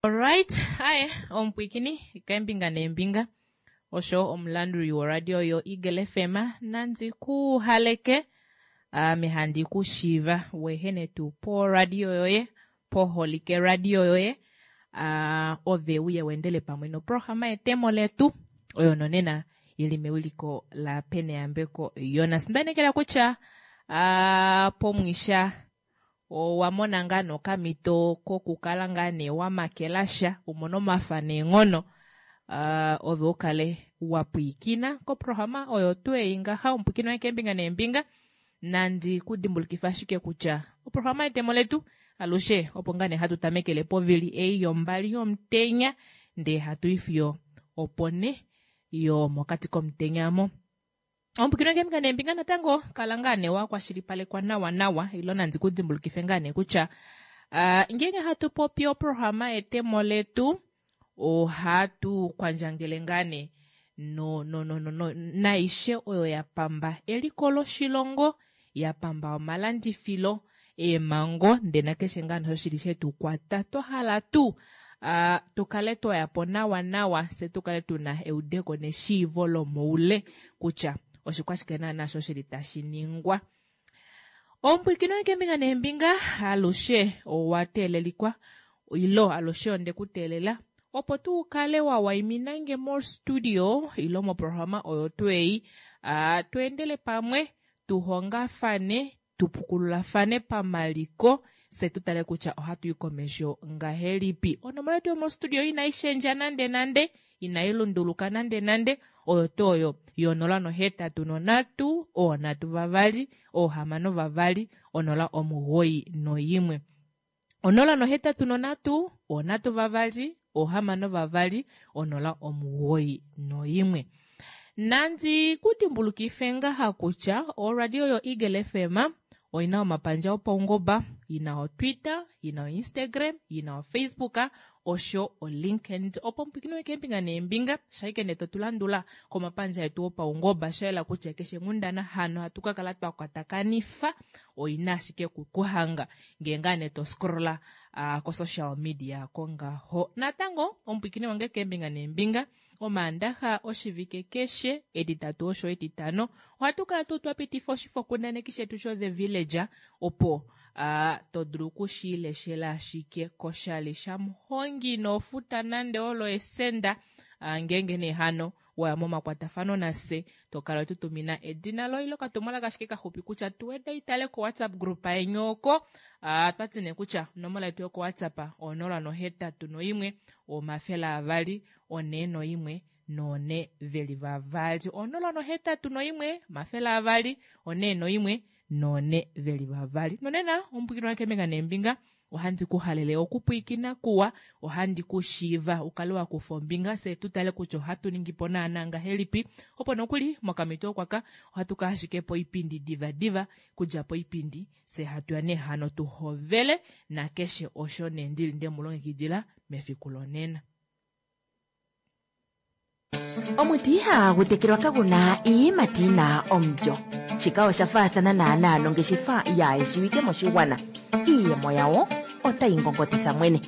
Alright, aye omupwikini keembinga neembinga osho omulanduli woradio yo Eagle FM nandi ku haleke ame handi ku shiiva wehene tuu poradio yoye poholike radio yoye uh, ove uye wendele pamwe noprograma yetemo letu oyo nonena ili mewiliko la Peneyambeko Jonas. Ndainekela kutya uh, pomwisha Owa mona ngaa nee okamhito kokukala ngaa nee wa makela sha, u mone omafa neenghono, ove u kale wa pwiikina koprograma oyo tuu ei ngaha, omupwiikini wange keembinga neembinga. Nandi ku dimbulukife ashike kutya oprograma yetemo letu alushe opo ngaa nee hatu tamekele povili ei yombali yomutenya ndee hatu i fiyo oponhe yomokati komutenya mo. Omupwikino keembinga neembinga natango kala ngaa nee wa kwashilipalekwa nawa nawa ilo nandi ku dimbulukife ngaa nee kutya uh, ngeenge hatu popi oprograma yetemo letu ohatu kwandjangele ngaa nee no, no, no, no, no, naishe oyo ya pamba eliko loshilongo ya pamba omalandifilo eemhango ndee nakeshe ngaa nee osho shili shetu kwata twa hala tuu uh, tu kale twa ya po nawa nawa fye tu kale tu na eudeko neshiivo lomoule kutya oshikwashike naana sho shili tashi ningwa. Omupwilikini wange keembinga neembinga alushe owa teelelikwa ilo alushe onde ku teelela opo tu kale wa waimina nge mostudio ilo moprograma oyo tuu ei uh, tu endele pamwe tu hongafane tu pukululafane pamaliko fye tu tale kutya ohatu i komesho ngahelipi. Onomola yetu yomostudio inai shendja nande nande, inai lunduluka nande nande, oyo tuu oyo yonola nohetatu nonhatu, oonhatu vavali, oohamano vavali, onola omugoyi noyimwe. Onola nohetatu nonhatu, onhatu vavali, ohamano vavali, onola omugoyi noyimwe. Nandi ku dimbulukife ngaha kutya oradio yo Eagle FM oina omapandja opaungoba, yina oTwitter, yina oInstagram, yina oFacebook osho oLinkedIn. Opo mupwikini wekeembinga neembinga, shaike nee totu landula komapandja etu opaungoba, sha yela kutya keshe nghundana hano hatu ka kala twa kwatakanifa oina ashike kukuhanga ngee ngaa nee to scrolla uh, ko-social media kongaho. Natango omupwikini wange keembinga neembinga Omaandaxa oshivike keshe, Etitatu osho Etitano, ohatu kala tuu twa pitifa oshifokundaneki shetu sho-The Villager opo a to dulu oku shi leshela ashike koshali shamuhongi ino futa nande olo esenda. Ngeenge nee hano wa ya momakwatafano nafye, to kala we tu tumina edina loye ile okatumwalaka ashike kaxupi kutya tu weda itale ko-WhatsApp group yeni oko. Otwa ti nee kutya onomola yetu yoko-WhatsApp 081 200 onhee noimwe noonhe veli vavali. Onola nohetatu noimwe, omafele avali, onhee noimwe noonhe veli vavali. Nonena omupwiikini wange keembinga neembinga, ohandi ku halele okupwiikina kuwa, ohandi ku shiiva u kale wa kufa ombinga fye tu tale kutya ohatu ningi po naanaa ngahelipi, opo nokuli mokamhito okwaka ohatu ka ashike poipindi divadiva, kudja poipindi fye hatu ya nee hano tu hovele nakeshe osho nee ndili nde mu longekidila mefiku lonena. Omuti ihaagu tekelwa kagu na iiyimati yi na omulyo. Shika osha faathana naanaa nongeshefa yaayeshiwike moshigwana. Iiyemo yawo otayi ngongotitha mwene.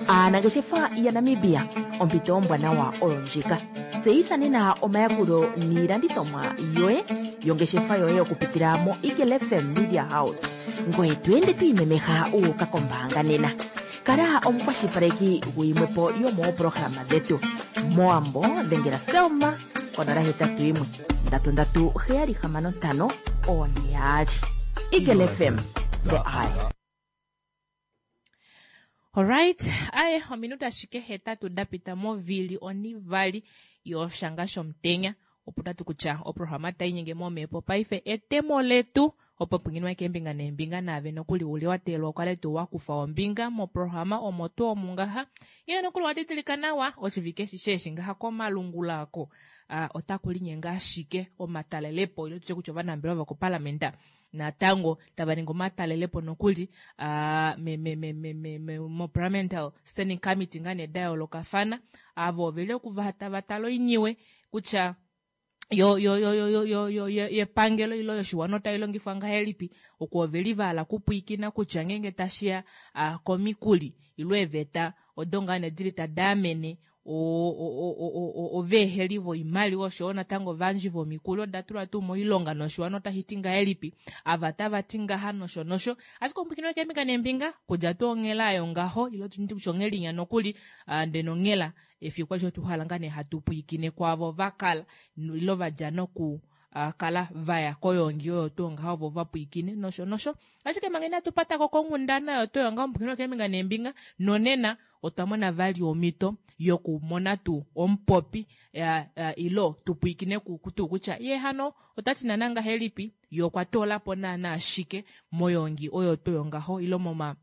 Aanangeshefa yaNamibia, ompito ombwanawa oyo ndjika. Tseyitha nena omayakulo niilandithomwa yoye yongeshefa yoye okupitila moEagle FM Media House. Ngoye to ende to imemeha wu uka kombaanga nena. Kala omukwashilipaleki guyimwe po yomooprograma dhetu. Mowambo dhengela Selma konola 81 3 3 7 6 4 2. Eagle FM, the eye. Alright, aye ominute ashike hetatu da pita movili onivali yoshanga shomutenya opo tati kutya oprograma tai nyenge momhepo paife etemo letu opo pwinginwa keembinga neembinga naave nokuli uli wa teelelwa ukale tuu wa kufa ombinga moprograma omo tuu omu ngaha ile nokuli wa didilika nawa oshivike eshi sheeshi ngaha komalungula oko otaku linyenge ashike omatalelepo ile tutye kutya ovanambelewa vokopalamenda natango tava ningi omatalelepo nokuli me, me, me, me, me, me, moparliamental standing committee ngaa nee da yoolokafana avo oveli okuva tava tala oiniwe kutya. Yo yo yo yo yo yo yo yepangelo ilo yoshiwana otai longifwa ngahelipi oku oveli vahala kupwiikina kutya ngeenge tashiya komikuli ilo eeveta odo ngaa nee dili tadaamene oveeheli voimaliwa oshoyo natango ovayandji vomikuli oda tulwa tuu moilonga noshiwana otashi ti ngahelipi ava tava ti ngaha nosho nosho ashike omupwiikini wekeembinga neembinga kudja tuu onghela ayo ngaho ilo ndi kutya onghelinya nokuli ndee nonghela Efiku alishe otwa hala ngaa nee hatu pwiikine kwaavo va kala ilo va dja noku kala va ya koyoongi oyo tuu ngaho vo va pwiikine nosho nosho. Ashike manga inatu pata ko konghundana oyo tuu ngaho omupwiikini wokeembinga neembinga, nonena otwa mona vali omhito yokumona tuu omupopi ilo tu pwiikine tuu kutya ye hano ota ti naana ngahelipi, ye okwa toola po naana shike moyoongi oyo tuu yongaho ilo moma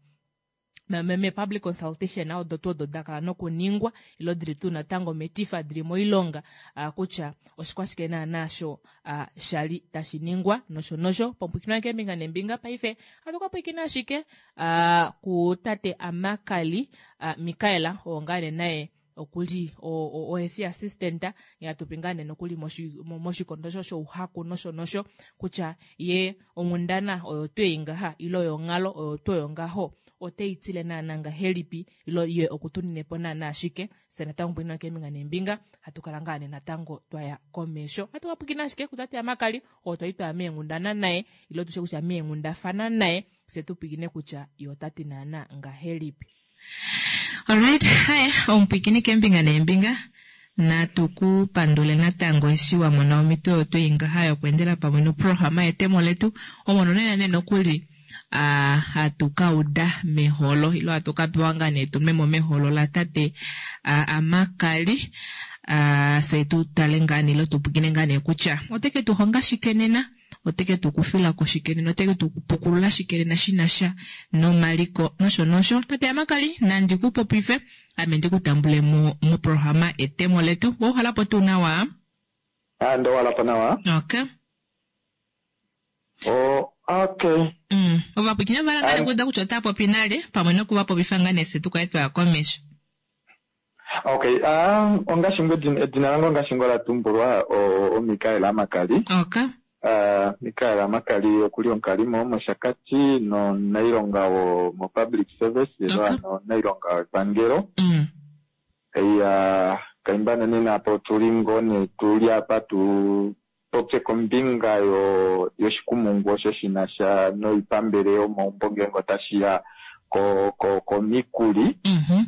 me-public consultation odo tuu odo da kala nokuningwa ilo dili tuu natango metifa dili moilonga kutya oshikwashike naanaa sho sha li tashi ningwa nosho nosho pomupwikinwa keembinga neembinga paife hatu ka pwikina ashike kutate Amakali Mikaela oo ngaa nee naye okuli ohealth assistant ya tupi ngaa nee nokuli moshikondo sho shouhaku nosho nosho kutya ye onghundana oyo tuu ei ngaha ile oyonghalo oyo tuu oyo ngaho ote i tile naana ngahelipi ilo ye okutunine po naana ashike fye natango pwina keembinga neembinga hatu kala ngaa nee natango twaya komesho hatu ka pwikina ashike kutate Amakali oo twali twaya meenghundana naye ilo tushe kutya meenghundafana naye fye tu pwikine kutya ye ota ti naana ngahelipi. Alright, haya omupwikini keembinga neembinga natu ku pandule natango eshi wa mona omhito oyo twei ngaha yokweendela pamwe noprograma yetemo letu omo nonena nee nokuli ah, hatu ka uda meholo ilo hatu ka pewa ngaa nee tunwe mo meholo latate ah, Amakali ah, fye tu tale ngaa nee ilo tu pwikine ngaa nee kutya ote ke tu honga shike nena ote ke tu kufila ko shike nena, ote ke tu pukulula shike nena shi na sha nomaliko nosho nosho. Tate Amakali, nandi ku popife, ame ndi ku tambule mo moprograma Etemo Letu. Wa uhala po tuu nawa? Ah, ndo uhala po nawa. Okay. Oh, okay. Ovapwiikini ova hala ngaa okuuda kutya ota popi nale, pamwe noku va popifa ngaa nee fye tu kale twa ya komesho. Okay, ah, ongaashi ngo edina lange ongaashi ngo la tumbulwa oMikael Amakali. Okay. Uh, Mikael Amakali okuli omukalimo womOshakati nomunailonga womopublic service ilo okay. ano omunailonga wepangelo. Iya, kaimba nonena apa otuli ngoo nee tuli apa tu popye kombinga yo yoshikumungu osho shi na sha noipambele yomaumbo ngeenge otashi ya ko ko komikuli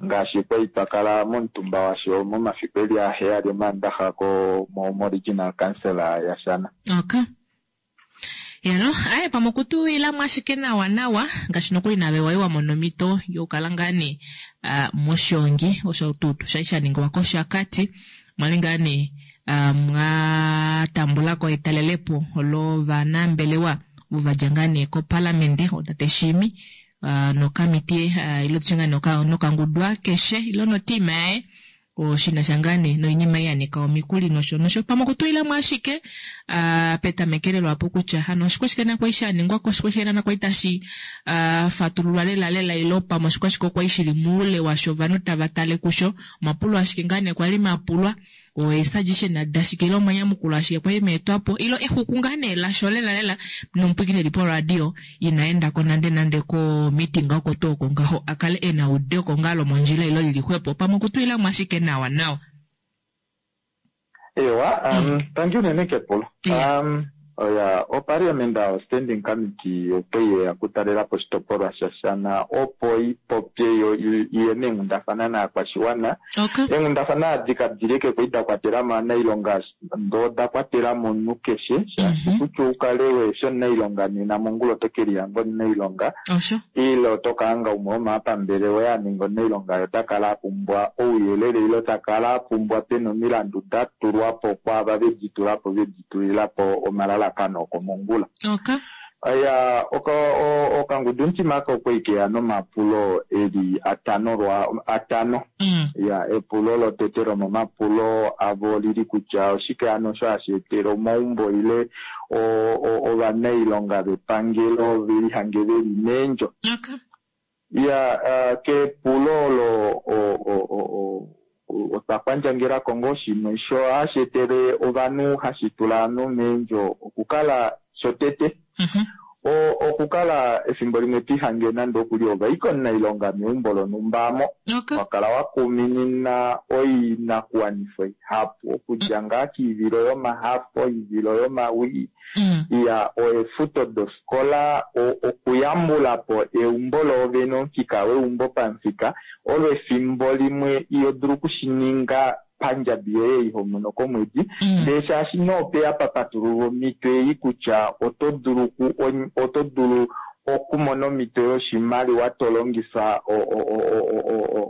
ngaashi kwa li twa kala momutumba washo momafiku eli aheyali Omaandaxa ko mo moRegional Council yaShana. Okay. Yalo, aye pamwe okutu ilamo ashike nawa nawa ngaashi nokuli nave wai wa mona omhito yokukala ngaa nee uh, moshongi osho tuu shali sha ningwa kOshakati mwali ngaa nee uh, mwa tambula ko etalelepo lovanambelewa ovo va dja ngaa nee kopalamende otate Shiimi uh, nokamitiye uh, ilo tutye ngaa nee nokangudu akeshe ilo notiima yaye Oshi na sha ngaa nee noinima ei ya nika omikuli nosho nosho. Pamwe okutulila mo ashike ah, petamekelelo apo kutya hano oshikwashike na kwali sha ningwa ko, oshikwashike na kwali tashi ah, fatululwa lela lela ilo pamwe oshikwashike okwali shili muule washo ovanhu tava tale kusho. Omapulo ashike ngaa nee kwali mapulwa, oesuggestion dashike ile omanyamukulo ashike kwali meetwa po ilo exuku ngaa nee lasho lela lela nomupwiikini eli poradio ina enda ko nande nande ko meeting oko tuu oko ngaho a kale e na eudeko ngaa lomondjila ilo lili xwepo pamwe okutulila mo ashike nawa nawa. Eewa, um, tangi unene kepulo. Yeah. Um, oya, oparliament standing committee okwe yeya okutalela po oshitopolwa shaShana opo i popye yo i ye meenghundafana naakwashiwana. Okay. Eenghundafana adi kadili eke kwali da kwatela mo anailonga ndoo oda kwatela mo omunhu keshe, shaashi kutya ou kale wehe omunailonga nena mongula oto ke lihanga omunailonga Osho. ile oto ka hanga umwe womaapambele woye a ninga omunailonga ye ota kala a pumbwa ouyelele ile ta kala a pumbwa pe na omilandu da tulwa po kwaava ve di tula po ve di tulila po omalalakano okomongula. Okay. Iya, oka, o, okangudumutima aka okwa li ke ya nomapulo e li atano lwa, atano. Iya, epulo lotete lomomapulo avo oli li kutya oshike hano osho hashi etele omaumbo ile o, o, ovanailonga vepangelo ve lihange ve li meendjo. Okay. Iya, uh, kepulo olo o, o, o, o, otwa. kwandjangelako ngoo shimwe sho hashi etele ovanhu hashi tula ovanhu meendjo okukala shotete okukala efimbo limwe twihange nande okuli ovaika omunailonga meumbo lonhumba amo wakala wakuminina oinakuwanifwa ihapu okudja ngaa kiivilo yomahafo, oivilo yomawii, iya oefuto dofikola, okuyambula po eumbo loovene, omufika weumbo pamufika olo efimbo limwe iho dulu okushininga pandjabi yoye iho mono komwedi, ndee shaashi noope apa patululwa omhito ei kutya oto dulu okumona omhito yoshimaliwa to longifa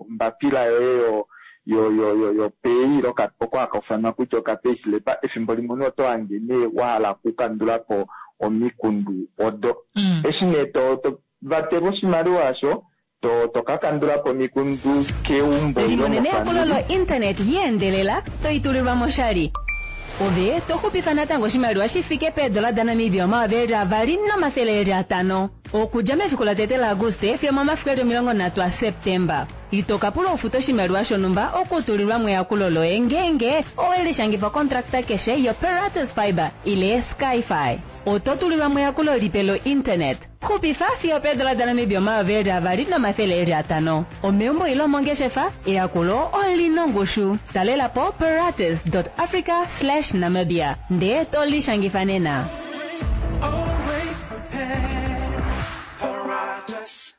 ombapila yoye yo pay oko haka ufanwa kutya okapayslip, efimbo limwe oto hange nee wa hala okukandula po omikundu odo. Eshi nee to vatelwa oshimaliwa osho to ka kandula po omikundu keumbo ile Limonene eyakulo mofamili. Lointernet yeendelela toitulilwa moshali ove to xupifa natango oshimaliwa shi fike peedola daNamibia 2500 okudja mefiku latete laAguste fiyo momafiku eli 30 aSeptemba. Ito ka pula ufuta oshimaliwa shonhumba okutulilwa mo eyakulo loye ngeenge owe lishangifa kontrakta keshe yoPeratus Fiber ile Skyfi. Oto tulilwa mo eyakulo lipe lointernet. Xupifa fiyo peedola daNamibia 2500. Omeumbo ile omongeshefa, eyakulo olina ongushu. Talela po peratus africa namibia ndee to lishangifa nena. Always prepared. Paratus.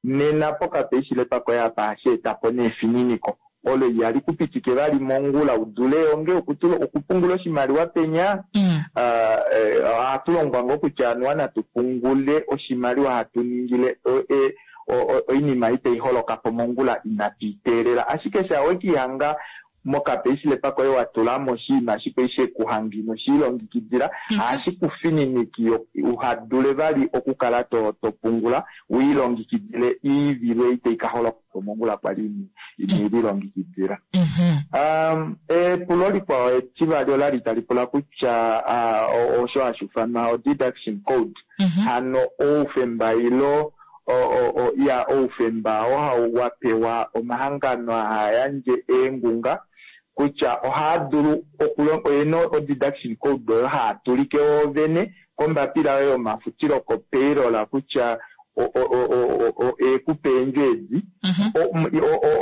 Nena pokapayslip koye apa hashi eta po neefininiko olo ihali kupitike vali mongula udule onge okupungula oshimaliwa penya. Ohatu longwa ngoo kutya anuwa natu pungule oshimaliwa hatu ningile oinima itai holoka po mongula inatu iteelela, ashike sha wekihanga mokapayslip koye wa tula mo oshinima ashike shekuhanga ino shiilongekidila, ohashi ku fininiki uhadule vali okukala to pungula wiilongekidile iivilo itai ka holoka po mongula kwali ino ilongekidila. Epulo likwao etivali olali tali pula kutya osho hashi ufanwa o-deduction code, hano oufemba ilo ya oufemba oo hau wapewa omahangano haa yandje eengunga kutya ohaa dulu oyena o-deduction code oyo haa tulike woovene kombapila yoye yomafutilo kopayroll kutya ekupe eendjo edi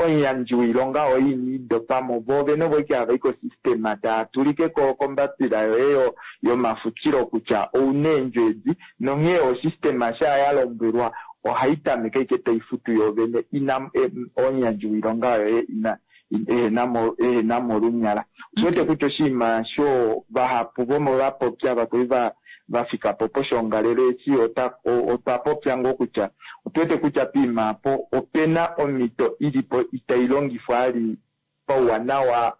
omuyandji woilonga oyo iniidopamo voovene ovo ike hava i kosystem taa tulike kombapila yoye yomafutilo kutya ouna eendjo edi, nonghee osystem sha ya lombwelwa ohai tameke ike tai futu yoovene ina omuyandji woilonga yoye ina ehena mo olunyala. Otuwete kutya oshinima sho vahapu vomovapopya vakoi va fika po poshoongalele eshi otwa popya ngoo kutya otuwete kutya poima apo opena omhito ilipo itai longifwa ali pauwanawa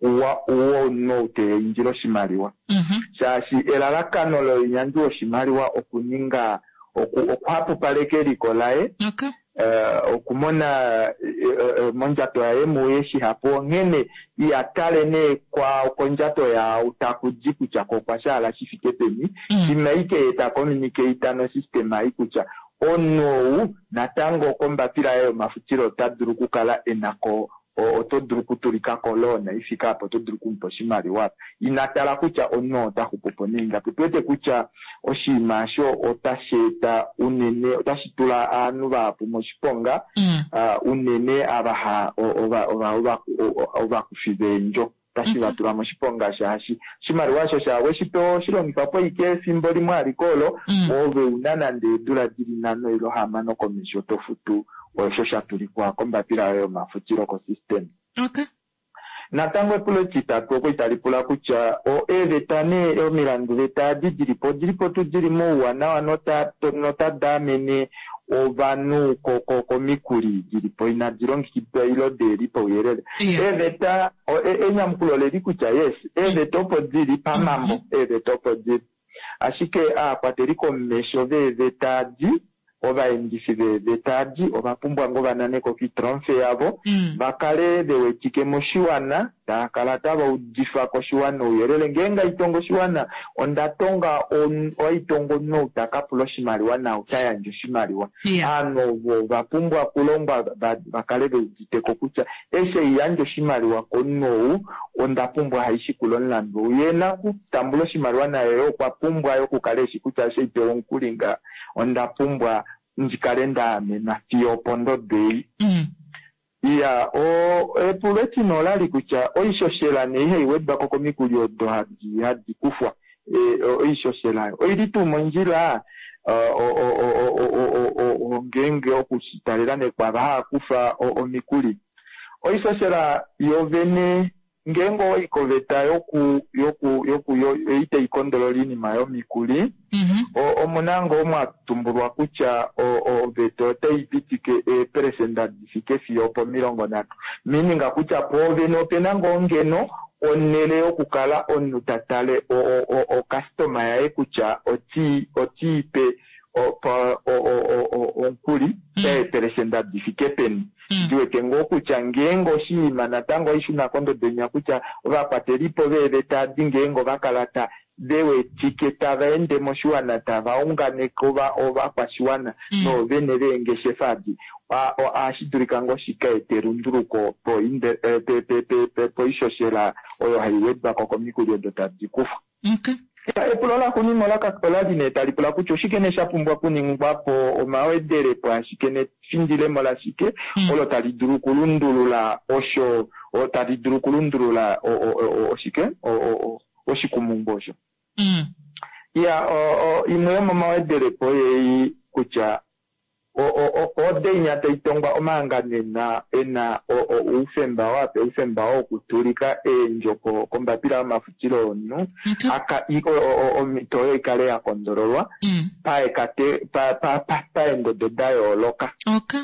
womunhu ou teindile oshimaliwa, shaashi elalakano lomuyandji woshimaliwa okuninga okuhapupaleka eliko laye, okumona mondjato yaye muye shihapu, onghene iyatale nee kondjato yaau taku di kutya ko okwa shaala shi fike peni. Shima ike ye ta communicate nosystem ei kutya omunhu ou natango kombapila yaye yomafutilo ota dulu okukala enako oto dulu okutulika ko loan ifika apo, oto dulu okumupa oshimaliwa, ina tala kutya omunhu ota xupu po neingapi. Otuwete kutya oshinima osho otashi eta unene otashi tula ovanhu vahapu moshiponga, unene ava ovakufi veendjo otashi va tula moshiponga, shaashi oshimaliwa osho shawe shipewa oshilongifa po ike efimbo limwe aliko olo ove una nande eedula dili 5 ile 6 komesho to futu osho sha tulikwa kombapila yoye yomafutilo kosystem. Natango epulo etitatu oko itali pula kutya eeveta nee omilandu veta adi dilipo odilipo tuu dili mouwanawa notadi amene ovanhu komikuli dilipo inadi longekidwa ilo deli pauyelele. Eeveta enyamukulo leli kutya yes, eeveta opo dili pamambo, eeveta opo dili, ashike aakwateli komesho veeveta adi, ovaendifi veeveta adi ova pumbwa ngoo vananeko kitromfe yavo, va kale ve wetike moshiwana. taa kala tava udifa koshiwana ouyelele. Ngeenge aitonga oshiwana, onda tonga aitonga omunhu ou ta ka pula oshimaliwa naau ta yandje oshimaliwa. Ovanhu ovo ova pumbwa okulongwa va kale ve udite ko kutya eshi ei yandja oshimaliwa komunhu ou, onda pumbwa haishikula omulandu ou. Ye nakutambula oshimaliwa naye okwa pumbwa yo okukala eshi kutya eshi ei pewa omukuli nga, onda pumbwa ndi kale nda amenwa fiyo opondodo ei. Iya, epulo etine olali kutya oishoshela nee ihai wedwa ko komikuli odo hadi kufwa. Oishoshela oili tuu mondjila ngeenge okushitalela nekwava haa kufa omikuli. Oishoshela yovene ngeenge owai koveta yoku itai kondolola oinima yomikuli, omuna ngoo mwa tumbulwa kutya oveta otai pitike eeperesenda di fike fiyo opo 30, meaning kutya poovene opena ngoo ngeno onhele yokukala omunhu ta tale okastoma yaye kutya oti ipe omukuli eeperesenda di fike peni. Ndiwete ngoo kutya ngeenge oshinima natango oishuna kondodo inya kutya ovakwatelipo veeveta adi ngeenge ova kala ta vewetike tava ende moshiwana tava unganeke ovakwashiwana noovene veengeshefa adi, ohashi dulika ngoo shika ete elunduluko poishoshela oyo hai wedwa ko komikuli odo tadi kufwa. Epulo laxuuninwa olali nee tali pula kutya oshike nee sha pumbwa okuningwa po, omawedelepo ashike nefindilemo lashike olo tali dulu okulundulula osho, tali dulu okulundulula oshike oshikumungu osho. Iya, imwe yomomawedelepo ei kutya odeinya tai tongwa omahangano ena oufemba wape oufemba wokutulika eendjo kombapila yomafutilo yomunhu, omhito oyo ikale ya kondololwa paendodo da yooloka.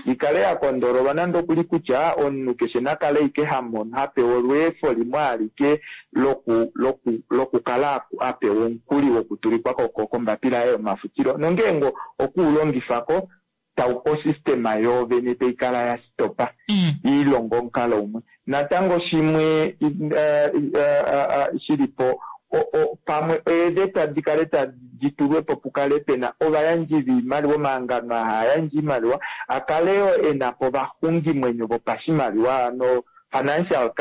Ikale ya kondololwa nande okuli kutya omunhu keshe nakale ike hamono hapewa olweefo limwe alike lokukala apewa omukuli wokutulikwa kombapila yaye yomafutilo, nongeenge okuulongifako tau osystema yoovene tai kala ya stopa iilonga omukalo umwe. Natango shimwe shilipo pamwe eeveta dikale tadi tulwe po pukale pena ovayandji viimaliwa, omahangano haa yandje iimaliwa akale yo ena po ovaxungimwenyo vopashimaliwa, no financial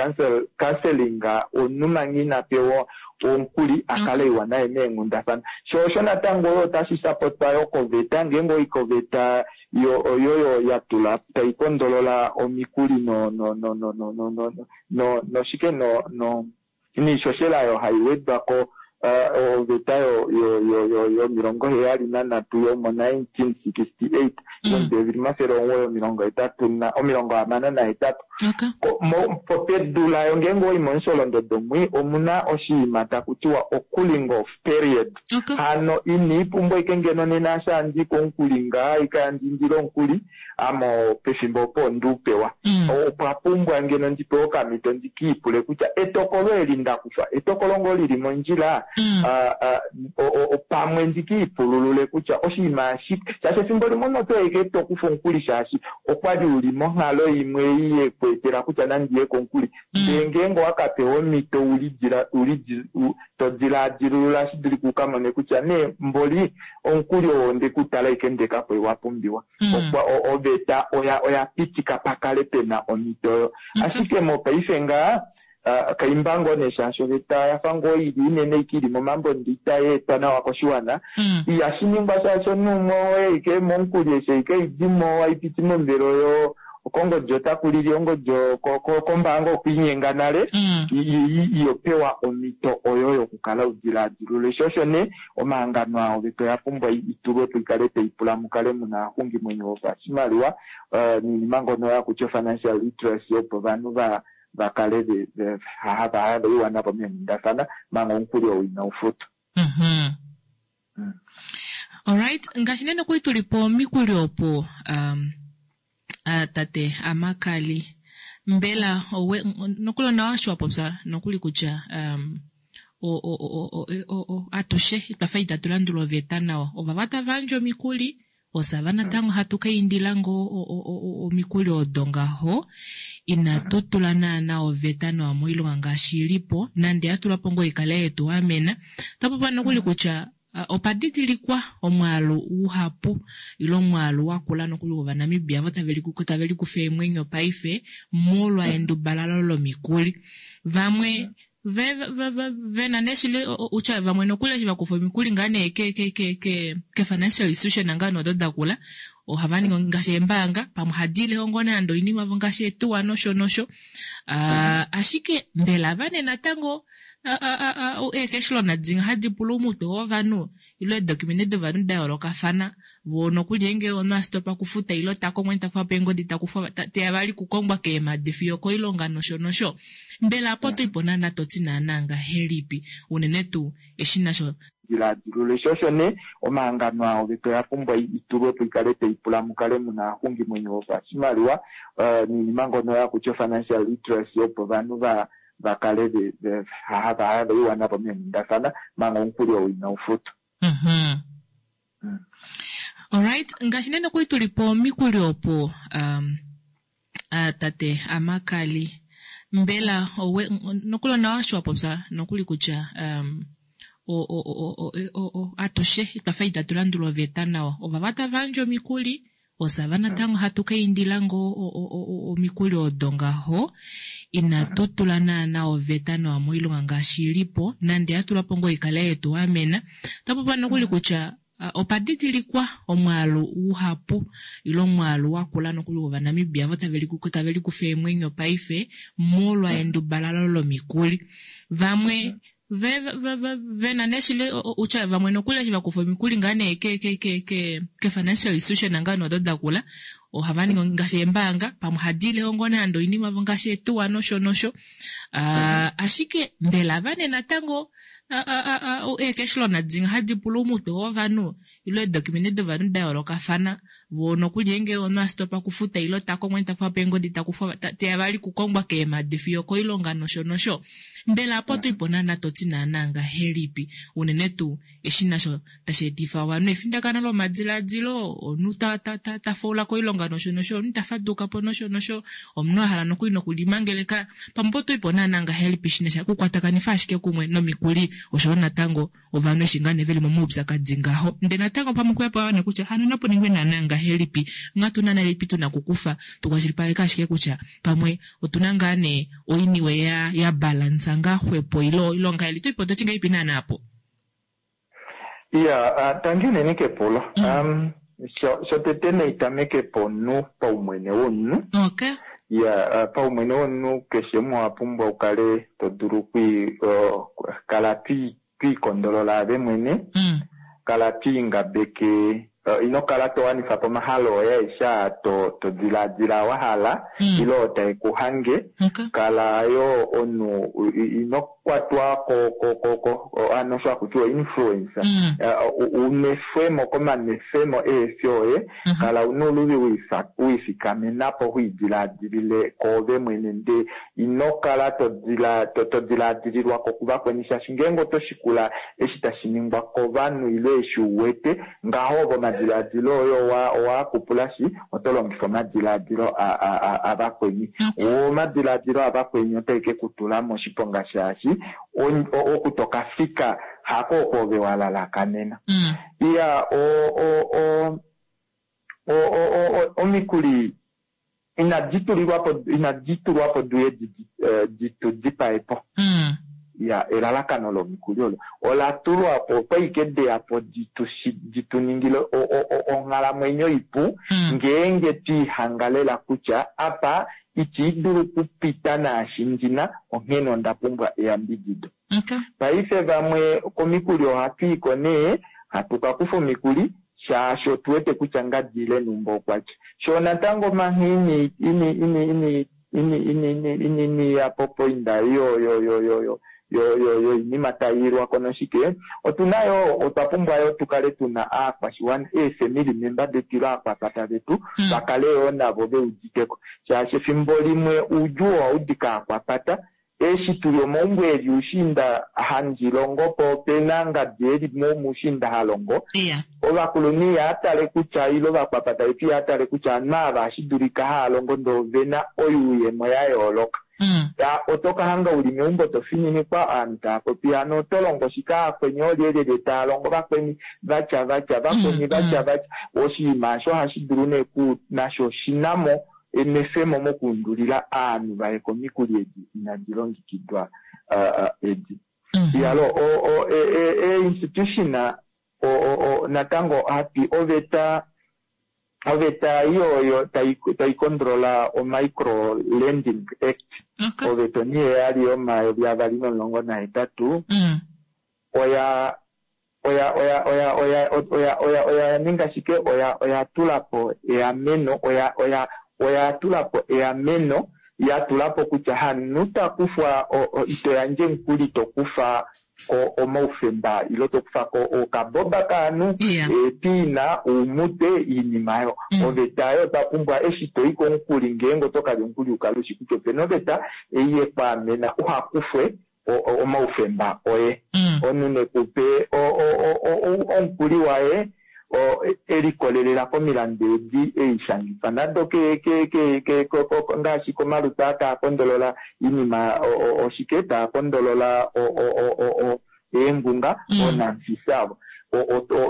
counseling, omunhu manga ina pewa omukuli akale iwa naye meenghundafana. Sho osho natango oyo otashi sapotwa yo koveta, ngeenge oi koveta oyo ya tula tai kondolola omikuli no no no no no no no no noshike no no niishoshela yo hai wedwa ko oveta yo 73 yomo 1968 yomudevi 968. Pedu layo ngeenge oi momusholondodo mwi omuna oshinima taku tiwa o-cooling off period. Hano iniipumbwa ike ngeno nena eshi handi komukuli ngaa ike handi indile omukuli amo pefimbo opo onduupewa. Opwa pumbwa ngeno ndipewe okamhito ndikiipule kutya etokolo eli ndakufa etokolo ngoo lili mondjila, pamwe ndikiipululule kutya oshinima ashike shaashi efimbo limwe oto eke tokufa omukuli shaashi okwali uli monghalo imwe ei yekweetela kutya nandiye komukuli. Ndee ngeenge owakapewa omhito to dilaadilulula shi dulike ukamone kutya nee mboli omukuli oo ndekutala ike ndekapo wa pumbiwa. Oveta oya pitika pakale pena omhito oyo. Ashike mopaife ngaa kaimba ngoo nee shaashi oveta yafa ngoo ili inene ike ili momambo ndi itai etwa nawa koshiwana. Ihashi ningwa shaashi omunhu umwe oye ike momukuli eshi ike idimo aipiti momuvelo oyo kongodi otaku lili ongodi kombaanga okwiinyenga nale iyopewa omhito oyo yokukala udilaadilule. Sho osho nee omahangano aa oveta oya pumbwa itulwe po ikale tai pula mukale muna aaxungimwenyo vopashimaliwa niinima ngono yakutya financial literacy opo ovanhu vakale hava iwana po meenghundafana manga omukuli ou inau futwa. Alright, ngaashi nee nokuli tuli po mikuli opo tate Amakali, mbela nokuli onawa eshi wa popya nokuli kutya atushe itwafa itatu landula oveta nawa, ovava tava yandje omikuli. Osava natango hatu ka indila ngoo omikuli odo ngaho, inatu tula naana oveta nawa moilonga ngaashi i li po, nande ya tulwa po ngoo ikale yetu amena. Ota popiwa nokuli kutya opa didilikwa omwaalu uhapu ile omwaalu wakula nokuli wOvanamibia ovo tave likufa eemwenyo paife molwa endubalalo lomikuli. Vamwe ve na nee shili utya vamwe nokuli eshi va kufa omikuli ngaa nee ke ke ke ke ke financial institution ngaa nee odo da kula ohava ningi ngaashi eembaanga pamwe ohadi ile ngoo nande oinima vo ngaashi eetuwa nosho nosho. Ashike mbela ava nee natango eecash loan dimwe hadi pula oumutwe wovanhu ile eedocumente dovanhu da yoolokafana voo nokuli ngeenge omunhu a stopa okufuta ile ta kongwa ta kufa po eengodi ta kufwa teya vali kukongwa keemadi fiyo okoilonga nosho nosho. Mbela apo oto ipo naana to ti naana ngahelipi unene tuu eshi nasho diladilule sho osho nee omahangano aa oveta oya pumbwa itulwe po ikale tai pula mukale muna aaxungimwenyo vopashimaliwa noinima ngono yakutya financial literacy opo ovanhu va kale hava iwa navo meenghundafana manga omukuli ou inau futwa. Alright, ngaashi nee nokuli tuli po omikuli opo tate Amakali, mbela nokuli onawa eshi wa popya nokuli kutya atushe twafa itatu landula oveta nawa. Ovava tava yandje omikuli, osava natango hatu ka indila ngoo omikuli odo ngaho, inatu tula naana oveta nawa moilonga ngaashi i li po, nande ya tulwa po ngoo ikale yetu amena. Ota popiwa nokuli kutya opa didilikwa omwaalu uhapu ile omwaalu wakula nokuli wOvanamibia ovo tave likufa eemwenyo paife molwa endubalalo lomikuli. Vamwe ve na nee shili utya vamwe nokuli eshi va kufa omikuli ngaa nee ke ke ke ke ke financial institution ngaa nee odo da kula ohava ningi ngaashi eembaanga pamwe ohadi ile ngoo nande oinima vo ngaashi eetuwa nosho nosho. Ashike mbela ava nee natango eecash loan dimwe hadi pula oumutwe wovanhu ile eedocumente dovanhu da yoolokafana voo nokuli ngeenge omunhu a stopa okufuta ile ta kongwa ta kufa po eengodi ta kufwa teya vali kukongwa keemadi fiyo okoilonga nosho nosho. Mbela apo oto ipo naana to ti naana ngahelipi unene tuu eshi nasho tashi etifa ovanhu efindakano lomadilaadilo, omunhu ta faula koilonga nosho nosho, omunhu ta faduka po nosho nosho, omunhu a hala nokuli nokulimangeleka. Pamwe oto ipo naana ngahelipi shi na sha okukwatakanifa ashike kumwe nomikuli oshoyo natango ovanhu eshi ngaa nee veli momaupyakadi ngaho. Ndele natango pamwe okuya po ovanhu kutya hano napu ningwe naana ngahelipi, onghatu naana ilipi tuna okukufa tukwashilipaleke ashike kutya pamwe otuna ngaa nee oiniwe ya balansa ngaa xwepo ile ongahelipi, oto ipo toti ngahelipi naana apo? Iya, tangi unene kepulo. Shotete naitameke pomunhu paumwene womunhu. Okay. Iya, paumwene womunhu keshe umwe owa pumbwa ukale to dulu kala twiikondolola ave mwene. Kala twiingabeke, ino kala to wanifa po omahalo oye aeshe aa to dilaadila wa hala ile oo tae ku hange. Kala yo omunhu ino kwatwa ko ano osho haku tiwa influencer. Unwefwemo komanwefemo eefi oye. Kala una ouluvi wiifikamena po hwiidilaadilile koove mwene nde ino kala to dilaadililwa ko kuvakweni shaashi ngeenge oto shikula eshi tashi ningwa kovanhu ile eshi uwete ngaho ovo omadilaadilo oye owa kupulashi oto longifa omadilaadilo avakweni. Omadilaadilo avakweni otae ke kutula moshiponga shaashi oku toka fika hako oko ove wa lalakanena. Iya, omikuli inadi tulwa po duye di dipae po. Ya, elalakano lomikuli olo ola tulwa po okwali deya po di tu ningile onghalamwenyo ipu ngeenge twiihangalela kutya apa iti dulu kupita naashi ndina onghene onda pumbwa eyambidido. Paife vamwe komikuli ohatu iko nee hatu ka kufa omikuli shaashi otu wete kutya ngadi ile numba okwatya. Sho natango mangha ini ini ini ini ini ini ini ini ini ya popoinda yo yo yo yo yo yo yo yo inima tayi ilwa ko noshike otuna yo otwa pumbwa yo tukale tuna aakwashiwana eefamily member detu ile aakwapata vetu vakale yo navo veuditeko shaashi efimbo limwe uudjuu ohaudi kaakwapata. Eshi tuli omaumbo eli ushiinda handi longo po opena ngadi eli mushiinda ha longo. Ovakulunhu ihaa tale kutya ile ovakwapata vetu ihaa tale kutya ovanhu ava ohashi dulika haa longo ndee ovena oyuuyemo ya yooloka. Oto ka hanga uli meumbo to fininikwa ovanhu tava popi hano oto longo shike vakweni oolyelyelye tava longo vakweni vatya vatya vakweni vatya vatya. Oshinima osho ohashi dulu nee ku nasho oshinamo enwefemo mokuundulila ovanhu vaye komikuli edi inadi longekidwa edi. Iyalo ee-institution natango hati oveta oveta iyo tai kondrola o-Micro Lending Act, oveta oniheyali yomayovi avali nomulongo nahetatu, oya oya oya oya oya oya oya oya ninga shike? Oya oya tula po eameno, oya oya oya tula po eameno, ya tula po kutya hamunhu ta kufwa, ito yandje omukuli to kufa ko omaufemba ile to kufa ko okaboba kaanhu, eepiina, oumute, oinima oyo. Oveta oyo otwa pumbwa eshi to i komukuli, ngeenge oto kalya omukuli u kale ushi kutya opena oveta ei yekwaamena uha kufwe omaufemba oye. Omunhu nekupe omukuli waye e likolelela komilandu edi ei shangifa nado ngaashi komalutu aa taa kondolola oinima oshike taa kondolola eengunga oonamfisa avo.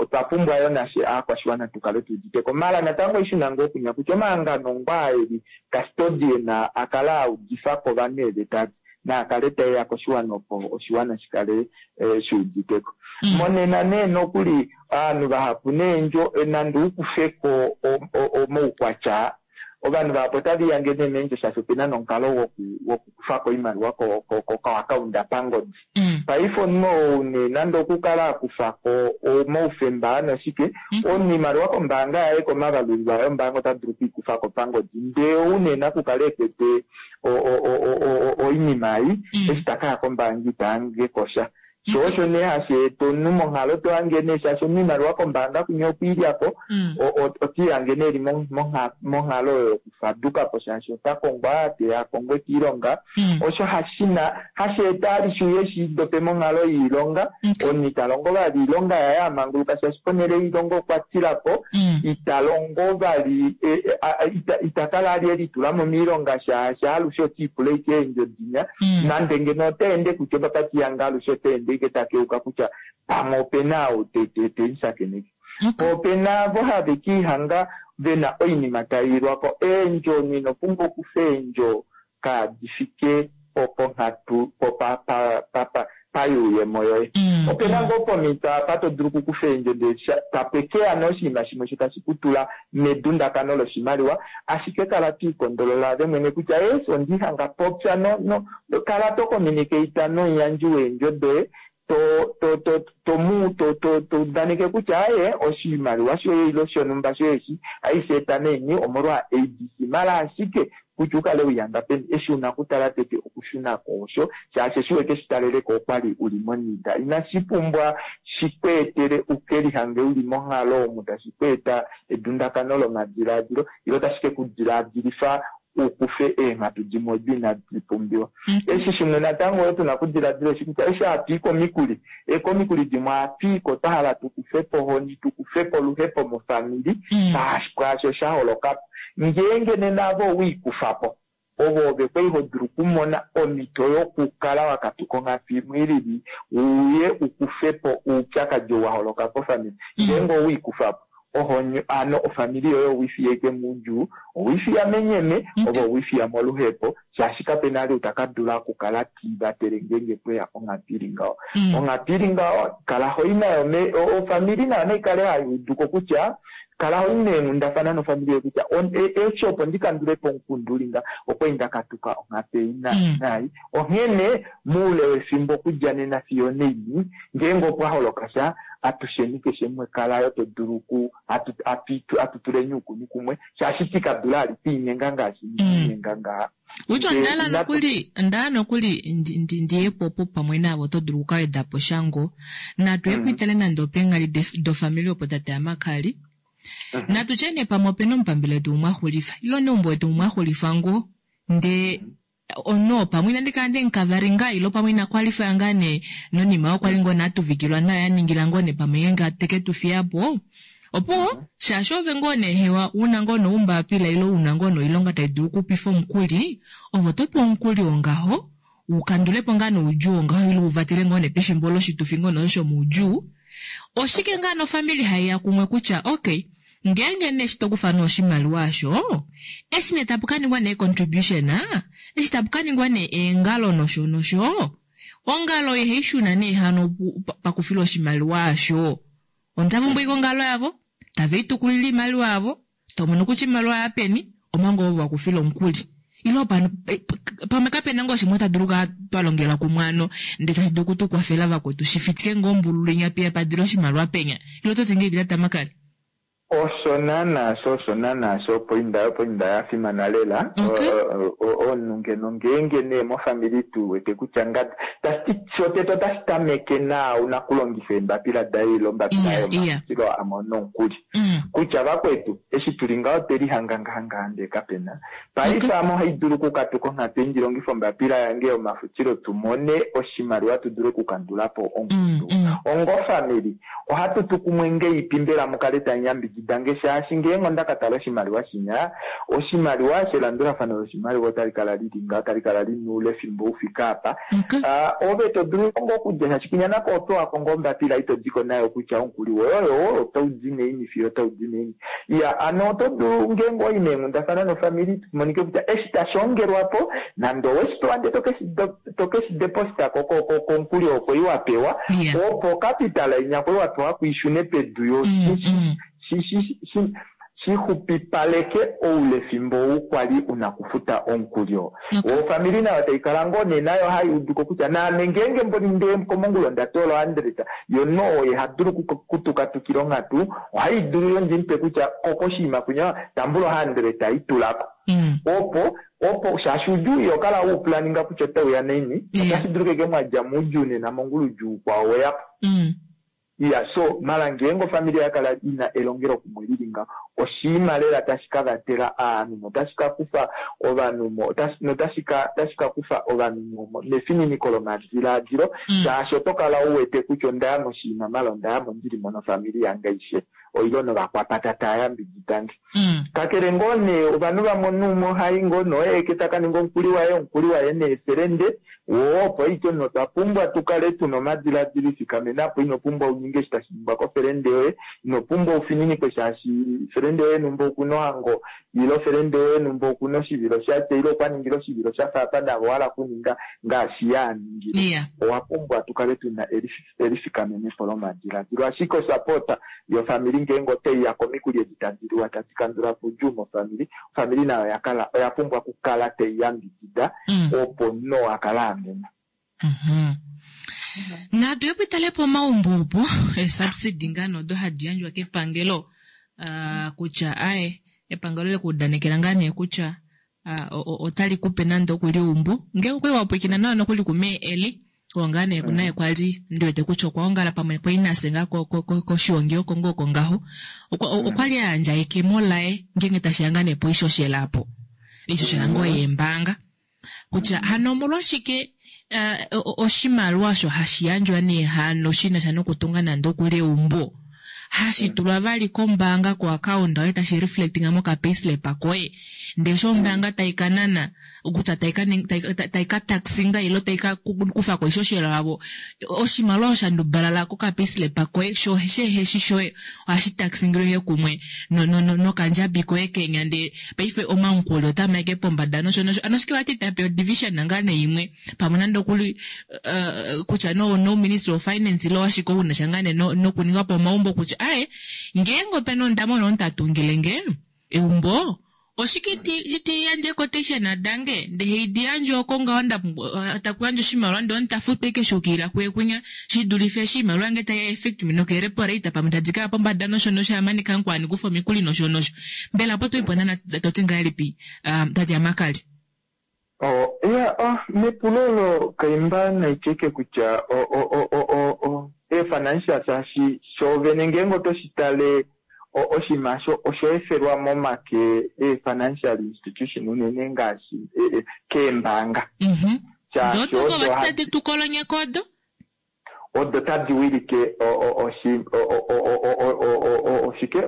Otwa pumbwa yo nashe aakwashiwana tu kale tu udite ko. Mala natango oishuna ngoo kunya kutya omahangano ngoo eli custodian a kala a udifa ko ovanhu eeveta naa kale taeya koshiwana opo oshiwana shi kale shi udite ko. Monena nee nokuli ovanhu vahapu neendjo nande u kufe ko omaukwatya, ovanhu vahapu otava ihange nee meendjo shaashi opena nomukalo wokukufa ko oimaliwa koakaunda pangodi. Paife omunhu ou nee nande okukala a kufa ko omaufemba noshike, omunhu oimaliwa kombaanga yaye komavalulilo aye ombaanga ota dulu okuikufa ko pangodi, ndee ou nee nakukala ekwete oinima ei eshi ta kaya kombaanga ita hange ko sha. Sho osho nee hashi eta omunhu monghalo to hange nee shaashi omunhu oimaliwa kombaanga kunye okwiilya ko, otiihange nee eli monghalo oyo yokufaduka po shaashi ota kongwa te a kongwe kiilonga. Osho hashi eta alishe uye shi dope monghalo yoilonga, omunhu ita longo vali oilonga yaye a manguluka shaashi ponhele yoilonga okwa tila po, ita longo vali, ita kala ali e litula mo moilonga shaashi alushe otiipula ashike eendjo dinya, nande ngeno ota ende kutya opapati yange alushe ota ende ashike ta keuka kutya pamwe opena ou te mu shakeneke. Po opena avo have kiihanga vena oinima tai ilwa ko. Eendjo omunhu ino pumbwa okufa eendjo kaadi fike po ponghatu po payuuyemo yoye. Opena ngoo pomhito apa to dulu okukufa eendjo ndele tape ke ya nee oshinima shimwe osho tashi ku tula medundakano loshimaliwa, ashike kala to ikondolola ove mwene kutya yes ondiihanga popya no kala to communicate nomuyandji weendjo doye to to to to mu to to to udaneke kutya aye oshimaliwa shoye ile shonhumba shoye eshi aishe eta meni omolwa ABC, mala ashike kutya u kale wihanga peni eshi una okutala tete okushuna ko osho shaashi eshi weke shi taleleko okwali uli monida inashi pumbwa shi kweetele uke lihange uli monghalo omu tashi kweeta edundakano lomadilaadilo ile otashi ke ku dilaadilifa u kufe eenghatu dimwe odo inadi pumbiwa. Eshi shimwe natango oyo tuna okudiladila eshi kutya eshi hatu i komikuli, ekomikuli dimwe ohatu i ko twa hala tu kufe po ohoni, tu kufe po oluhepo mofamili pwaasho sha holoka po. Ngeenge nena ove owe i kufa po, ove ove kwali ho dulu okumona omhito yokukala wa katuka onghatu imwe i lili uye u kufe po oupyakadi ou wa holoka pofamili. Ngeenge owe i kufa po, ohoni hano ofamili yoye owe i fiya ashike moudjuu, owe i fiya menyeme, ove owe i fiya moluhepo, shaashi kapena vali ou ta ka dula okukala te i vatele ngeenge pweya onghatu ili ngaho. Onghatu ili ngaho, kala ho i nayo ofamili nayo nai kale hai udu ko kutya kala ho i meenghundafana nofamili yoye kutya eshi opo ndi kandule po omukundu uli nga, okwali nda katuka onghatu ei nai. Onghene moule wefimbo okudja nena fiyo onaini, ngeenge opwa holoka sha, atusheni keshe umwe kala yo to dulu ku atu tuleni oukuni kumwe, shaashi iti ka dula ali twiinyenga ngaashi inyenga ngaha. Utya onda hala nokuli, onda hala nokuli ndi ye po opo pamwe naave oto dulu okukaweda po sha ngoo. Natu ye kuitale nande opeenghali dofamili opo tate Amakali. Natu tye nee pamwe opena omupambele wetu umwe a xulifa ile omuneumbo wetu umwe a xulifa ngoo, ndee. Omunhu oo pamwe inandi kala nde mukavaringa ilo pamwe ina kwalifaya ngaa nee nonima oyo kwali ngoo nee atuvikilwa nayo yaningila ngoo nee pamwe ngeenge teke tu fiya po. Opuwo, shaashi ove ngoo nee hewa una ngoo nee oumbapila ilo una ngoo nee oilonga tai dulu okupifa omukuli, ove oto pewa omukuli wongaho u kandule po ngaa nee oudjuu wongaho ile u vatele ngoo nee pefimbo loshitufi ngoo nee osho shomoudjuu. Oshike ngaa nofamili hai ya kumwe kutya okay, Ngeenge nee eshi to kufa nee oshimaliwa osho, eshi nee tapu ka ningwa nee contribution, eshi tapu ka ningwa nee eengalo nosho nosho, ongalo ihai shuna nee hano pakufilwa oshimaliwa osho. Onda pumbwa ashike ongalo yavo, tave i tukulile oimaliwa yavo, to mono kutya oimaliwa oya peni, omanga ove wa kufila omukuli. Ile pano, pamwe kape na ngoo shimwe ta dulu okukala twa longela kumwe ano, ndele tashi dulu oku tu kwafela vakwetu, shi fitike ngoo ombululu inya piya pa dile oshimaliwa penya. Ile oto ti ngahelipi Tate Amakali? Osho naana sho, osho naana sho, opoinda oyo opoinda ya fimana lela. Okay. Omunhu ngeno ngeenge nee mofamili tu wete kutya ngadi, tashi ti shotete otashi tameke naau nakulongifa eembapila daye ile ombapila Iya, iya. yomafutilo a mona omukuli. Kutya vakwetu, eshi tuli ngaho otwe lihanga ngaha ngaha ndee kape na. Paife Okay. ame ohai dulu okukatuka onghatu ei ndi longife ombapila yange yomafutilo tu mone oshimaliwa tu dule okukandula po omukundu. Ongofamili, Ohatu tu kumwe ngeipi mbela mu kale tamu yambidida nge shaashi ngeenge onda ka tala oshimaliwa shinya, oshimaliwa shelandulafano loshimaliwa otali kala li li ngaho, tali kala li na oule fimbo u fike apa. Ove to dulu ngoo okudja shaashi kwinya nako oho pewa ko ngoo ombapila ito di ko nayo kutya omukuli woye oyo otau di naini fiyo otau di naini. Iya, hano oto dulu ngeenge owa i meenghundafana nofamili monike kutya eshi tashi ongelwa po nande owe shi pewa ndele to ke shi deposita ko komukuli oo kwali wa pewa, opo ocapital inya kwali wa pewa ku i shune pedu yo shi xupipaleke oulefimbo ou kwali u na okufuta omukuli oo. Ofamili nayo tai kala ngoo nee nayo hai udu ko kutya naame ngeenge mboli nde komongula onda toola ohandreta, yo no oye ha dulu okutukatukila onghatu, ohai dulu yo ndi mupe kutya ko koshinima kwinya tambula ohandreta i tula ko. Opo opo shaashi oudjuu iho kala we u planinga kutya otau ya naini, otashi dulika ashike mwa dja moudjuu nena mongula oudjuu ukwao we ya po. Iya, so mala ngeenge ofamili oya kala i na elongelokumwe li li ngaho, oshinima lela tashi ka vatela aanhu notashi ka kufa ovanhu mo, notashi ka, otashi ka kufa ovanhu mo, mefininiko lomadilaadilo, shaashi oto kala u wete kutya onda ya moshinima mala onda ya mo ndi li mo nofamili yange aishe, oilo novakwapata taa yambidida nge. Kakele ngoo nee, ovanhu vamwe omunhu umwe ohai ngoo nee oye aeke ta ka ninga omukuli waye, omukuli waye neefelende, woo opo aike omunhu otwa pumbwa tu kale tuna omadiladilo ifikamena po, ino pumbwa u ninge eshi tashi ningwa kofelende yoye, ino pumbwa u fininikwe shaashi felende yoye numba okuna ohango ile felende yoye numba okuna oshivilo shatya ile okwa ningile oshivilo sha faafana naave owa hala okuninga ngaashi ye a ningile. Owa pumbwa tu kale tuna elifikamenepo lomadiladilo. Ashike osapota yofamili ngeenge otai ya komikuli edi tadi liwa tadi kandula po oudjuu mofamili, ofamili nayo oya kala oya pumbwa okukala tai yambidida opo omunhu oo a kale a amenwa. Natu ye pitale pomaumbo opo eesubsidy ngaa nee odo hadi yandjwa kepangelo kutya aaye epangelo le ku udanekela ngaa nee kutya otali ku pe nande oku li eumbo ngeenge okwali wa pwilikina nawa nokuli ku mee Eli oo ngaa nee naye kwali ndi wete kutya okwa ongala pamwe kwali nafye ngaa koshiongi oko ngoo oko ngaho okwali a yandja ekemo laye ngeenge tashiya ngaa nee poishoshela apo oishoshela ngoo yeembaanga kutya hano omolwashike oshimaliwa osho hashi yandjwa nee hano shi na sha nokutunga nande okuli eumbo hashi tulwa vali kombaanga koakaunda yoye tashi reflectinga mokapayslip koye ndee eshi ombaanga tai ka nana kutya tai ka taxinga ile tai ka kufa ko oishoshela yavo oshimaliwa osho sha ndubalala kokapayslip koye sho sheheshi shoye ohashi taxingilwe ihe kumwe nokandjabi koye kenya ndee paife omamukuli otaa maike pombada nosho nosho ano shike vati tape odivision ngaa nee imwe pamwe nande okuli kutya no no ministry of finance ile washike ou nasha ngaa nee nokuninga po omaumbo kutya aye ngeenge opena ondama ono ta tungile nge eumbo oshike iti yandje quotation dange ndee haidi yandje oko ngaho taku yandje oshimaliwa ndee omuntu ta futwa eke shuukilila kuye kwinya shi dulife eshi iimaliwa yange tai affect me nokeerepo rate pamwe tadi kaya pombada nosho nosho amane kankwani kufa omikuli nosho nosho mbela opo toipo nana to ti ngahelipi tate Amakali? Oh, ya, oh, mepulo olo kaimba naitye kutya o, o, o, o, o, o, ee-financial shaashi shoovene ngeenge oto shi tale. oshinima osho osha efelwa momake ee-financial institution unene ngaashi keembaanga. Shaashi Dodo odo vati hadi- tadi tu kolonyeka odo. Odo tadi wilike oshike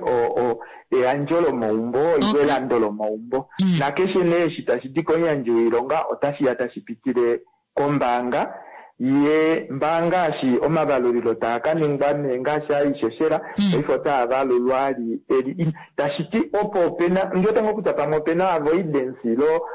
eyandjo lomaumbo ile elando lomaumbo. Nakeshe nee eshi tashi di komuyandji woilonga otashi ya tashi pitile kombaanga. Ye mbaanga ngaashi omavalulilo taa ka ningwa nee ngaashi aishoshela, paife otaa valulwa ali eli tashi ti opo opena ndiwete ngoo kutya pamwe opena avoidance ilo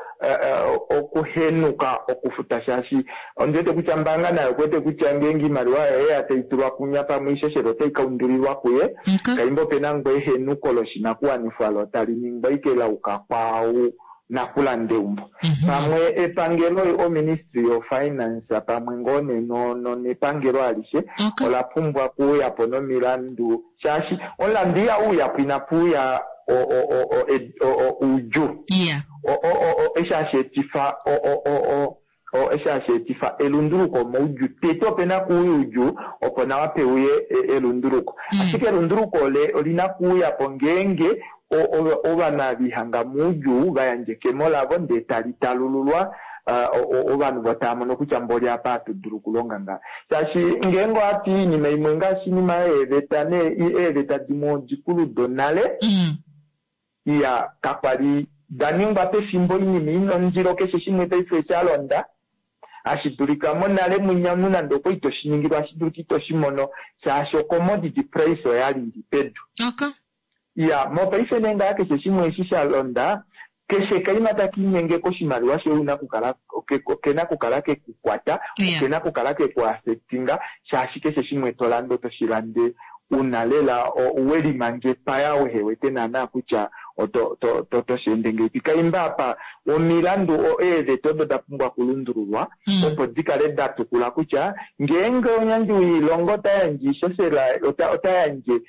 okuhenuka okufuta shaashi ondiwete kutya mbaanga nayo okuwete kutya ngeenge oimaliwa yoye ya tai tulwa kunya pamwe oishoshela otai ka undulilwa kuye. Kaimba opena ngoo ehenuko loshinakuwanifwa lo tali ningwa ike lauka kwaau nakulanda eumbo. Pamwe epangelo oministry of finance pamwe ngoo nee nepangelo alishe ola pumbwa okuuya po nomilandu shaashi omulandu ihau uya po inapu uya oudjuu. Eshi hashi etifa eshi hashi etifa elunduluko moudjuu. Tete opena kuuya oudjuu opo nawa peuye elunduluko. Ashike elunduluko olina kuuya po ngeenge ovanhu ava ihanga moudjuu va yandje ekemo lavo ndee tali talululwa ovanhu vo tava mono kutya mboli apa hatu dulu okulonga ngaha. Shaashi ngeenge ohatu i oinima imwe ngaashi oinima yeeveta eeveta dimwe odikulu donale, iya kakwali da ningwa pefimbo oinima ina ondilo keshe shimwe paife sha londa. Hashi dulika monale mwinya omunhu nande okwa ito shi ningilwa hashi dulika ito shi mono shaashi ocommodity price oyali ili pedu. Iya, mopaife nee ngaa keshe shimwe eshi sha londa, keshe kaima taka inyenge koshimaliwa shoye ouna kukala okena kukala kekukwata, okena kukala keku affectinga shaashi keshe shimwe to lande oto shi lande una lela welimanga epaya wehewete naana kutya oto shi ende ngeipi. Kaimba apa omilandu eeveta odo da pumbwa okulundululwa opo di kale da tukula kutya ngeenge omuyandji woilonga ota yandje oishoshela ota yandje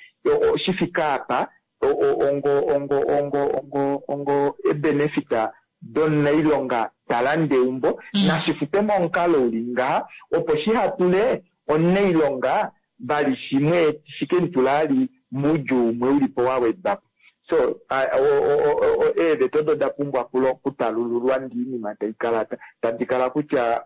shi fike apa ongo ongo ongo ongo ongo ebenefita domunailonga ta lande eumbo, nashi fute momukalo uli ngaha opo shiha tule omunailonga vali shimwe shike mu tula ali moudjuu umwe ulipo wa wedwa po. So eeveta odo da pumbwa okutalululwa ndee oinima tai kala tadi kala kutya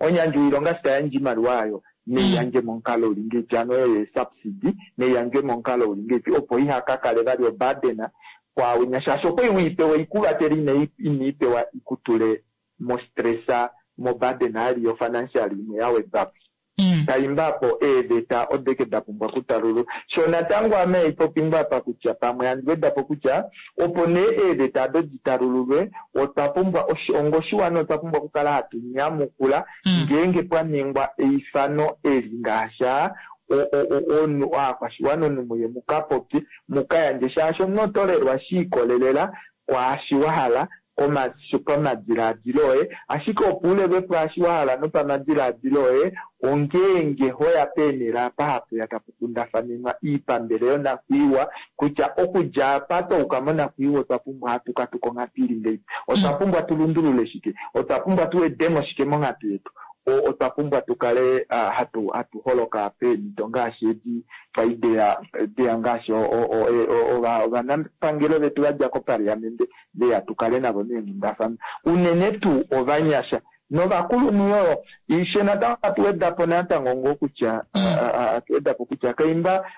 omuyandji woilonga eshi ta yandje oimaliwa ayo neiyandje momukalo uli ngeipi, hano oyo yeesubsidy neiyandjwe momukalo uli ngeipi opo iha ka kale vali oburden kwaawinya shaashi okwai weipewa ikuvatele inaipewa ikutule mostressa moburden ali yofinancial imwe ya wedwapo. Taimba apo eeveta odeke da pumbwa okutalululwa. Sho natango ame haipopi ngoo apa kutya pamwe handi wedapo kutya opo nee eeveta ado ditalululwe otwa pumbwa onga oshiwana otwa pumbwa okukala hatu nyamukula ngeenge pwa ningwa eifano eli ngaashi omunhu aakwashiwana omunhu muye mukapopye mukayandje shaashi omunhu oto lelwa shi ikolelela kwaashi wa hala pamadilaadilo oye, ashike opo u lelwe pwaashi wa hala nopamadilaadilo oye ongeenge hoya peenhele apa hapuya tapu kundafanenwa iipambele yonakwiiwa kutya okudja apa twa yuka monakwiiwa otwa pumbwa hatu katuka onghatu ili ngeipi, otwa pumbwa tu lundulule shike, otwa pumbwa tu wedemo shike monghatu yetu, otwa pumbwa tu kale hatu hatu holoka peemhito ngaashi edi kwai deya deya ngaashi ovanapangelo vetu va dja kopaliamente veya tu kale navo meenghundafana unene tuu ovanyasha novakulunhu yoo ishe natango atu wedapo natango ngoo kutya atu wedapo kutya kaimba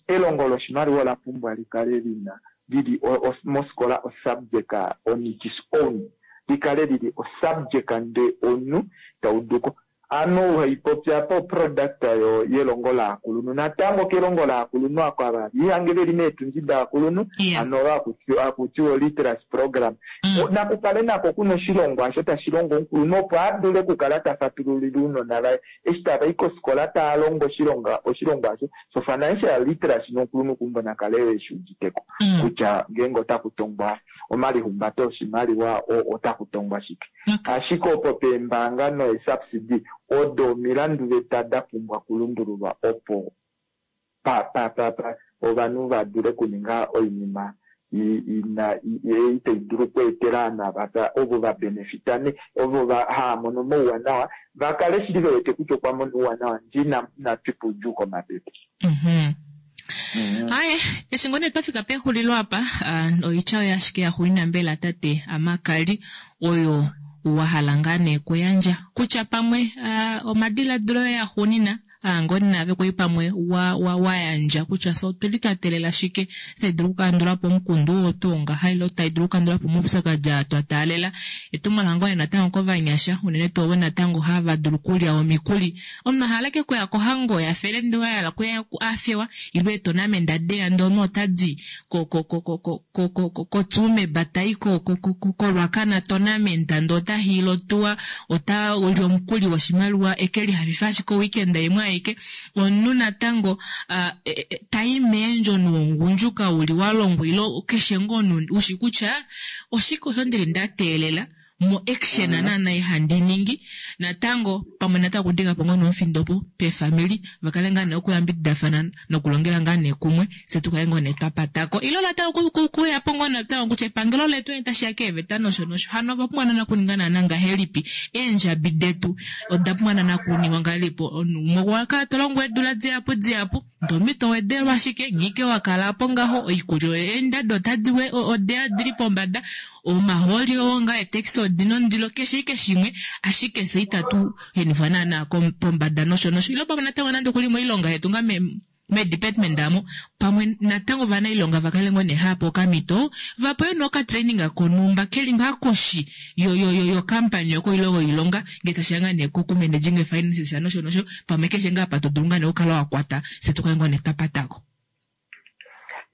elongo loshimaliwa ola pumbwa likale lina lili mofikola osubject on its own likale lili osubject nde omunhu tauduko Ame haipopi apa oproduct yelongo laakulunhu. Natango kelongo laakulunhu ako ava lihange veli meetundi daakulunhu, hano olo hakutiwa oliteracy program. Nakukale nako kuna oshilongwa osho tashi longo omukulunhu opo a dule okukala ta fatululile ounona vaye eshi tava i kofikola taa longo oshilongwa osho so financial literacy nomukulunhu kumbo nakale yo eshi uditeko kutya ngeenge otaku tongwa omalihumbato oshimaliwa otaku tongwa shike. Ashike opo peembaanga noesubsidy odo omilanduveta da pumbwa okulundululwa opo pa pa pa pa ovanhu va dule okuninga oinima ina ei tai dulu okweetela ovanhu ava ovo va benefita ne ovo va haa mono omauwanawa va kale shili ve wete kutya okwa mona ouwanawa ndee ina twipa oudjuu komapepe. Aye, eshi ngoo nee twa fika pexulilo apa, ah, oitya oyo ashike ya xuulina mbela tate Amakali oyo wa hala ngaa nee kuyandja kutya pamwe ah, omadiladilo oye axuunina aa ngoo naave kwali pamwe wa, wa, wa yandja kutya fye otuli twa teelela shike tai dulu okukandula po omukundu oo tuu ngaha ile tai dulu okukandula po omaupyakadi aa twa taalela. Etumwalaka ngoo nee natango kovanyasha unene tuu ovo natango hava dulu okulya omikuli. Omunhu a hala ashike okuya kohango ya fele ndee wa hala okuya a fewa ile eetonamenda deya ndee omunhu ota di ko ko ko ko ko ko ko ko koTsumeb tai ko ko ko ko koRuacana tournament ndee ota hiila otuwa ota li omukuli woshimaliwa eke lihafife ashike oweekend imwe aike. Omunhu natango uh, tai meendjo nuungundjuka uli wa longwa ile keshe ngoo omunhu ushi kutya oshike osho ndili nda teelela mo action mm. naana ihandi ningi natango pamwe natango okudika po ngoo nomufindo po peefamili va kale ngaa nee okuyambididafana nokulongela ngaa nee kumwe se tu kale ngoo nee twa patako ile natango kuya po ngoo natango kutya epangelo letu nee tashi ya keeveta nosho nosho hano ova pumbwa naana kuninga naana ngahelipi eendjabi detu oda pumbwa naana kuningwa ngahelipi omunhu umwe okwa kala to longo eedula dihapu dihapu ndee omunhu to wedelwa ashike nghike wa kala po ngaho oikulya eendado otadi we odeya dili pombada omahooli oo ngaa eetaxi odina ondilo keshe ike shimwe ashike fye itatu henifwa naana pombada nosho nosho ile pamwe natango nande okuli moilonga yetu ngaa medepartment amo pamwe natango ovanailonga va kale ngoo nee hava okamhito va pewe nee okatraining konhumba keli ngaa koshi yo yo yo yo company oko ile oilonga ngee tashiya ngaa nee koku managing finances nosho nosho pamwe keshe ngaa apa to dulu ngaa nee okukala wa kwata fye tu kale ngoo nee twa patako.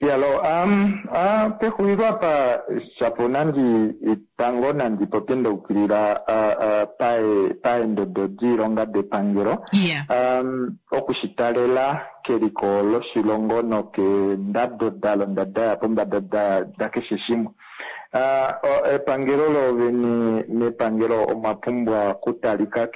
Yalo, um, uh, pexulilo apa shapo nandi tango nandi popye nda ukilila uh, uh, pae, paendodo diilonga depangelo yeah. um, oku shi talela keliko loshilongo nokeendado da londa da ya pombada da, da keshe shimwe. Uh, epangelo lovene mepangelo omwa pumbwa kutalika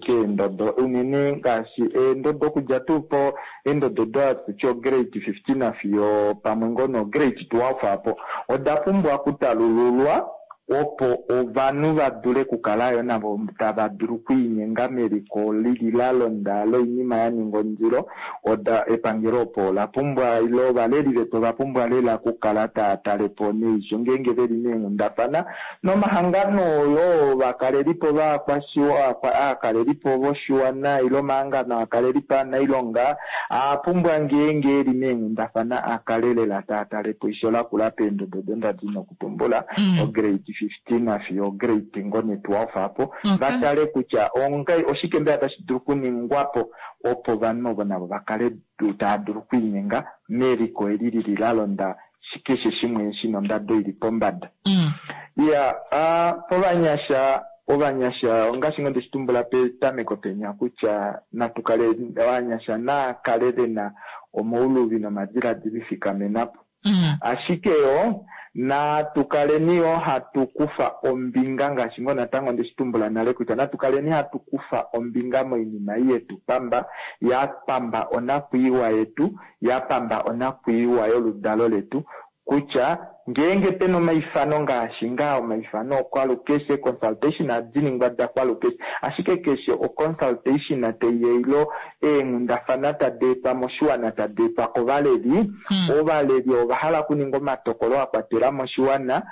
keendodo unene ngaashi eendodo okudja tuu po eendodo do tutye ograde 15 fiyo pamwe ngoo nograde 12 apo oda pumbwa okutalululwa opo ovanhu va dule okukala yo navo tava dulu okwiinyenga meliko lili la londa loinima ya ninga ondilo. Oda epangelo opo ola pumbwa ile ovaleli vetu ova pumbwa lela okukala tava tale po neisho ngeenge veli meenghundafana nomahangano oyo ovakalelipo aakalelipo voshiwana ile omahangano aakalelipo aanailonga aa pumbwa ngeenge eli meenghundafana a kale lela taa tale po eisho lakula peendodo odo nda di nokutumbula mm. ograde 15 fiyo ograde ngo ne 12 apo okay. va tale kutya ongai oshike mbela tashi dulu okuningwa po opo ovanhu ovo navo va kale tava dulu okwiinyenga meliko eli lili la londa keshe shimwe shina ondado ili pombada. Mm. Ya, uh, povanyasha ovanyasha ongaashi ngoo ndeshi tumbula petameko penya kutya natu kale ovanyasha naa kale ve na omauluvi nomadiladilo ifikamena po. Mm. Ashike yo natu kaleni yo hatu kufa ombinga ngaashi ngoo natango ndeshi tumbula nale kutya natu kaleni hatu kufa ombinga moinima ei yetu pamba, ya pamba onakwiiwa yetu, ya pamba onakwiiwa yoludalo letu, kutya ngeenge pena omaifano ngaashi ngaa omaifano okwalukeshe, consultation ohadi ningwa da kwalukeshe, ashike keshe oconsultation tai ya ilo eenghundafana tadi etwa moshiwana tadi etwa kovaleli, hmm. ovaleli ova hala okuninga omatokolo a kwatela moshiwana,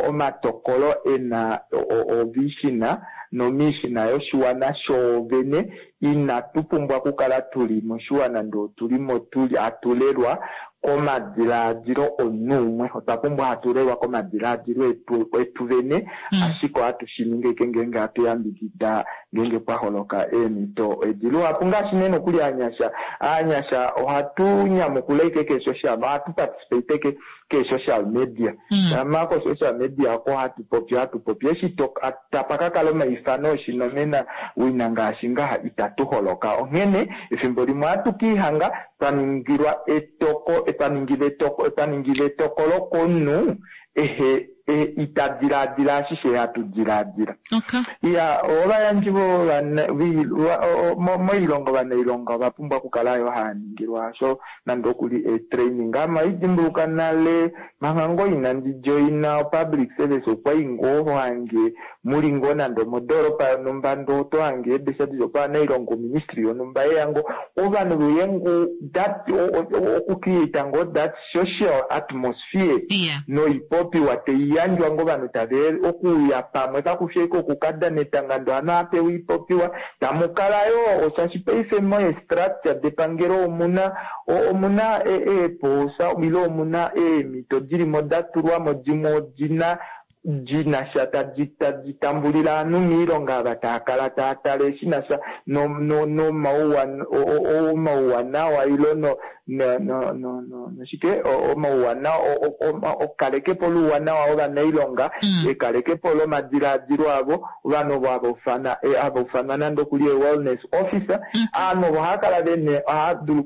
omatokolo e na ovision nomission yoshiwana shoovene. Inatu pumbwa okukala tu li moshiwana ndee otu li mo hatu lelwa komadilaadilo omunhu umwe. Otwa pumbwa hatu lelwa komadilaadilo etu, etu vene, mm. ashike ohatu shi ningi eke ngeenge hatu yambidida ngeenge pwa holoka eemhito edi. Luhapu ngaashi nee nokuli aanyasha, aanyasha ohatu nyamukula ike keesocial, ohatu participate ke keesocial media. Mm. Shama kosocial media oko hatu popi, hatu popi. Eshi to, tapa ka kala omaifano oshinomena wina ngaashi ngaha itatu holoka. Onghene efimbo limwe ohatu ka ihanga twa ningilwa etoko, twa ningilwa etoko, twa ningilwa etokolo komunhu ehe Ita dilaadila ashishe hatu dilaadila. Iya, ovayandji moilonga, ovanailonga ova pumbwa okukala yo haya ningilwa sho nande oku li eetraining. Ame ohandi dimbuluka nale manga ngoo inandi joina opublic service okwa i ngoo ho hange muli ngoo nande omodoolopa yonhumba ndee oto hange eebesa dili ovanailonga oministry yonhumba yeya ngoo ovanhu veuye ngoo that okucreata ngoo that social atmosphere noipopiwa taiyandjwa ngoo ovanhu tave okuuya pamwe kakufi ashike okukadana etanga ndee ovanhu ohava pewa oipopiwa tamukala yoo shaashi paife meestructure depangelo omuna omuna eepoosa ile omuna eemhito dilimo datulwamo dimwe odina li na sha tadi tadi tambulile ovanhu moilonga ava tava kala tava tale shi na sha nomauwanawa ile no noshike omauwanawa okalekepo louwanawa wovanailonga mm. ekalekepo lomadilaadilo avo ovanhu ovo hava ufana hava ufanwa nande okuli wellness officer mm. ovanhu ovo ohava kala vene ohava dulu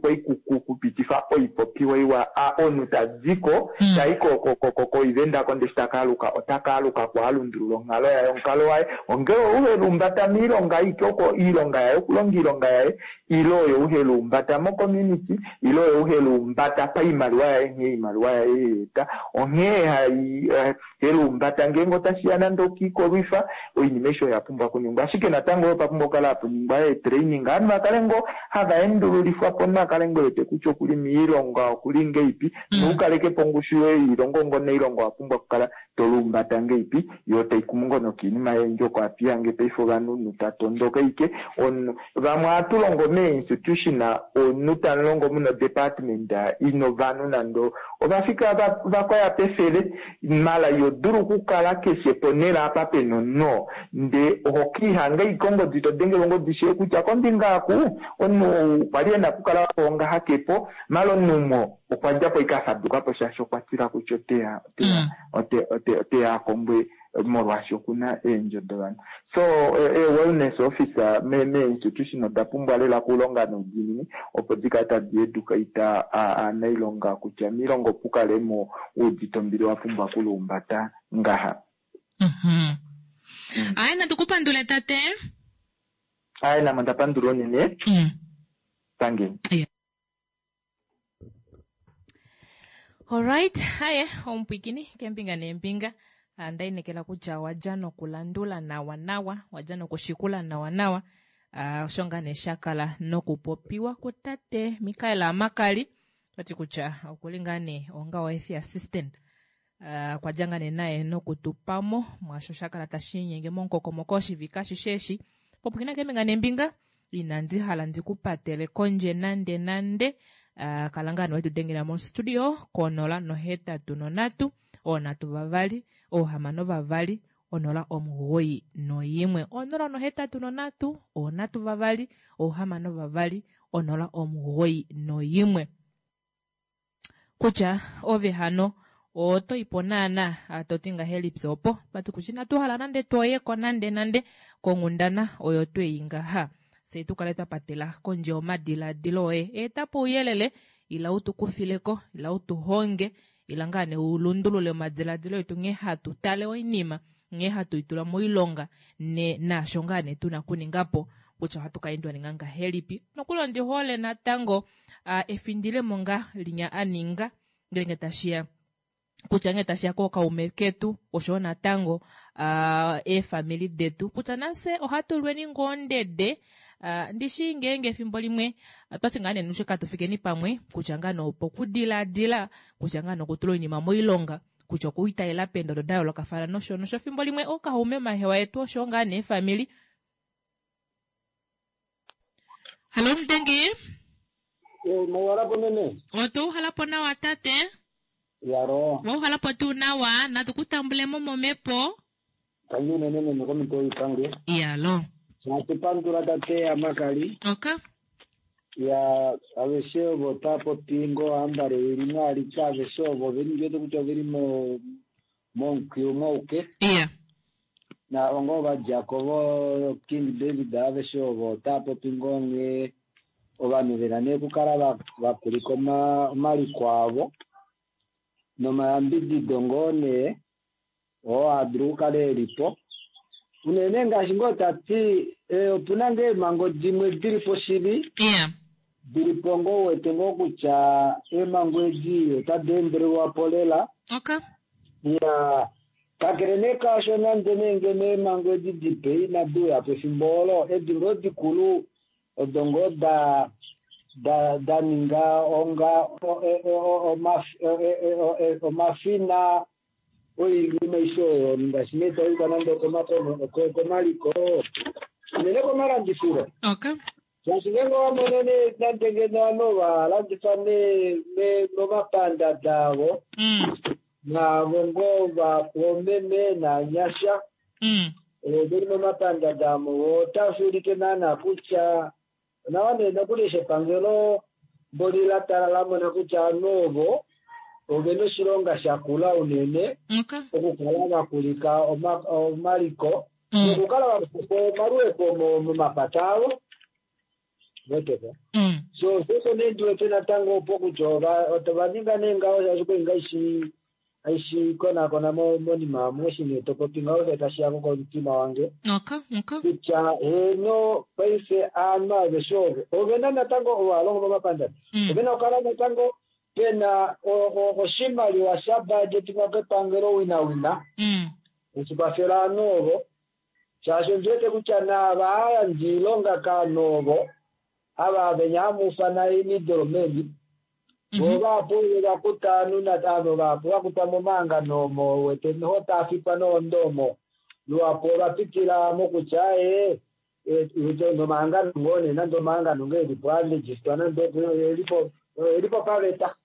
okupitifa oipopiwa iwa omunhu tadiko mm. tai koivenda ko ndee taka aluka otaka aluka ko alundulula onghalo yaye omukalo waye ongele ouhelumbata miilonga aike oko iilonga yaye okulonga iilonga yaye ile oyo uhelumbata mocommunity ile oyo uhelumbata paimaliwa yaye nghee iimaliwa yaye yeeta onghee hai eh, helumbata ngeenge otashiya nande okiikolwifa oinima aishe oya pumbwa okuningwa ashike natango oyo papumbwa okukala hapuningwa eetraining ovanhu vakale ngoo hava endululifwa po omunhu akale ngoo ewete kutya okuli miilonga okuli ngeipi mm. noukalekepo ongushu yoye yiilonga ongo nailonga owa pumbwa okukala toluumbata ngeipi yo taikumu ngoo nokiinima yendji oko apiyange paife ovanhu omunhu tatondoka ike omunhu vamwe ohatu longo mee-institution omunhu tamulongo muna odepartment ina ovanhu nande ovafika vakoya pefele mala iho dulu okukala keshe ponhele apa pena omunhu oo ndee oho kiihanga ike ongodi todengelwa ongodi shee kutya kombinga aku omunhu ou okwali ena okukala po ngaha kepo mala omunhu umwe okwa djapo ike afadukapo shaashi okwa tila kutya oteya oteya mm. oteya akombwe molwaashi okuna eendjo dovanhu so e-wellness officer mee-institution oda pumbwa lela okulonga noudiinini opo dikale tadi educate aanailonga kutya miilonga opu kale mo uudite ombili wa pumbwa okuluumbata ngaha. Mm. Aye natu ku pandule tate. Aye name onda pandula unene. Mm. Tangeni. Yeah. Alright, haye omupwikini kembinga neembinga ah, ndainekela kutya wadja nokulandula nawa nawa wadja nokushikula nawa nawa ah, osho ngaa nee sha kala nokupopiwa kutate Mikael Amakali tati kutya okuli ngaa nee onga oefi assistant ah, kwa dja ngaa nee naye nokutupamo mwaasho sha kala tashi inyenge momukokomoko oshivike ashishe eshi popwikina kembinga nembinga Inandi hala ndi ku patele kondje nande nande. Uh, kala ngaa wetu dengela mostudio konola nohetatu nonhatu oonhatu vavali oohamano vavali onola omugoyi noyimwe onola nohetatu nonhatu oonhatu vavali oohamano vavali onola omugoyi noyimwe kutya ove hano oto ipo naana to ti ngahelipi opo twati kutya inatu hala nande twoyeko nande nande konghundana oyo tweyi ngaha fye tu kale twa patela kondje omadiladilo oye eta po ouyelele ila u tu kufileko ila u tu honge ila ngaa nee u lundulule omadiladilo etu nghee hatu tale oinima nghee hatu i tula moilonga ne naasho ngaa nee tuna kuninga po kutya ohatu ka endwa ninga ngahelipi nokuli ondi hole natango a efindilemo nga linya a ninga ngeenge tashiya kutya ngee tashiya kookaume ketu oshowo natango uh, eefamili detu kutya nafye ohatu lweni ngoo ndede uh, ndishi ngeenge efimbo limwe twati ngaa nenushe katu fikeni pamwe kutya ngaa nopokudiladila kutya ngaa nokutula oinima moilonga kutya okuitaela peendodo da yoolokafana nosho nosho efimbo limwe ookaume omahewa etu oshowo ngaa neefamili Halo Mutengi. Eh, mauhala po meme. Oto uhala po nawa tate. Yaro. Wauhala po tuu nawa, natu ku tambule mo momhepo. Tangi unene meme komito yoipange. Yalo. Natu pandula tate Amakali. Oka. Ya aveshe ovo ta popi ngo ambale ili mwalika aveshe ovo veli ndiwete kutya oveli mo momukwiyu mwauke. Iya. Na ongo ovadjako vo King David aveshe ovo otava popi ngoo nghee ovanhu vena nee okukala va kulika omaliko avo nomayambidido ngoo nee. Oo a dulu okukala e li po unene ngaashi ngoo tati opuna ngoo eemhango dimwe dili po shili dili po ngoo wete ngoo kutya eemhango edi otadi endelelwa po lela. Ya kakele nee kaasho nande nee ngeno eemhango edi dipe inadi uya pefimbo olo, edi ngoo dikulu odo ngoo da da da ninga onga omafina oinima aishe oyo ngaashi nee tayuka nande komaliko unene komalandifilo. Shaashi ngeenge owa mono nee nande ngeno ovanhu va landifa momapandanda avo naavo ngoo vaomeme naanyasha veli momapandanda amo, otashi ulike naana kutya onawa nee nokuli eshi epangelo mboli la tala la mona kutya ovanhu ovo ovena oshilonga shakula unene okukala vakulika omaliko nokukala vakufa omaluhepo momapata avo weteko. So osho nee ndiwete natango opo kutya ova ninga nee ngaho shaashi koinga aishi konakona monima omu eshi nee topopi ngaho she tashi ya komutima wange kutya heno paife aanhu aveshe ovo ovena natango ovo alongo momapandanda ovena okukala natango pena oshimaliwa sha budgetingwa kepangelo winawina oshikwafela aanhu ovo, shaashi ondiwete kutya naava hayandja iilonga kaanhu ovo ava venya hamuufana middlemen vo vahapu vakuta aanhu avo vahapu vakuta momahangano omo wete noho taafikwa nohondo omo luhapu ovapitila mokutya nomahangano ngoo nee nande omahangano ngoo elipo aregistwa nande elipo paveta.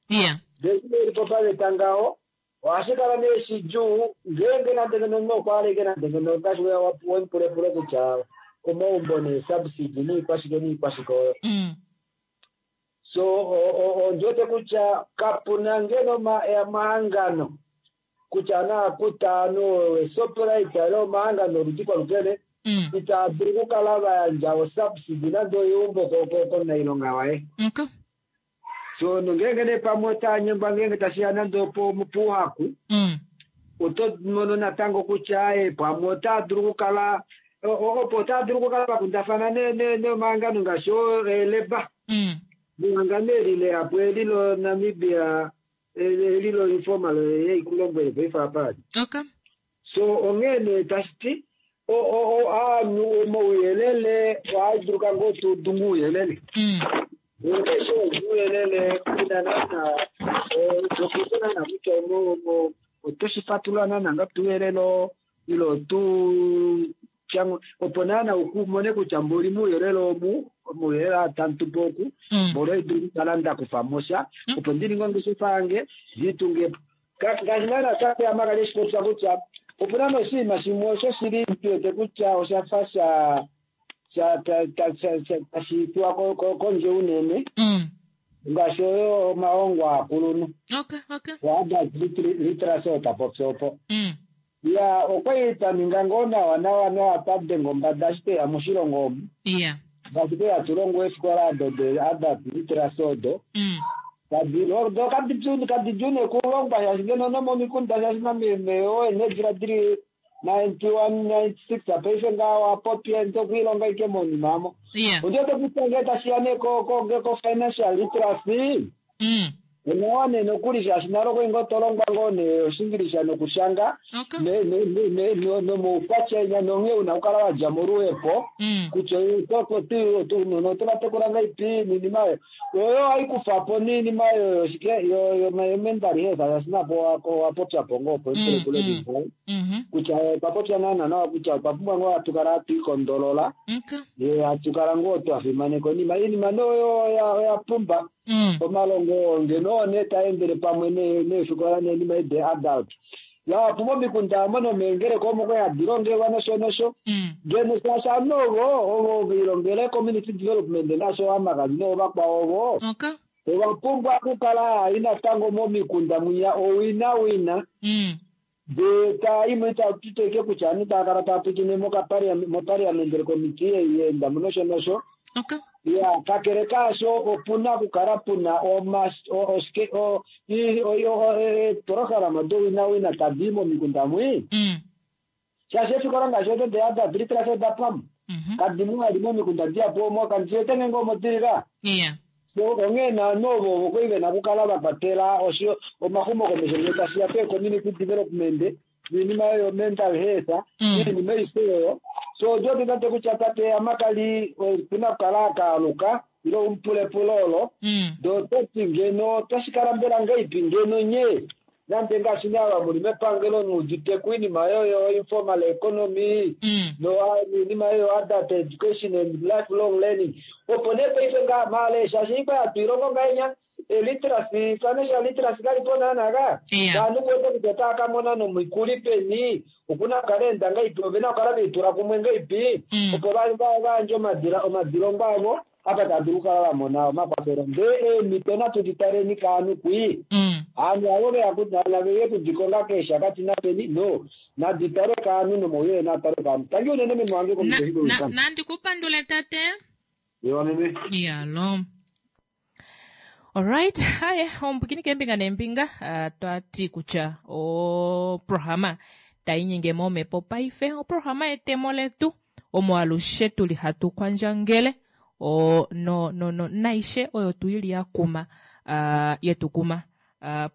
Ndee elipo paveta ngaho ohashi kala nee shidjuu ngeenge nande ngeno omunhu okwa aleke nande ngeno ngaashi wemupulepule kutya omaumbo neesubsidy niikwashike niikwashike oyo. So ondiwete kutya kapuna ngeno omahangano kutya naakuta aanhu weShoprite ile omahangano oludi kwalukene itaa dulu okukala vayandja osubsidy nande oyeumbo komunailonga waye. So nongeenge nee pamwe otaya nyengwa ngeenge tashiya nande puuhaku oto mono natango kutya pamwe otaa dulu okukala opo otaa dulu okukala vakundafana nomahangano ngaashi eeleba mehangano eli leapo eli loNamibia eli loinformal yeikulombwele paife apa. So onghee nee tashi ti aanhu omauyelele ohaiduluka ngoo tuudungu ouyelele eshe ouyelele kuna naana tokuta kutya otoshi fatulula naana nga tuuyelele ilo tu opo naana ukumone kutya mboli muuyelele omu omauyelele atantupo oku mboli oidulu okukala ndakufa mosha opo ndininge ongeshefa yange ndiitungepo ngaashi naana tapeyamakali eshipopya kutya opuna noshinima shimwe osho shili tuwete kutya oshafa sha tashi tuwa kondje unene ngaashi oyo omahongo akulunhu oadult literacy otapopya opo ya okwali twaninga ngoo nawa nawa nawa twadenga ombada eshi tweya moshilongo omu ngaashi tweya tulongwa eefikola ado de-adult literacy odo do kadidjuu nekulongwa shaashi ngeno nomomikunda shaashi nameme oene dili 91 96 paife nga wapopya ntokuilonga ike monima amo. Ondiwete kutya ngee tashiya nee ko-financial literacy onawa nee nokuli shaashi nalo kwali ngoo tolongwa ngoo nee oshingilisha nokushanga nomoukwatya inya nonghee una okukala wadja moluhepo kutya oto vatekula ngaipi niinima oyo oyo haikufapo niinima oyo shike yomental health shaashi napo owapopyapo ngoo opo ipulepule kutya otwa popya naana nawa kutya otwa pumbwa ngoo hatukala hatu ikondolola hatukala ngoo twafimaneka oinima iinima noyo oya pumba omalongo ngeno one taendele pamwe neefikola neenima ede adult yapo momikunda omo nomeengeleka omo kwali hadi longelwa nosho nosho ngeno shaashi ovanhu ovo ovo vilongele community development nasho amakali noovakwao ovo ova pumbwa okukala hai natango momikunda mwinya owina wina. Ndee taa imwe ita tuteke kutya ovanhu tava kala tava pwiikine moparliamentary committee ei yeenda mo nosho nosho. Okay. Ya, kakele kaasho opuna okukala puna eeprograma dowinawina tadi i momikunda mwi. Shaashi eefikola ngaashi odo deadult literacy oda pwamo. Kadimu vali momikunda dihapu omo, kandi shi wete ngeenge omo dili ka. Onghee naanhu ovo ovo kwali vena okukala va kwatela omaxumokomesho ngee tashi ya pee-community development noinima oyo yo-mental health, iinima aishe oyo. So odi wete tate kutya tate Amakali okuna okukala akaaluka ile umupulepulo olo. Ndee ototi ngeno otashi kala mbela ngahelipi ngeno nye nande ngaashi nee ava muli mepangelo muudite koinima oyo informal economy noinima oyo adult education and lifelong learning, opo nee paife nga maale shaashi ikwa hatu ilongo ngahenya literacy, financial literacy kalipo naana ka. Ovanhu kuwete kutya otava ka mona nomikuli peni, okuna okukala enda ngahelipi, ovena okukala veitula kumwe ngahelipi opo vayandje omadilongo avo apa tava dulu okukala va mona omakwafelo. Ndee eemhito natu di taleni kaanhu kwii. Aanhu avo veya kudikonga keeshakati napeni, no nadi talwe kaanhu nomauyelele naa talwe kaanhu. Tangi unene meme wange komutwe. Nandi kupandule tate. Ewa meme. Yalo. Alright, haye omupwikini keembinga neembinga, twati kutya oprograma tainyenge momhepo paife, oprograma yetemo letu omo alushe tuli hatu kwandjangele no no no naishe oyo tuili ya kuma yetu kuma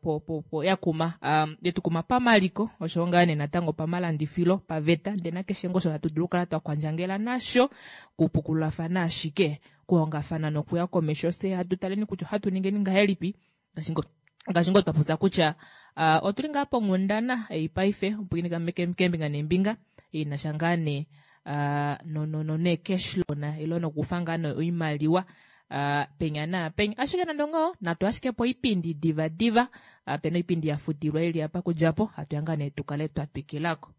po po po ya kuma yetu kuma pamaliko osho ngaa nee natango pamalandifilo paveta, ndee nakeshe ngoo osho hatu dulu okukala twa kwandjangela nasho, kupukululafana ashike, kuhongafana nokuya komesho. Fye hatu taleni kutya ohatu ningeni ngahelipi ngaashi ngoo twa popya kutya otuli ngaa ponghundana ei paife opwiini keembinga neembinga inasha ngaa nee no no no nee cash loan ilo nokufa ngaa nee oimaliwa penya naapenya. Ashike nande ongaho natu ashike po oipindi diva diva, pena oipindi ya futilwa ili apa kudjapo hatu ya ngaa nee tukale twa twikilako.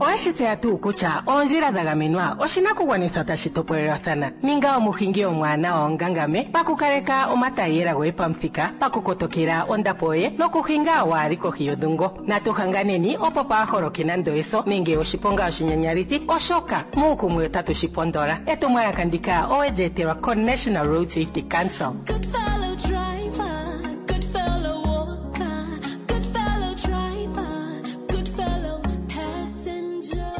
Oweshi tseya tuu kutya oondjila dha gamenwa oshinakugwanithwa tashi topolelwathana? Ninga omuhingi omwaanawa ongangame pakukaleka omatayiyela goye pamuthika, pakukotokela ondapo yoye nokuhinga waali kohi yodhungo. Natu hanganeni opo paaholoke nando eso nenge oshiponga oshinyanyalithi, oshoka muukumwe otatu shi pondola. Etumwalaka ndika owe li etelwa ko-National Road Safety Council. Good fellow driver, good fellow walker, good fellow driver, good fellow passenger.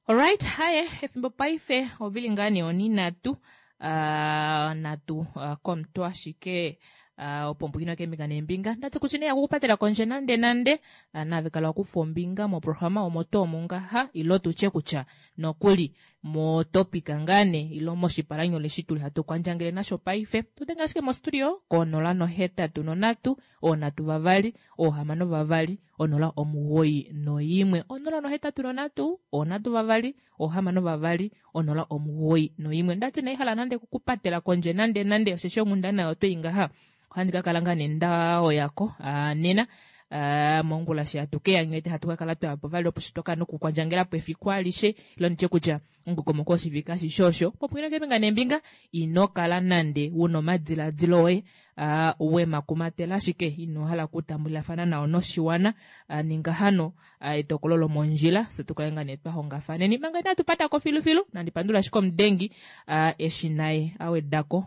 Alright, haye efimbo paife ovili ngaa nee oninatu natu komutwe ashike opo mbwino keembinga neembinga ndati kutya nee yakukupatela kondje nande nande nave kala wakufa ombinga moprograma omo tuu ngaha ilo tutye kutya nokuli motopika ngaa nee ilo moshipalanyole eshi tuli hatu kwandjangele nasho paife. Tudenge ashike mostudio ko 083 3 2 6 091 083 3 2 6 091. Ndati naihala nande kukupatela kondje nande nande osheshi onghundana otwei ngaha ohandi ka kala ngaa nee ndaoyako nena mongula shi hatu keya nghete hatu ka kala twayapo vali opo shi twakala nokukwandjangelapo efiku alishe ilo nditye kutya omukokomoko woshivike ashishe osho. Popwina keembinga neembinga ino kala nande wuna omadiladilo oye wemakumatela ashike ino hala okutambulilafana nao noshiwana, ninga hano etokolo lomondjila fye tukale ngaa nee twahongafaneni. Manga inatu patako filufilu nandi pandula ashike omudengi eshi naye awedako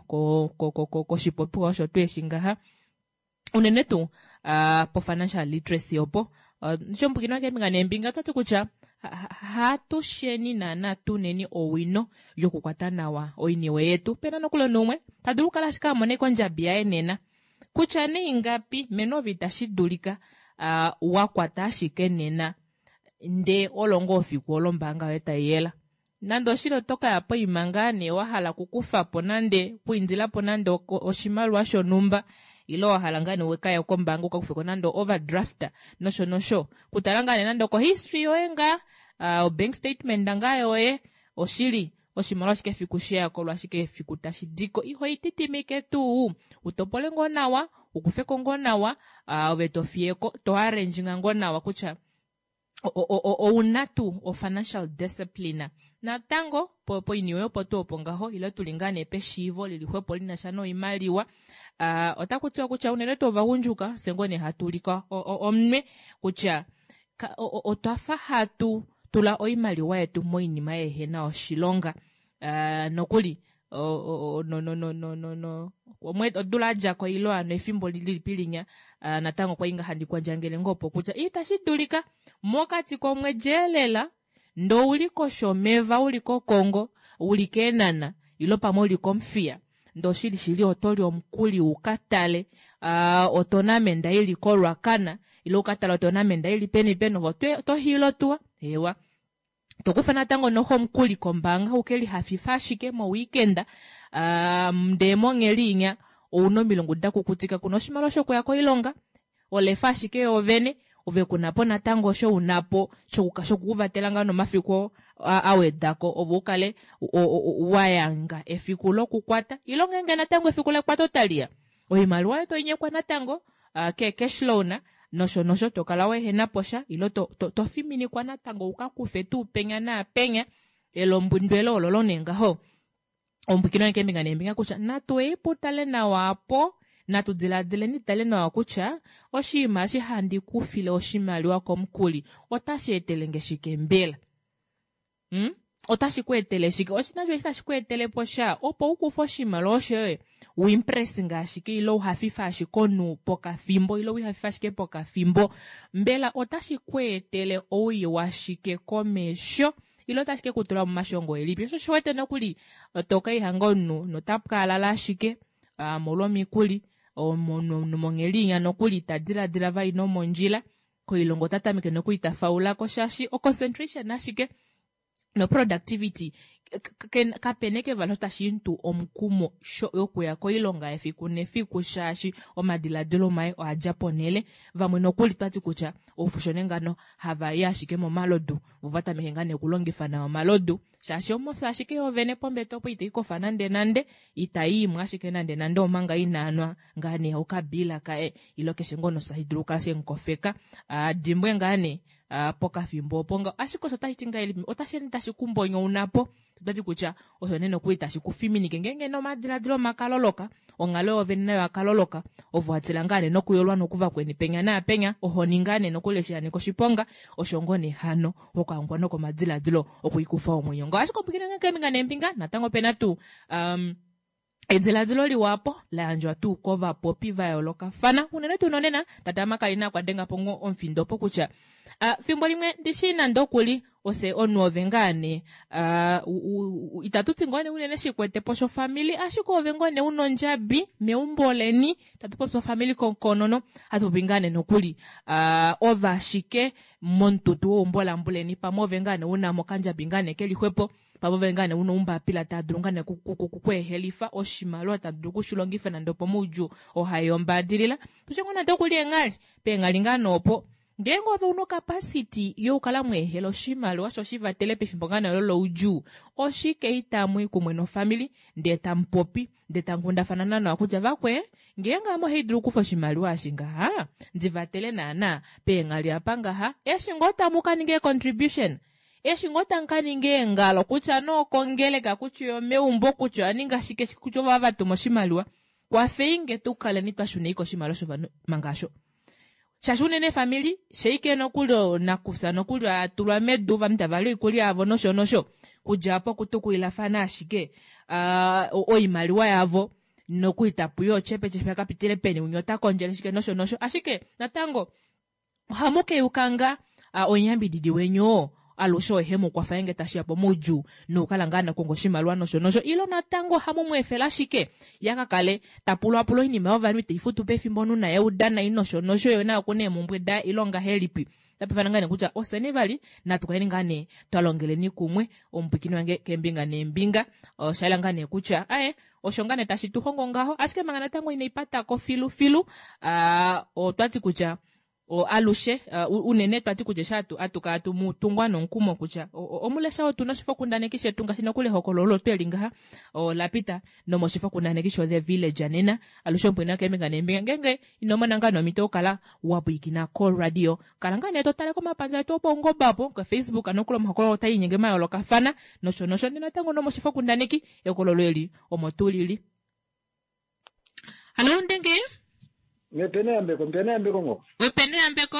koshipopiwa osho tuu eshi ngaha unene tuu po financial literacy opo shombukina keembinga neembinga otati kutya hatusheni naana tuneni owino yokukwata nawa oiniwe yetu. Pena nokuli omunhu tadulu okukala ashike amona kondjabi yaye nena kutya nee ingapi meno ove itashi dulika wakwata ashike nena ndee olongo ofiku olo ombaanga yoye taiyela nande oshili oto kaya poima ngaa nee wahala okukufapo nande okwiindilapo nande oshimaliwa shonhumba ilo wahala ngaa nee wekaya kombaanga ukakufeko nande overdraft nosho nosho kutala ngaa nee nande oko history yoye ngaa obank statement ngaa yoye oshili oshimaliwa ashike efiku sheyako ashike efiku tashi diko iho ititimike tuu utopole ngoo nawa ukufeko ngoo nawa ove tofiyeko to arrange ngoo nawa kutya. Ouna tuu o-financial discipline? Natango, poiniwe opo tuu opo ngaho, ile tuli ngaa nee peshiivo lili xwepo li na sha noimaliwa, otaku tiwa kutya unene tuu ovagundjuka, fye ngoo nee hatu ulika omunwe kutya otwa fa hatu tula oimaliwa yetu moinima yehe na oshilonga. Nokuli, odula ya dja ko ile hano efimbo lilipi linya, natango okwa li ngaa handi kwandjangele ngoo opo kutya itashi dulika mokati komwedi elela ndee ouli koshomeva, uli kOkongo, uli kEenhana ile pamwe uli kOmuthiya ndee oshili shili oto li omukuli u ka tale otonamenda ili koRuacana ile u ka tale otonamenda ili peni peni ove oto hiila otuwa, eewa. Tokufa natango noxo omukuli kombaanga uke lihafifa ashike moweekend, ndee mongheli inya ouna omilungu dakukutika kuna oshimaliwa shokuya koilonga, olefa ashike yoovene, ove kuna po natango osho una po shokukuvatela ngaa nomafiku a wedako ove ukale wayanga efiku lokukwata ile ngeenge natango efiku lekwato taliya oimaliwa yoye toinyekwa natango ke cash loan nosho nosho tokala weehena posha ile to fiminikwa natango uka kufe tuu penya naapenya elombwindwelo ololo nee ngaho ombwikino keembinga neembinga kutya natu ei putale nawa apo natu diladileni tale nawa kutya oshinima eshi handi kufile oshimaliwa komukuli otashi etele nge shike mbela? Otashi ku etele shike? Oshina shoye tashi ku etele po sha opo u kufe oshimaliwa shoye u impress ashike ile u hafife ashike omunhu pokafimbo ile u hafife ashike pokafimbo, mbela otashi ku etele owii washike komesho ile otashi ke ku tula momashongo elipi? Osho shi wete nokuli to ka ihanga omunhu nota pwaalala ashike molwa omikuli, omunhu monghedi inya nokuli ta diladila vali nomondjila koilonga ota tameke nokuli ta faulako shaashi o-concentration ashike no productivity kapena eke vali tashi mutu omukumo yokuya koilonga efiku nefiku shaashi omadiladilo maye oadja ponhele. Vamwe nokuli twati kutya oufushone ngano hava i ashike momalodu vo vatameke ngaa nee okulongifa nawa omalodu shaashi omofya ashike yoovene pombete opo ita ikofa nande nande ita iimwe ashike nande nande omanga inaanwa ngaa nee okabila kaye ile keshe ngoo tashi dulu okukala shemukofeka adimbwe ngaa nee pokafimbo opo nga ashike osho otashi ti ngahelipi otashi ende tashi kumbonyounapo totati kutya osho nee nokuli tashi kufiminike ngeenge nomadiladilo makaloloka onghalo yoovene nayo akaloloka ovo watila ngaa nee nokuyolwa nokuvakweni penya naapenya ohoni ngaa nee nokuli eshi yanika oshiponga osho ngoo nee hano okahongwa nokomadiladilo okwiikufa omwenyo ngao ashike ombwikile ngee keembinga neembinga natango opena tuu ediladilo liwapo la yandjwa tuu kovapopi va yoolokafana unene tuu nonena tata Makalina okwa denga po ngoo omufindo opo kutya fimbo limwe ndishi nande okuli ose omunhu ove ngaa nee itatu ti ngoo nee unene shikwete po shofamili ashike ove ngoo nee una ondjabi meumbo leni tatu popi ofamili konono hatu popi ngaa nee nokuli ove ashike momututu weumbo lambuleni pamwe ove ngaa nee una mo okandjabi ngaa nee keli xwepo pamwe ove ngaa nee una oumbapila taa dulu ngaa nee kweehelifa oshimaliwa ta dulu okushilongifa nande opomoudjuu ohai ombaadilila tushe ngoo nande okuli eenghali peenghali ngaa nee opo ngeenge ove una ocapacity yokukala mweehela oshimaliwa sho shivatele pefimbo ngaa nee olo loudjuu oshike itamui kumwe nofamili ndee tamupopi ndee tamukundafana nawa kutya vakwe ngeenge ame ohaidulu okukufa oshimaliwa eshi ngaha ndivatele naana peenghali apa ngaha eshi ngoo tamu kaninga ee-contribution eshi ngoo tamu kaninga eengalo kutya nee okongeleka kutya omeumbo kutya oyaninga shike kutya ovo vatuma oshimaliwa kwafeinge tukaleni twashuna ike oshimaliwa shovanhu manga asho shaashi unene efamili sheike nokuli nakufya nokuli atulwa medu ovanhu tava li oikulya yavo nosho nosho kudja apo okutukulilafana ashike oimaliwa yavo nokuli tapuya ochepechepe akapitile peni umwe ota kondjele shike nosho nosho ashike natango ohamu keyuka nga omuyambididi weni oo alushe ohe mu kwafa nge tashiya pomaudjuu nokukala ngaa nakonga oshimaliwa nosho nosho ile natango ohamu mu efela ashike yakakale tapulwapula oinima yovanhu iteifutu pefimbo omunhu naye eudana nosho nosho yo naye okuna eemumbwe daye ile ongahelipi tapefana ngaa nee kutya ofyeni vali natu kaleni ngaa nee twalongeleni kumwe omupwikini wange keembinga neembinga osha yela ngaa nee kutya aye osho ngaa nee tashi tu hongo ngaho ashike manga natango inaipatako filu filu otwati kutya. Alushe unene twati kutya eshi atu kala tu mu tungwa nomukumo kutya omulesha otu noshifokundaneki shetu ngaashi nokuli ehokololo olo tweli ngaha ola pita nomoshifokundaneki sho The Village nena. Alushe omupwina keembinga neembinga ngeenge ino mona ngaa nomhito okukala wa pwilikina koradio, kala ngaa nee to tale komapandja etu opaungoba apo koFacebook nokuli omahokololo otaa inyenge mayoolokafana nosho nosho natango nomoshifokundaneki ehokololo eli omo tuu lili. Hallo Ndenge. Mepene yambeko, mpene yambeko ngo. Wepene yambeko.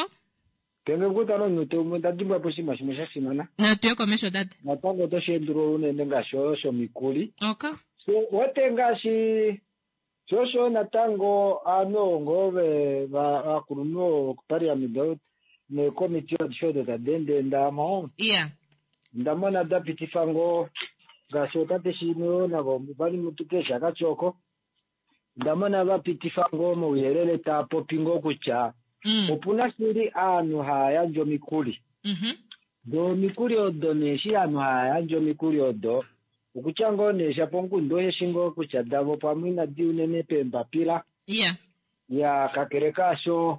Penge kutano nyute umwe ndadimbwa po oshinima shimwe sha fimana. Natuye komesho tate. Natango otoshi endulula unene ngaashi oyo shomikuli. Okay. So wote ngaashi shosho natango aanhu ngoo vakulunhu vokuparliament neekomiti adishe odo tadi endeendamo. Yeah. Ndamona da pitifa ngoo ngaashi otate shimwe navo vali mutuke shakatyoko. Ndamona va pitifa ngoo mouyelele taa popi ngoo kutya opuna shili aanhu haa yandje omikuli. Do omikuli odo nee eshi aanhu haa yandje omikuli odo okutya ngoo nee shapo omukundu osheshi ngoo kutya davo pamwe inadi unene peembapila. Yeah. Ya kakele kaasho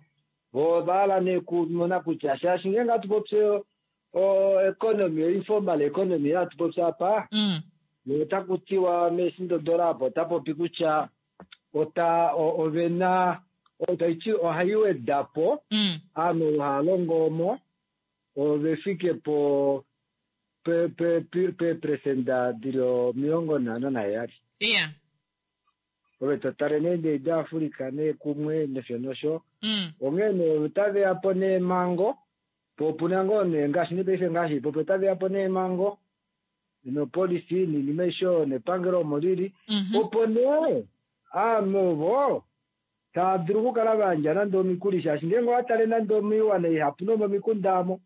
vo ova hala nee kumona kutya shaashi ngeenge hatu popi o economy, informal economy hatu popi apa, otaku tiwa meesindodola apo ota popi kutya ota ovena otaiti ohai weda po aanhu hava longo omo ove fike po peepresenda dili 57. Yeah. Ove totale nee ndee daAfrica nee kumwe nosho nosho. Onghee nee otaveya po neemhango, po opuna ngoo nee ngaashi nepaife ngaashi popi otaveya po neemhango nopolisi noinima aishe oyo nepangelo omo lili, opo nee aanhu ovo tava dulu okukala va yandja nande omikuli shaashi ngeenge owa tale nande omoiwana ihapu nomomikunda amo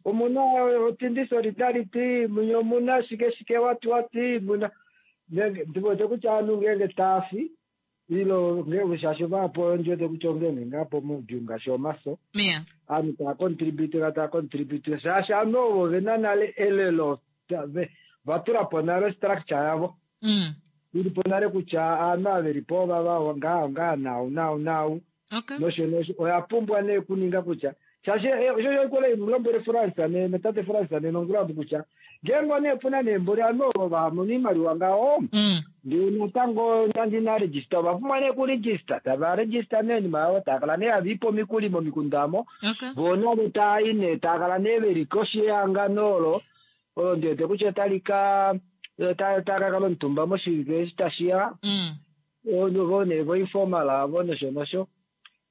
omuna otindi solidarity, munya omuna shike shike wati wati muna ndiwete kutya aanhu ngeenge taafi ilo ngeenge shaashi vahapu ondiwete kutya ongeenge ngaa pomaudjuu ngaashi omaso aanhu taa contribute taa contribute shaashi aanhu ovo vena nale elelo va tula po nale structure yavo ili po nale kutya aanhu ava veli po ovava ngaa ngaa nau nau nau nosho nosho oya pumbwa nee kuninga kutya shaashi osho oikola imulombwele France ne tate France nenongulabu kutya ngeenge nee puna neemboli aanhu ovo vamona iimaliwa ngaho ndee natango nande ina register ova pumbwa nee kuregister tava register nee oinima yavo tava kala nee hava ipe omikuli momikunda omo voo navo taayi nee tava kala nee veli koshi yehangano olo olo ndiwete kutya otali ka tava kakala omutumba moshivike eshi tashiya vo nee vo informal avo nosho nosho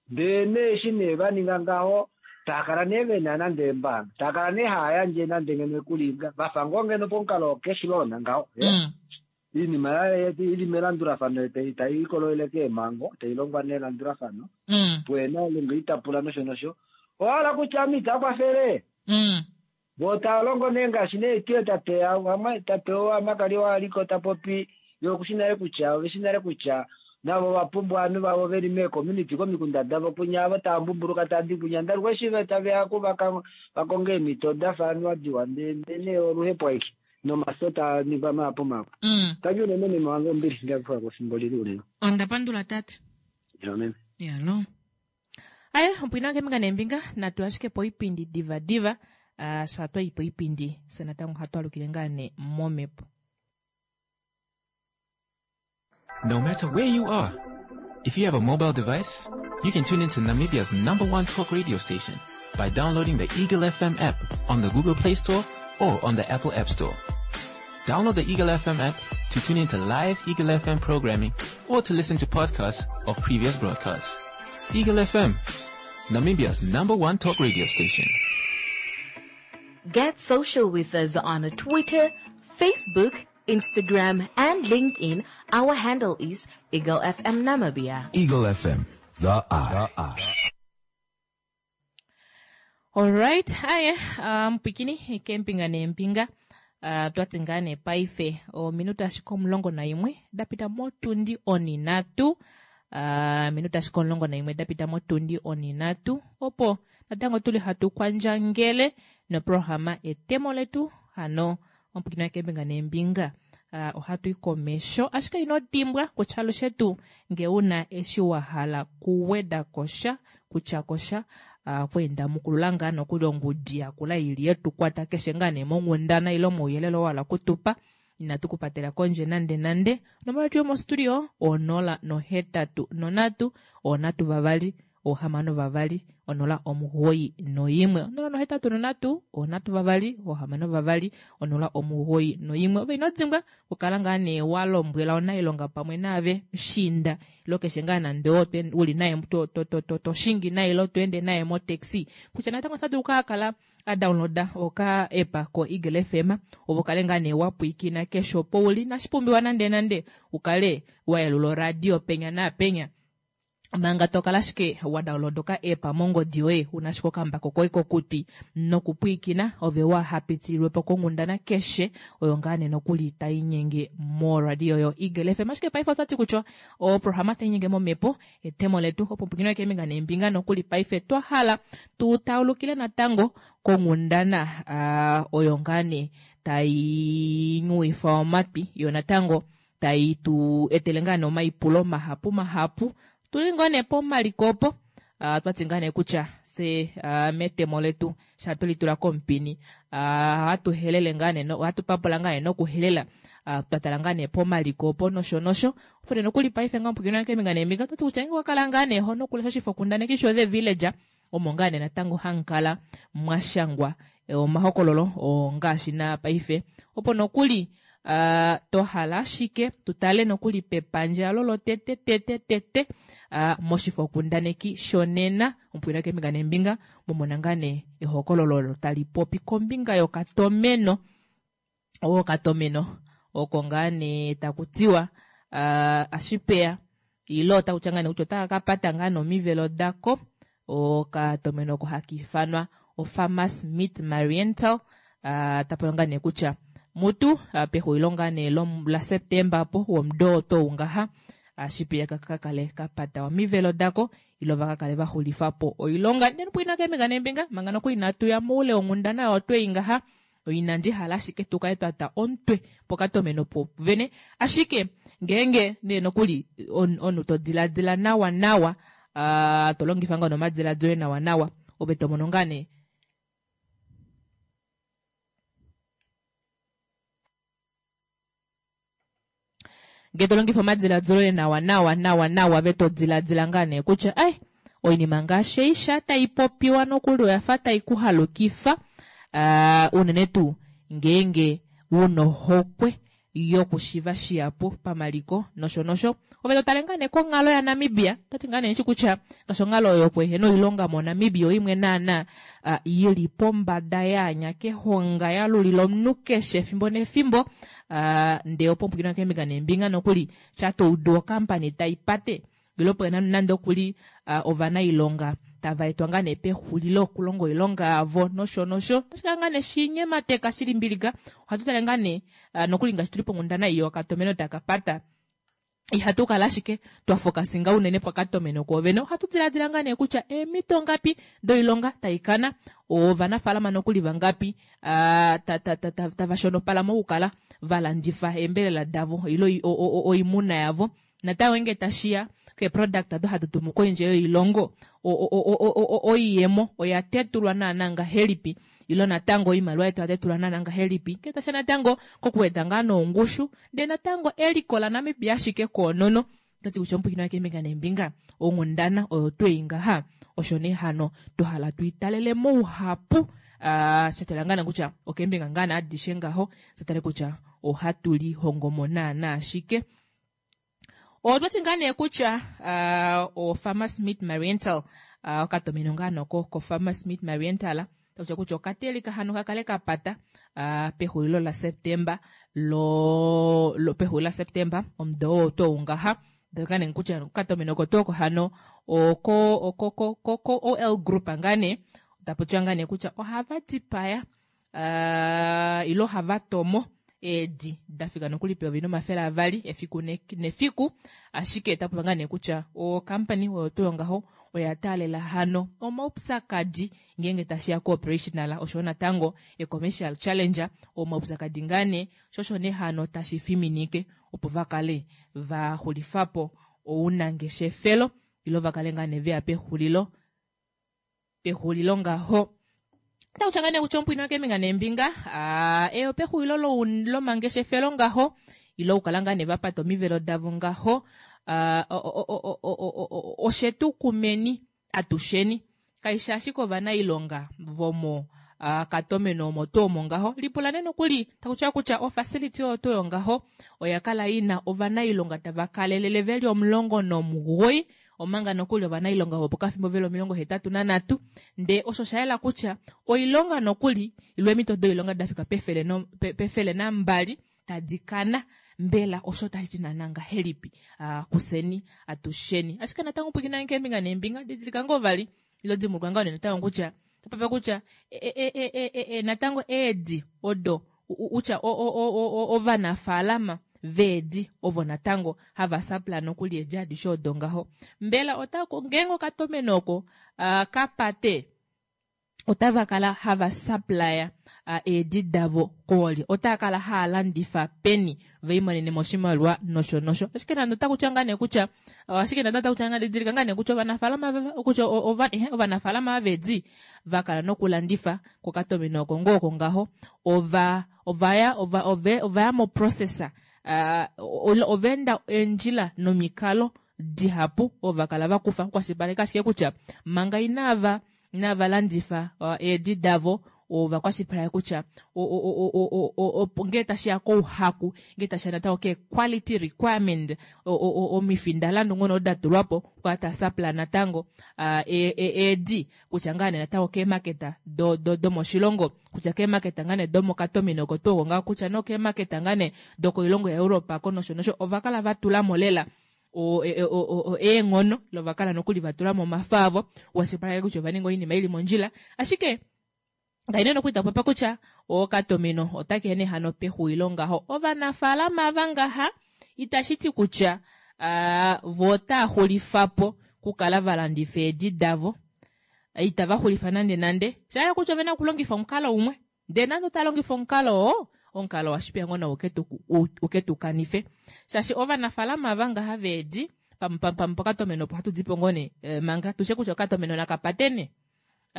ndee nee eshi nee va ninga ngaho tava kala nee vena nande eembaanga tava kala nee hava yandje nande ngeno ekulinga vafa ngoo ngeno pomukalo wo cash loan ngaho iinima ili melandulafano tai ikololele keemhango tai longwa nelandulafano puena olunga itapula nosho nosho owahala kutya ame ita kwafele vo tava longo nee ngaashi nee tiye tate tate wamakali waliko ta popi yo okushi nale kutya oveshi nale kutya navo va pumbwa ovanhu vavo veli meecommunity komikunda davo kunya avo tava mbumbuluka tava di kunya ndaluka eshi taveya ku vakonge eemhito dafa anuwa diwa ndee oluhepo aike nomaso taa ningwa mahapu mahapu. Tangi unene meme wange ombili ndakufa efimbo lili unene. Onda pandula tate. Meme. Yalo. Aye, opwina keembinga neembinga natu ashike poipindi diva diva sha twayi poipindi se natango hatu alukile ngaa nee momhepo. No matter where you are, if you have a mobile device, you can tune into Namibia's number one talk radio station by downloading the Eagle FM app on the Google Play Store or on the Apple App Store. Download the Eagle FM app to tune into live Eagle FM programming or to listen to podcasts of previous broadcasts. Eagle FM, Namibia's number one talk radio station. Get social with us on Twitter, Facebook, Instagram, and LinkedIn. Our handle is Eagle FM Namibia. Eagle FM, the eye. The eye. Alright, aye, mpwikini keembinga neembinga twati ngaa nee paife ominute ashike 11 dapita motundi 3, minute ashike 11 dapita motundi 3, opo natango tuli hatu kwandjangele noprograma etemo letu hano ompwikini keembinga neembinga. Ohatu i komesho ashike ino dimbwa kutya alushe tuu nge una eshi wa hala kuweda kosha kutya kosha. Okweenda mukulula ngaa nokuli ongudi yakula ili yetukwata keshe ngaa nee monghundana ile mouyelele oo wahala okutupa. Inatu ku patela kondje nande nande. Onomola yetu yomostudio 083 3 6 2 0 91. 083 3 6 2 0 91. Ove ino dimbwa okukala ngaa nee wa lombwela onailonga pamwe naave mushiinda ilo keshe ngaa nande oo uli naye to shingi naye ilo to ende naye motaxi kutya natango ota dulu okukala a downloada oka app ko Eagle FM ove ukale ngaa nee wa pwiikina keshe opo uli inashi pumbiwa nande nande ukale wa yelula oradio penya naapenya manga to kala ashike wa download oka app mongodi yoye una ashike okambako koye kokutwi nokupwiikina ove wa hapitililwe po konghundana keshe oyo ngaa nee nokuli tai nyenge moradio yo Eagle FM. Ashike paife otwati kutya oprograma tai nyenge momhepo etemo letu opo pwikinwe keembinga neembinga nokuli paife twa hala tu taulukile natango konghundana oyo ngaa nee tai nyuwifa omatwi yo natango tai tu etele ngaa nee omaipulo mahapu mahapu. Tuli ngoo nee pomaliko opo twati ngaa nee kutya se metemo letu sha tuli tula komupini ohatu helele ngaa nee ohatu papula ngaa nee nokuhelela twa tala ngaa nee pomaliko opo nosho nosho. Opo nee nokuli paife ngaa omupwiikini wange keembinga neembinga otwati kutya ngeenge owa kala ngaa nee ho nokulesha oshifokundaneki sho The Villager omo ngaa nee natango hamukala mwa shangwa omahokololo oo ngaashi naa paife opo nokuli to hala ashike tu tale nokuli pepandja lolotete tete tete moshifokundaneki shonena omupwiina keembinga neembinga momona ngaa nee ehokololo olo tali popi kombinga yokatomeno okatomeno oko ngaa nee taku tiwa ashipeya ile otaku tya ngaa nee kutya otaka ka pata ngaa nee omivelo dako okatomeno oko haka ifanwa oFarmers Meat Mariental tapopiwa ngaa nee kutya mutu pexulilo ngaa nee laSeptemba opo womudo oo tou ngaha ashipeya ka kale ka pata omivelo dako ile va ka kale va xulifa po oilonga. Ndele pwiina keembinga neembinga manga nokuli inatu ya moule wonghundana oyo twei ngaha Inandi hala ashike tu kale twa twa omutwe pokatomeno po vene, ashike ngeenge nee nokuli omunhu to diladila nawa nawa, to longifa ngoo nomadiladilo oye nawa nawa, ove to mono ngaa nee Ngee to longifa omadiladilo oye nawa nawa nawa nawa ve to diladila ngaa nee kutya ai oinima ngaashi ei sha tai popiwa nokuli oya fa tai ku halukifa unene tuu ngeenge wuna ohokwe yokushiva shihapu pamaliko nosho nosho. Ove to tale ngaa nee konghalo yaNamibia, otati ngaa nee ndishi kutya ngaashi onghalo oyo yokuehena oilonga moNamibia oimwe naana i li pombada yaanya kehonga ya lulila omunhu keshe efimbo nefimbo ndee opo pwikinwa keembinga neembinga nokuli sha to udu okampani tai pate ile opo nande okuli ovanailonga tava etwa ngaa nee pexulilo okulonga oilonga yavo nosho nosho. Otashi kala ngaa nee shinyemateka shi limbilika. Ohatu tale ngaa nee nokuli ngaashi tuli ponghundana ei yokatomeno taka pata ihatu kala ashike twa fokasinga unene pokatomeno kwoovene, ohatu diladila ngaa nee kutya eemhito ngapi doilonga tai kana, ovanafaalama nokuli vangapi tava shonopala mokukala va landifa eembelela davo ile oimuna yavo. Natango ngeenge tashi ya keeproduct odo hatu tumu kondje yoilongo, oiyemo oya tetulwa naana ngahelipi ile natango oimaliwa yetu oya tetulwa naana ngahelipi ngee tashiya natango kokuweda ngaa nongushu ndee natango eliko laNamibia ashike koonono. Otati kutya omupwiikini wange keembinga neembinga onghundana oyo twei ngaha osho nee hano twa hala tuitalele mouhapu shatala ngaa nee kutya okeembinga ngaa nee adishe ngaho satale kutya ohatu lihongomo naana shike. Otwati ngaa nee kutya o Farmers Meat Mariental okatomeno ngaa noko ko Farmers Meat Mariental takutya kutya okatelika hano kakale kapata pexulilo la September lo, lo pexulilo la September omudo oo tou ngaha ngaa nee kutya okatomeno oko tuu oko hano oko oko ko ko OL Group ngaa nee taputiwa ngaa nee kutya ohava dipaya ile ohava tomo eedi da fika nokuli peyovi no200 efiku nefiku, ashike ota popi ngaa nee kutya ocompany oyo tuu yongaho oya taalela hano omaupyakadi ngeenge tashiya ko operational oshoyo natango e commercial challenge omaupyakadi ngaa nee sho osho nee hano tashi fiminike opo va kale va xulifapo ounangeshefelo ile va kale ngaa nee veya pexulilo. pexulilo ngaho. Otaku tya ngaa nee kutya omupwini keembinga neembinga eyo pexulilo lomangeshefelo ngaho ile okukala ngaa nee va pata omivelo davo ngaho oshetu kumeni atusheni kaishi ashike ovanailonga vomo katomeno omo tuu omo ngaho. Lipula nee nokuli taku tiwa kutya ofacility oyo tuu yongaho oya kala ina ovanailonga tava kalelele veli 19 omanga nokuli ovanailonga vopokafimbo veli 83 ndee osho osha yela kutya oilonga nokuli ile eemhito doilonga da fika pefele nambali tadi kana. Mbela osho tashi ti naana ngahelipi kuseni atusheni? Ashike natango pwiikina keembinga neembinga didilika ngoo vali ilo dimbuluka ngoo natango kutya tapape kutya natango eedi odo utya ovanafaalama veedi ovo natango hava sapla nokuli eedi adishe odo ngaho. Mbela otako ngeenge okatomeno oko kapate otava kala hava supplya eedi davo koolye, otava kala hava landifa peni ve limonene oshimaliwa nosho nosho. Ashike nande otaku tiwa ngaa nee kutya ashike nande otaku tiwa ngaa didilika ngaa nee kutya ovanafaalama kutya ovanafaalama veedi va kala nokulandifa kokatomeno oko ngoo oko ngaho ovaya moprocessa ova enda eendjila nomikalo dihapu ova kala vakufa okukwashilipaleka ashike kutya manga inava landifa eedi davo ova kwashilipaleka kutya ngee tashiya kouhaku ngee tashiya natango ke quality requirement omifindalandu ngono da tulwapo okukala ta sapla natango eedi kutya ngaa nee natango keemaketa domoshilongo kutya keemaketa ngaa nee domokatomeno oko tuu oko ngaho kutya nokeemaketa ngaa nee dokoilongo yaEuropa ko nosho nosho ova kala vatulamo lela eenghono lovakala nokuli vatulamo omafa avo washilipaleka kutya ova ninga oinima ili mondjila. Ashike kaine nokuli tapopa kutya okatomeno otake ne hano pexulilo ngaho. Ovanafaalama vangaha itashi ti kutya vo otaa xulifapo kukala valandifa eedi davo, itava xulifa nande nande shaya kutya ovena okulongifa omukalo umwe ndee nande ota longifa omukalo oo omukalo washipeya ngoo nawo uke tukanife shaashi ovanafaalama vangaha veedi pokatomeno opo hatu dipo ngoo nee manga tushe kutya okatomeno nakapatene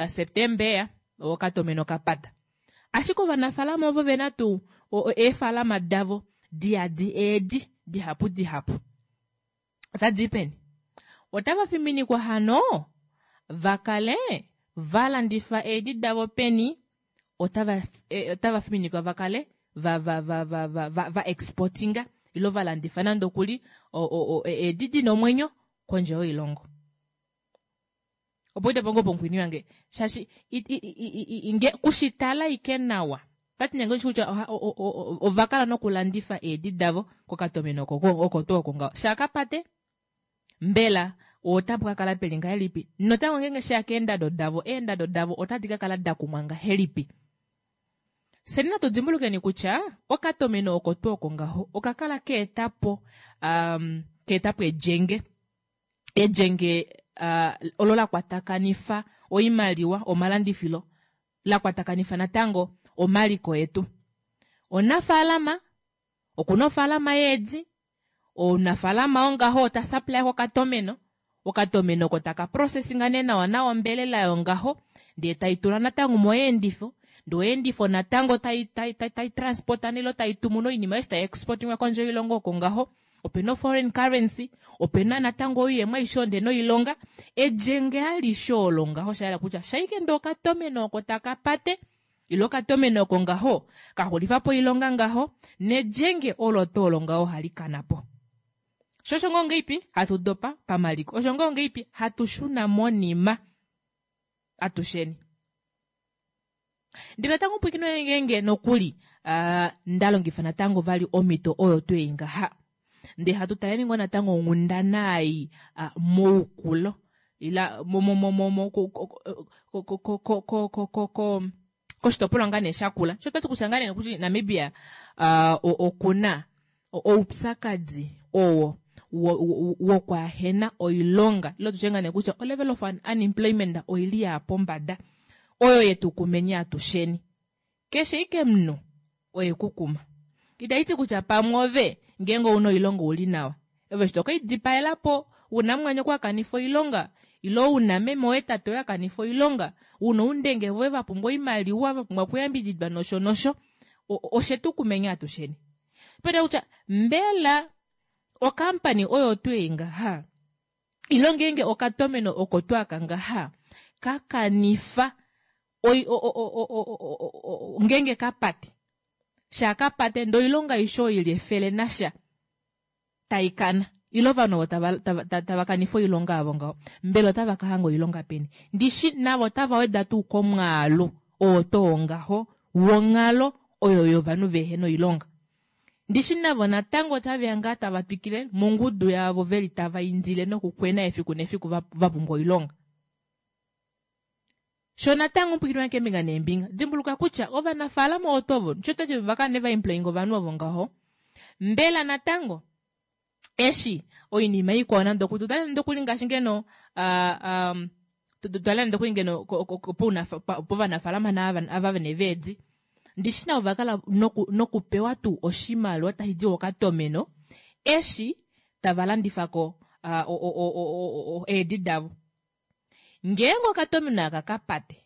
September okatomeno kapata. Ashike ovanafaalama ovo vena tuu eefaalama davo diyadi eedi dihapu dihapu otadi peni otava fiminikwa hano vakale valandifa eedi davo peni otava fiminikwa vakale va exportinga ilo valandifa nande okuli eedi dina omwenyo kondje yoilongo. Opo itapo ngoo pomukweni wange shaashi kushitala ike nawa tati nenge kutya ova kala nokulandifa eedi davo kokatomeno oko tuu oko ngaho shakapate mbela otapu kakala peli ngahelipi notango ngeenge sheya keendado davo eendado davo otadi kakala dakumwa ngahelipi. Fyeni natu dimbulukeni kutya okatomeno oko tuu oko ngaho okakala keetapo keetapo elyenge elyenge olo la kwatakanifa oimaliwa omalandifilo la kwatakanifa natango omaliko etu. Omunafaalama okuna ofaalama yeedi omunafaalama ongaho ota supply kokatomeno okatomeno oko taka processinga nee nawa nawa ombelela yongaho ndee taitula natango moyeendifo ndee oyeendifo natango tai transporta nilo taitumu noinima eshi tai exportingwa kondje yoilongo oko ngaho opena foreign currency opena natango oiyemo aishe ndee noilonga elyenge alishe olo ngaho shayela kutya shaike ndee okatomeno oko taka pate ile okatomeno oko ngaho kaxulifapo oilonga ngaho nelyenge olo tuu olo ngaho ohali kanapo. Sho osho ngoo ngeipi hatu dopa pamaliko osho ngoo ngeipi hatu shuna monima atusheni. Ndele natango pwiikino ngeenge nokuli ndalongifa natango vali omhito oyo tuu ei ngaha ndee hatu taleni ngoo natango onghundana ei moukulo ila koshitopolwa ngaa nee shakula sho twati kutya ngaa nee kutya Namibia okuna oupyakadi owo wokwaahena oilonga ilo tutye ngaa nee kutya o level of unemployment oili ya pombada oyo yetu kumeni atusheni keshe ike munhu oye kukuma. Itaiti kutya pamwe ove ngeenge ouna oilonga uli nawa ove eshi toke idipaelapo una mumwanyoko akanifa oilonga. Ilo una meme woye tate woye a kanifa oilonga, una oundenge voye va pumbwa oimaliwa, va pumbwa okuyambididwa nosho nosho, oshe tu kumenya atusheni. Pena kutya mbela okampani oyo tuu ei ngaha ilo ngeenge okatomeno oko tuu aka ngaha ka kanifa oi, o, o, o, o, o, o, ngeenge ka pate shaa ka pate ndee oilonga aishe oyo ili efele nasha tai kana ile ovanhu ovo tava, tava, tava, tava kanifa oilonga yavo ngaho mbela otava ka hanga oilonga peni ndishi navo otava weda tuu komwaalu oo too ngaho wonghalo oyo yovanhu vehena oilonga Ndishi navo natango otave ya ngaa tava twikile mongudu yaavo ve li tava indile nokukwena efiku nefiku va, va pumbwa oilonga. Sho natango omupwikinwa keembinga neembinga, dimbuluka kutya ovanafaalama oto ovo, sho twati va kala ne va employinga ovanhu ovo ngaho, mbela natango eshi oinima ikwao nande okuli tutale nande okuli ngaashi ngeno uh, um, tutale nande okuli ngeno povanafaalama naava vene veedi ndishi navo va kala nokupewa noku tuu oshimaliwa tashi di okatomeno eshi tava landifa ko uh, eedi davo ngeenge okatomeno aka ka pate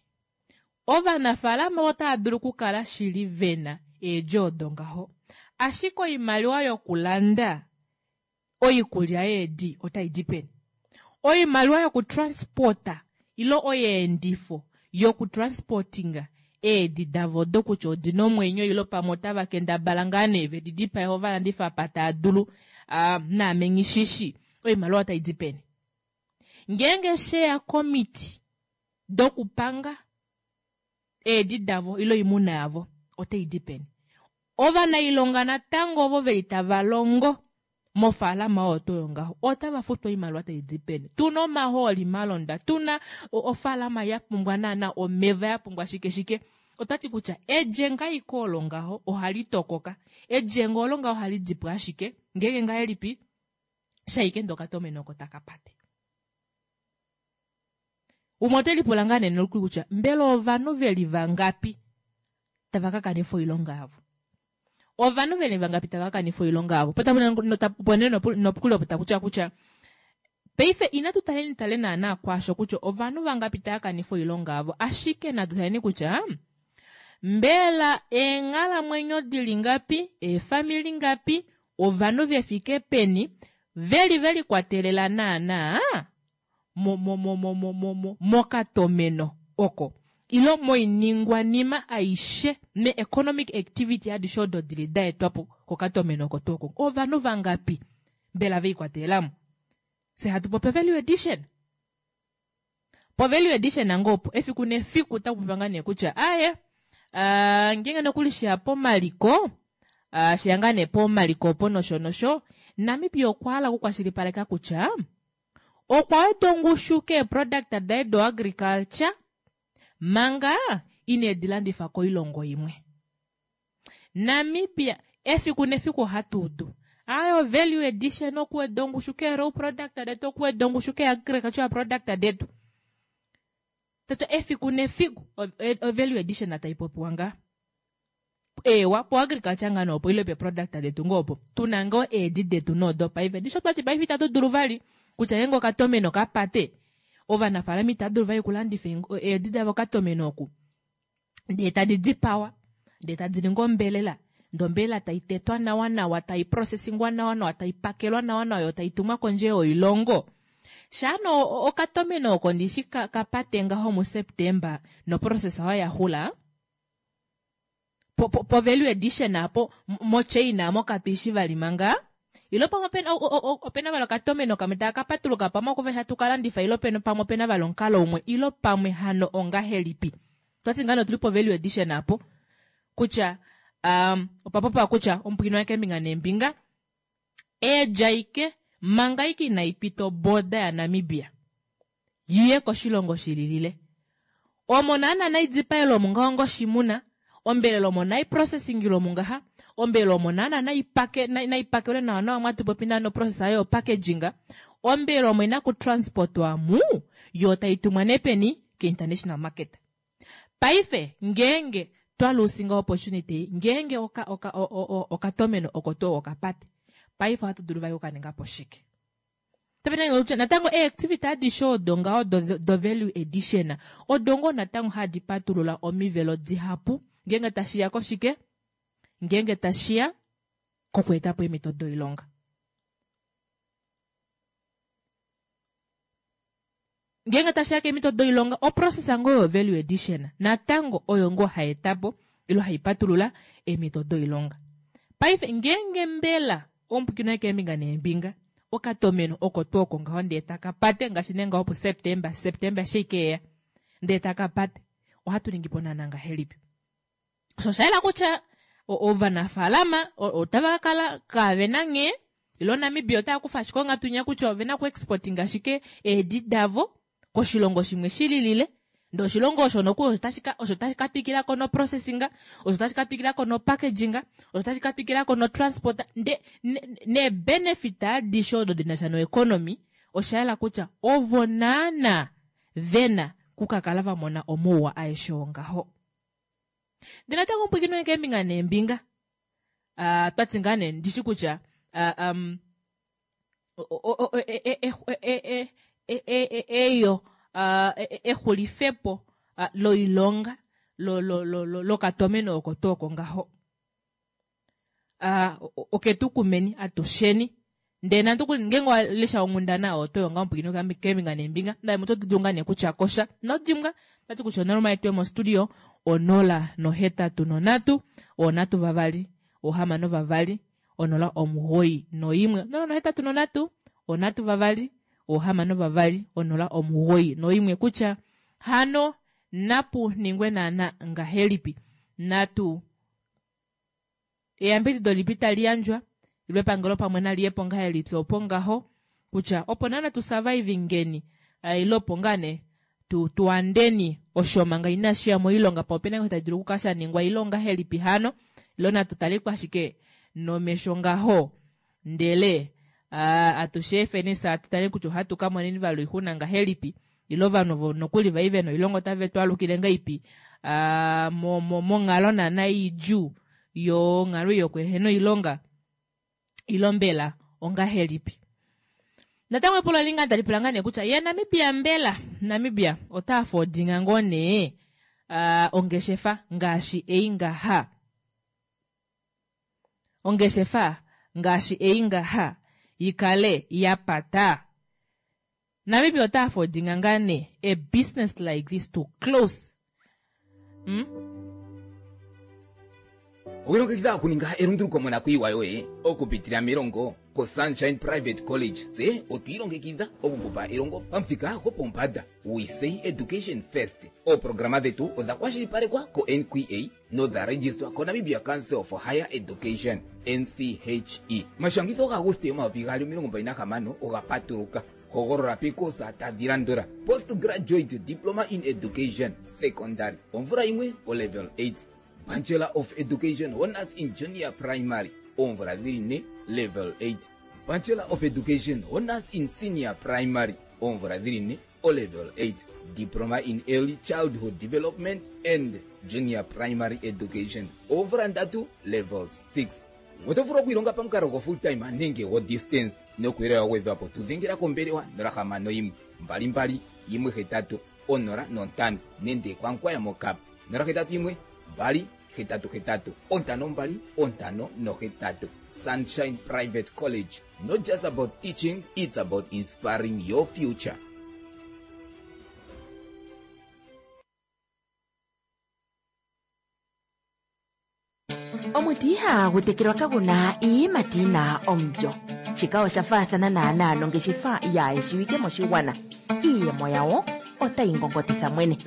ovanafaalama otava dulu okukala shili vena eedjo odo ngaho ashike oimaliwa yokulanda oikulya yeedi otai di peni oimaliwa yokutransporta ilo oyeendifo yokutransportinga eedi davo odo kutya odina omwenyo ilo pamwe otava kendabala ngaa nee vedi dipae ova landifa apa taa dulu uh, naame nghishishi oimaliwa otai di peni Ngeenge she ya komiti dokupanga eedi davo ile oimuna yavo otai di peni? Ovanailonga natango ovo veli tava longo mofaalama oyo tuu yongaho otava futwa oimaliwa tai di peni? Tuna omahooli malonda, tuna ofaalama ya pumbwa naana omeva, ya pumbwa shike shike. Otwa ti kutya edjenga ike olo ngaho ohali tokoka. Edjenga olo ngaho ohali di po ashike ngeenge ngahelipi? Shaike ndee okatomeno oko taka pate. Umwe ote lipula ngaa nee nokuli kutya mbela ovanhu ve li vangapi tava ka kanifa oilonga yavo? Ovanhu ve li vangapi tava ka kanifa oilonga yavo? Opo nee nokuli opo taku tiwa kutya paife inatu taleni tale naanaa kwaasho kutya ovanhu vangapi tava kanifa oilonga yavo, ashike natu taleni kutya mbela eenghalamwenyo di li ngapi, eefamili ngapi, ovanhu ve fike peni ve li ve likwatelela naanaa mo, mo, mo, mo, mo, mo, mo, mokatomeno oko ilo moiningwanima aishe me-economic activity adishe odo di li da etwa po kokatomeno oko tuu oko. Ovanhu vangapi mbela ve ikwatelela mo? Fye hatu popi value addition. Po value addition nango opo efiku nefiku otaku popiwa ngaa nee kutya aye uh, ngeenge nokuli sheya pomaliko uh, sheya ngaa nee pomaliko opo nosho nosho Namibia okwa hala okukwashilipaleka kutya okwa weda ongushu keeproduct daye do agriculture manga ine di landifa koilongo imwe. Namibia efiku nefiku ohatu udu ayo value addition okuweda ongushu ke raw product detu okuweda ongushu ke agricultural product detu toto efiku nefiku o value addition tai popiwa ngaa ewa po agriculture ngaa noopo ile pe product detu ngoo opo tuna ngoo eedi detu noodo paife disho twati paife itatu dulu vali kutya ngeenge okatomeno kapate ovanafaalama itava dulu vali okulandifa eedi davo okatomeno oku ndee tadi dipawa ndee tadi ningi ombelela ndee ombelela tai tetwa nawa nawa tai processingwa nawa nawa tai pakelwa nawa nawa yo tai tumwa kondje yoilongo shaano okatomeno oko ndishi ka, ka pate ngaho muSeptember noprocess oyo ya xula po, po, po value addition apo mochain amo katuishi vali manga ilo pamwe opena opena vali okatomeno kamwe taka ka patuluka pamwe oko hatu ka landifa ilo pena pamwe opena vali omukalo umwe ilo pamwe hano ongahelipi twati ngaa otuli po value addition apo kutya um, opa popiwa kutya omupwikinwa waye keembinga neembinga eedja ike manga ike inai pita oboda yaNamibia yiye koshilongo shililile omo naana nai dipaelwe omo ngaho ngoshimuna ombelela omo nai processingilwe omo ngaha ombelela omo naana nai pake nai pakelwe nawa nawa mwatu popi naana process ayo packaging ombelela omo ina ku transportwa mu yo tai tumwa nee peni ke international market paife ngeenge twa lusinga opportunity ngeenge oka oka okatomeno oko tuu okapate paife ohatu dulu vali okukaninga po shike. Kutya natango eactivity adishe odo ngaho do value addition odo ngoo natango hadi patulula omivelo dihapu ngeenge tashiya koshike, ngeenge tashiya kokweetapo eemhito doilonga. Ngeenge tashiya keemhito doilonga, oprocess ngoo yo value addition natango oyo ngoo hai etapo ile hai patulula eemhito doilonga. Paife ngeenge mbela omupwikino keembinga neembinga okatomeno oko tuu oko ngaho ndee taka pate ngaashi nee ngaho puSeptemba, Septemba eshi ikeya ndee taka pate, ohatu ningi po naana ngahelipi? Osho osha yela kutya ovanafaalama otava ka kala kavena nghee, ilo Namibia otava kufa ashike onghatu inya kutya ovena oku exporting ashike eedi davo koshilongo shimwe shililile, ndee oshilongo osho nokuli osho tashi ka twikilako no processing, osho tashi ka twikilako no packaging, osho tashi ka twikilako no transport, nde ne benefit adishe odo dinasha no economy, osha yela kutya ovo naana vena kukakala vamona omauwa aeshe oo ngaho. Ndele natango omupwikino keembinga neembinga, twati ngaa nee ndishi kutya eyo exulifepo loilonga lokatomeno oko tuu oko ngaho, oketu kumeni atusheni. Ndele nande okuli ngeenge wa lesha onghundana oyo oto yonga omupwikino keembinga neembinga, ndele oto dulu ngaa nee kutya kosha nodimbwa tati kutya onomola yetu yomostudio 083 3 6 091 083 3 6 091 kutya hano napu ningwe naana ngahelipi, natu eyambidido lipi tali yandjwa ilo epangelo pamwe naliyepo ngahelipi opo ngaho kutya opo naana tu survive ngeni, ilo opo ngaa nee tuandeni osho manga inashi ya moilonga, pa opena ngoo tashi dulu okukala sha ningwa ilo ngahelipi hano, ilo natu taleko ashike nomesho ngaho, ndele atushe efeni sa tutale kutya ohatu ka moneni vali oixuna ngahelipi, ilo ovanhu ovo nokuli vai vena oilonga otave twalukile ngaipi monghalo naana idjuu yonghalo yokuhena oilonga, ilo mbela ongahelipi. Natango epulo linga tali pula ngaa nee kutya ye Namibia mbela Namibia ota afodinga ngoo nee ongeshefa ngaashi ei ngaha, ongeshefa ngaashi ei ngaha ikale ya pata. Namibia ota afodinga ngaa nee a business like this to close. Owilongekidha okuninga elunduluko monakuyiwa yoye okupitila melongo koSunshine Private College. Tse otwiilongekidha okukupa elongo pamuthika gopombanda. We say education first. Ooprograma dhetu odha kwashilipalekwa ko-NQA nodha registrwa koNamibia Council for Higher Education NCHE. Omashangitho gaAguste 2026 oga patuluka. Hogolola pekosa tadhi landula: Postgraduate Diploma in Education Secondary omvula 1 o level 8, Bachelor of Education Honors in Junior Primary oomvula dhili 4 level 8, Bachelor of Education Honors in Senior Primary oomvula dhili 4 o level 8, Diploma in Early Childhood Development and Junior Primary Education oomvula 3 level 6. Oto vulu okwiilonga pamukalo go full time nenge go distance. Nokuyele wa gwedhwapo tu dhengela kombelewa 061 22 18 05 nenge kwankwaya mokap 081 2 88 52 58. Sunshine Private College, not just about teaching, it's about inspiring your future. Omuti ihagu tekelwa kagu na iiyimati yi na omulyo. Shika osha faathana naanaa nongeshefa yaayeshiwike moshigwana. Iiyemo yawo otayi ngongotitha mwene.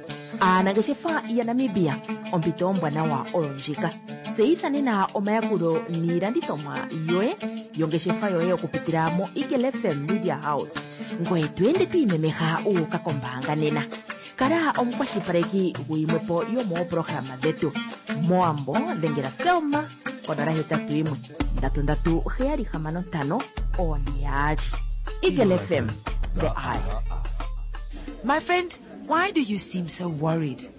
Aanangeshefa yaNamibia, ompito ombwanawa oyo ndjika. Tseyitha nena omayakulo niilandithomwa yoye yongeshefa yoye okupitila mo Eagle FM Media House. Ngoye to ende to imemeha wu uka kombaanga nena. Kala omukwashilipaleki guyimwe po yomooprograma dhetu. Moambo dhengela Selma konola hetatu yimwe ndatu ndatu heyali hamano ntano one yaali. Eagle FM, the eye. My friend, why do you seem so worried?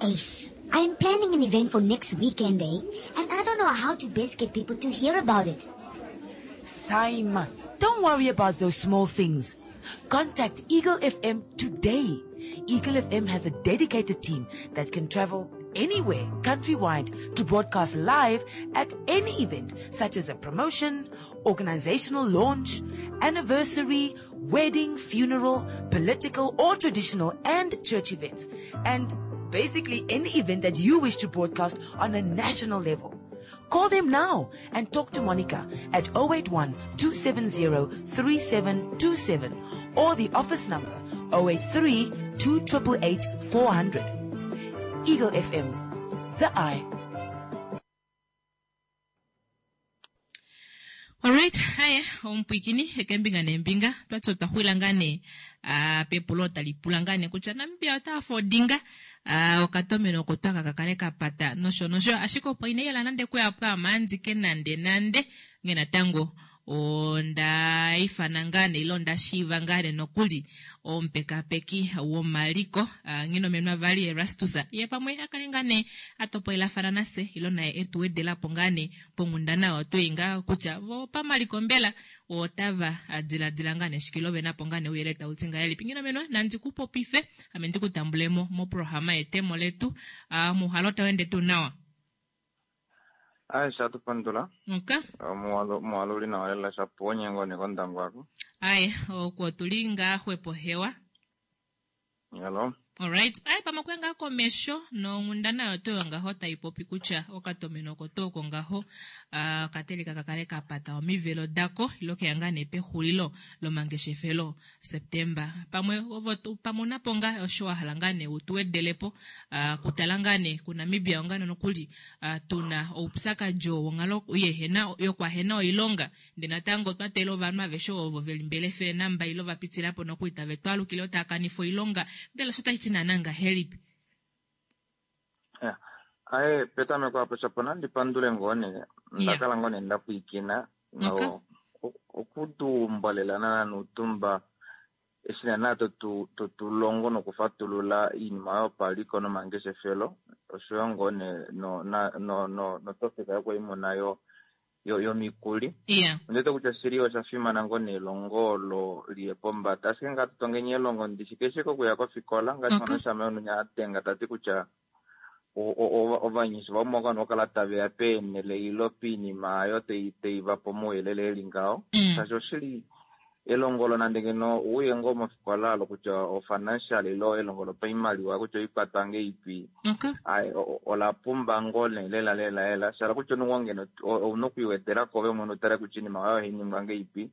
Ace, I'm planning an event for next weekend, eh? And I don't know how to best get people to hear about it. Same. Don't worry about those small things. Contact Eagle FM today. Eagle FM has a dedicated team that can travel anywhere countrywide to broadcast live at any event such as a promotion, organizational launch, anniversary, wedding, funeral, political or traditional and church events, and basically any event that you wish to broadcast on a national level. Call them now and talk to Monica at 081 270 3727 or the office number 083 2888 400. Eagle FM, the eye. Alright, haye omupwikini kembinga nembinga twati otwa xwila ngaa nee pepulo tali pula ngaa nee kutya Namibia ota afodinga okatomeno oko twaka kakale kapata nosho nosho ashike opo ina yela nande kuya pwaamandike nande nande nge natango onda ifana ngaa nee ile onda shiiva ngaa nee nokuli omupekapeki womaliko Nghinomenwa vali Erastus ye pamwe akale ngaa nee atopolelafana nase ilo naye etu wedelapo ngaa nee ponghundana oyo twei ngaa kutya vo pamaliko mbela otava diladila ngaa nee shike ilo venapo ngaa nee ouyelele tau ti ngahelipi. Nghinomenwa nandi ku popife ame ndi ku tambulemo moprograma yetemo letu muhalo tau ende tuu nawa? Aye, shatu pandula. Okay. Muhalo uli nawa lela shapu onyengo nekondango ako. Aye, oko tuli ngaa xwepo hewa. Hello. Alright. Aye, pamwe okuya ngaa komesho nonghundana oyo tuu ngaho tai popi kutya okatomeno oko tuu oko ngaho okateleka kakale ka pata omivelo dako ilo keya ngaa nee pexulilo lomangeshefelo Septemba. Pamwe ovo pamwe unapo ngaa osho wa hala ngaa nee utu wedelepo kutala ngaa nee kuNamibia onga nokuli tuna oupyakadi oo wonghalo yehena yokwahena oilonga ndee natango twa teelela ovanhu aveshe ovo veli mbela efele namba ile va pitilapo nokuli tave twaalukile otava kanifa oilonga mbela osho otashi ti naana ngahelipi? Aye, petameko apo shapo nandi pandule ngoo nee nda kala ngoo nee nda pwiikina no okutuumba lela nana nuutumba eshi naana totu longo nokufatulula iinima yopaliko nomangeshefelo oshoyo ngoo nee notopika yokwaimuna yomikuli. Ondiwete kutya shili osha fimana ngoo nee elongo olo liye pombada. Ashike ngaa tutongeni elongo ndishi keshe kokuya kofikola ngaashi mwana oshama yonunya a denga ta ti kutya ovanyasha vamwe ovanhu okala tave ya peenhele ilo piinima ayo tei va po omauyelele eli ngaho. Shaashi oshili elongo olo nande ngeno uye ngoo mofikola olo kutya o-financial ilo elongo lopaimaliwa kutya oikwatwa ngeipi, ola pumba ngoo nee lela lela lela. Shala kutya omunhu ngeno ouna okwiiwedela ko ove mwene utale kutya iinima oyo ohai ningwa ngeipi,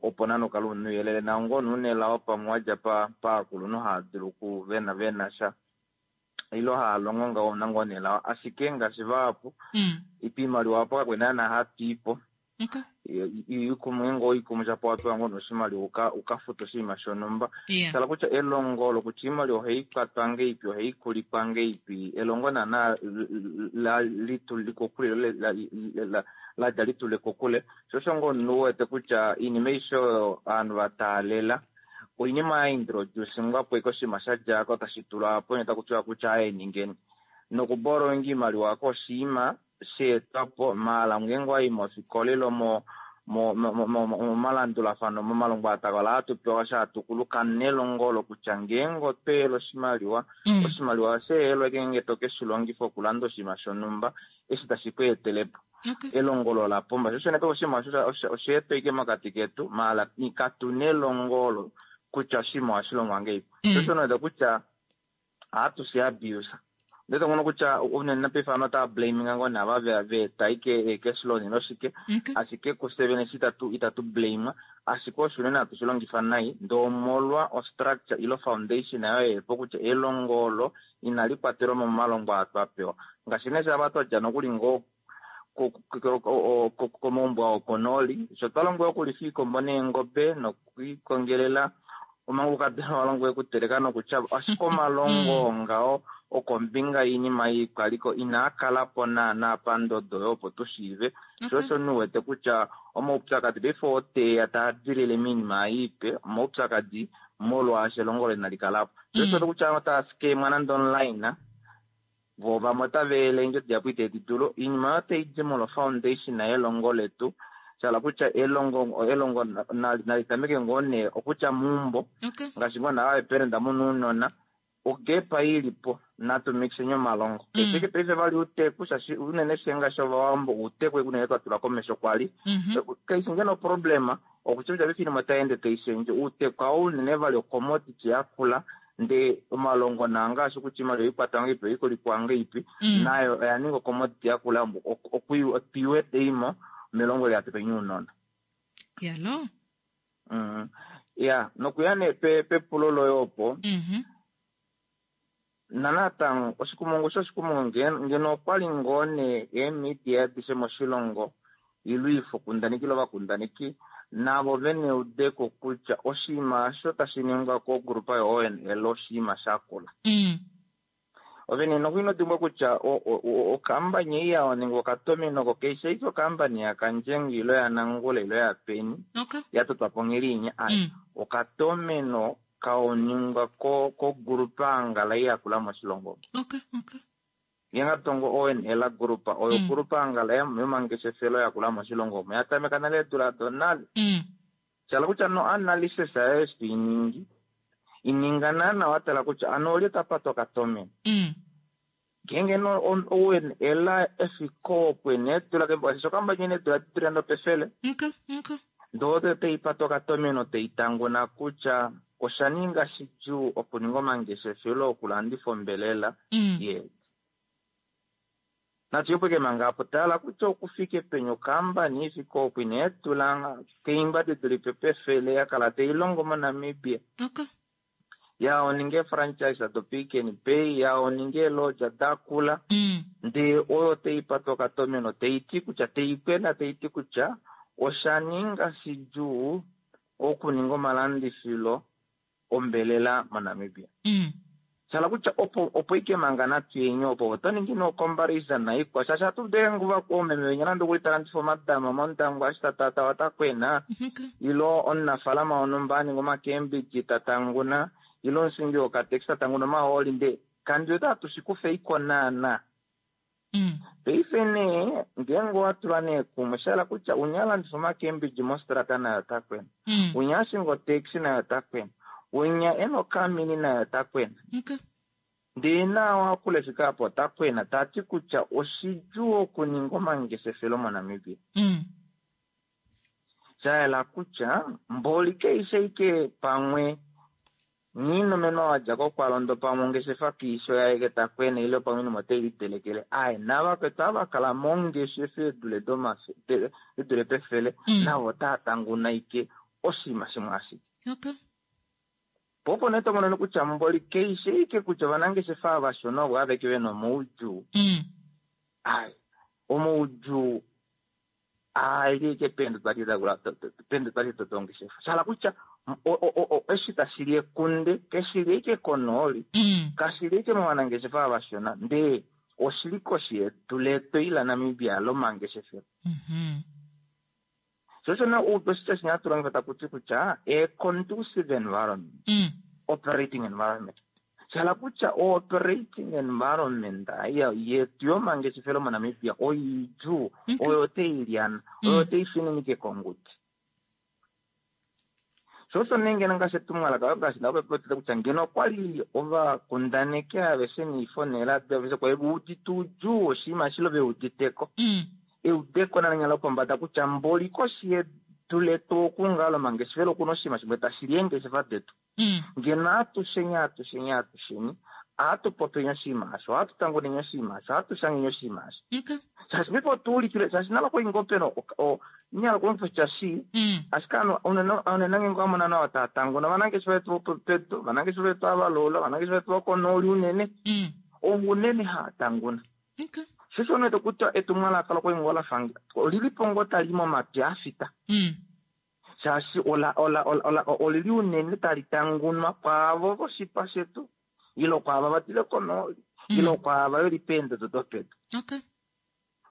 opo nande ukale una ouyelele. Nao ngoo nee una elao pamwe wadja paakulunhu haa dulu ku vena sha ilo haa longo ngaho ouna ngoo nee elao. Ashike ngaashi vahapu iimaliwa opo kakwena naana hatu ipo. Ikumwe ngoo ikumwe shapo wapewa ngoo noshimaliwa uka futa oshinima shonhumba. Tala kutya elongo olo kutya iimaliwa ohai kwatwa ngeipi, ohai kulikwa ngeipi, elongo naana lituli kokule ladja litule kokule. Sho osho ngoo omunhu uwete kutya iinima aishe oyo ovanhu va taalela oinima ya introducingwa po ike oshinima sha djako tashi tulwa apo taku tiwa kutya aye ningeni. Nokuborrowing iimaliwa ako oshinima sheetwapo maala ngeenge wayi mofikola ilo momalandulafano momalongo atakala hatu pewa shatukuluka nelongo olo kutya ngeenge otweela oshimaliwa, oshimaliwa osheelwa ngeenge to keshi longifa okulanda oshinima shonhumba eshi tashi ku etelepo. Elongo olo la pumba. Sho shene oshinima osheetwa ike mokati ketu maala katu nelongo olo kutya oshinima ohashi longwa ngeipi. Sho shene kutya ohatu shi abuse. Ndele ngono kutya unene paife ovanhu otava blaminga ngoo nee ava veeta ike cash loan ilo shike, ashike kufye vene eshi itatu blame, ashike osho unene hatu shi longifa nai ndee omolwa o structure ilo foundation ayo yeepo kutya elongo olo inali kwatelwa mo momalongo aa twa pewa. Ngaashi nee shava twadja nokuli ngoo komaumbo ao konooli, sho twa longwa okulifa iikombo neengobe nokwiikongelela omanga ukadona walongwa okuteleka nokutyava, ashike omalongo ngaho okombinga yiinima yiikwaliko inaa kalapo naana pandodo oyo opo tu shiive. Sho osho omunhu uwete kutya omaupyakadi paife oteya taa dilile moinima iipe, omaupyakadi molwaashi elongo olo inali kalapo. Sho osho kutya ovanhu otava scamwa nande online, vo vamwe otava ele eendjodi dihapu itedi dulu. Oinima oyo otai di molwa foundation yelongo letu. Shala kutya elongo elongo nali tameke ngoo nee okutya meumbo ngaashi ngoo naave parent muna ounona ogepa ilipo natu mixeni omalongo. Keshe paife vali uuteku shaashi unene fye ngaashi ovawambo uuteku unene twa tula komesho kwali. Kaishi ngeno problem okutya kutya paife oinima otai ende tai shendje uuteku hao unene vali ocommodity yakula ndee omalongo naa ngaashi kutya oimaliwa oikwatwa ngahelipi oikolikwa ngahelipi nayo oya ninga ocommodity yakula tuiwete imo melongo liatupeni ounona. Yalo. Ya nokuya nee pepulo loye opo nanatango oshikumungu shoshikumungu ngeno okwali ngoo nee eemidia adishe moshilongo ile oifokundaneki ile ovakundaneki navo vene eudeko kutya oshinima osho tashi ningwa kogrupa yo-ONL oshinima shakula. Ovene noku dimbwa kutya okambani ei yawo okatomeno oko kaishi ashike okambani yaKandjengo ile yaNangula ile yaPeni yatotwa po nghelinya ai okatomeno kaoningwa kogrupa angala yakula moshilongo. Ngeenge ONL group oyo group angala yomangeshefelo yakula moshilongo omo yatameka nale eedula donale. Shala kutya no analysis yayo eshi toiningi ininga naana watala kutya ano olye tapata okatomeno. Ngeenge no ONL efiko opo eedula shaashi okambani ina eedula didule nopefele. Ndee oyo taipata okatomeno taitanguna kutya osha ninga shidjuu okuninga omangeshefelo okulandifa ombelela yeedi. Natu manga apo tala kutya okufike peni okambani ifike opo ina eedula keimba didulife pefele yakala tailongo moNamibia. Ya oninge franchise do Pick n Pay ya oninge eelodge dakula ndee oyo taipata okatomeno taiti kutya taikwena taiti kutya osha ninga shidjuu okuninga omalandifilo ombelela moNamibia. Shala kutya opo ike manga natu yenye opo oto ningi no comparison naikwa shaashi atu denguva oomeme venya nande okuli talandifa omatama mondango ashi tatata watakwena ilo omunafalama wonhumba aninga omakembiji tatanguna ilo omushingi wokateksi tatanguna omahooli ndee kandi wete atushikufa iko naana. Paife nee ngeenge owatulwa nee kumwe shahala kutya unya alandifa omakembiji mostrata naye otakwena, unya ashinga otaxi naye otakwena, unya ena okamini naye otakwena. Ndee naawo akula efika apo otakwena tati kutya oshidjuu okuninga omangeshefelo moNamibia. Shayela kutya mboli kaishi ashike pamwe nghiinomenwa wadja kokwalondo pamwe ongeshefa kiisho yaye takwena ile pamwe oinima otai litelekele aye navakwetu ava kala mongeshefa eedule edule pefele navo otaa tanguna ike oshinima shimwe ashike. Po opo nee tomono kutya mboli kaishi ashike kutya ovanangeshefa avashona ovo aveke vena omaudjuu. Aye omaudjuu aali ike peendodo twali tongeshefa. Shala kutya eshi tashili ekunde keshili ike konooli kashili ike movanangeshefa avashona ndee oshili koshi yedu letu ila Namibia lomangeshefelo. Sho osho nee oshitya shinya hatu longifa takuti kutya a conducive environment, operating environment. Shala kutya operating environment yetu yomangeshefelo moNamibia oidjuu oyo tailyana oyo taifininike kongudi. Sho osho nee ngeno ngaashi etumwalaka ngaashi ndapopya kutya ngeno okwali ovakundaneki aveshe noifo neeradio aveshe kwali veudite oudjuu woshinima eshi ile veuditeko. Eudeko nalenya lopombada kutya mboli koshi yedu letu oku ngaa lomangeshefelo okuna oshinima shimwe tashili eengeshefa detu. Ngeno atusheni atusheni atusheni ohatu popeni oshinima osho, ohatu tanguneni oshinima osho, ohatu shangeni oshinima osho. Shaashi paife otuulikile shaashi nale okwali ngoo pena inyala okulongifa oshitya shii ashike ovanhu unene ngeenge owamona nawa tava tanguna ovanangeshefa vetu vopedu, ovanangeshefa vetu avalula, ovanangeshefa vetu vokonooli unene ovo unene hava tanguna. Sho osho unene kutya etumwalaka lokwali ngoo lafa olilipo ngoo tali momapya afita. Shaashi olili unene tali tangunwa kwaavo voshipa shetu ile kwaava vadile konooli ile kwaava veli peendodo dopedu.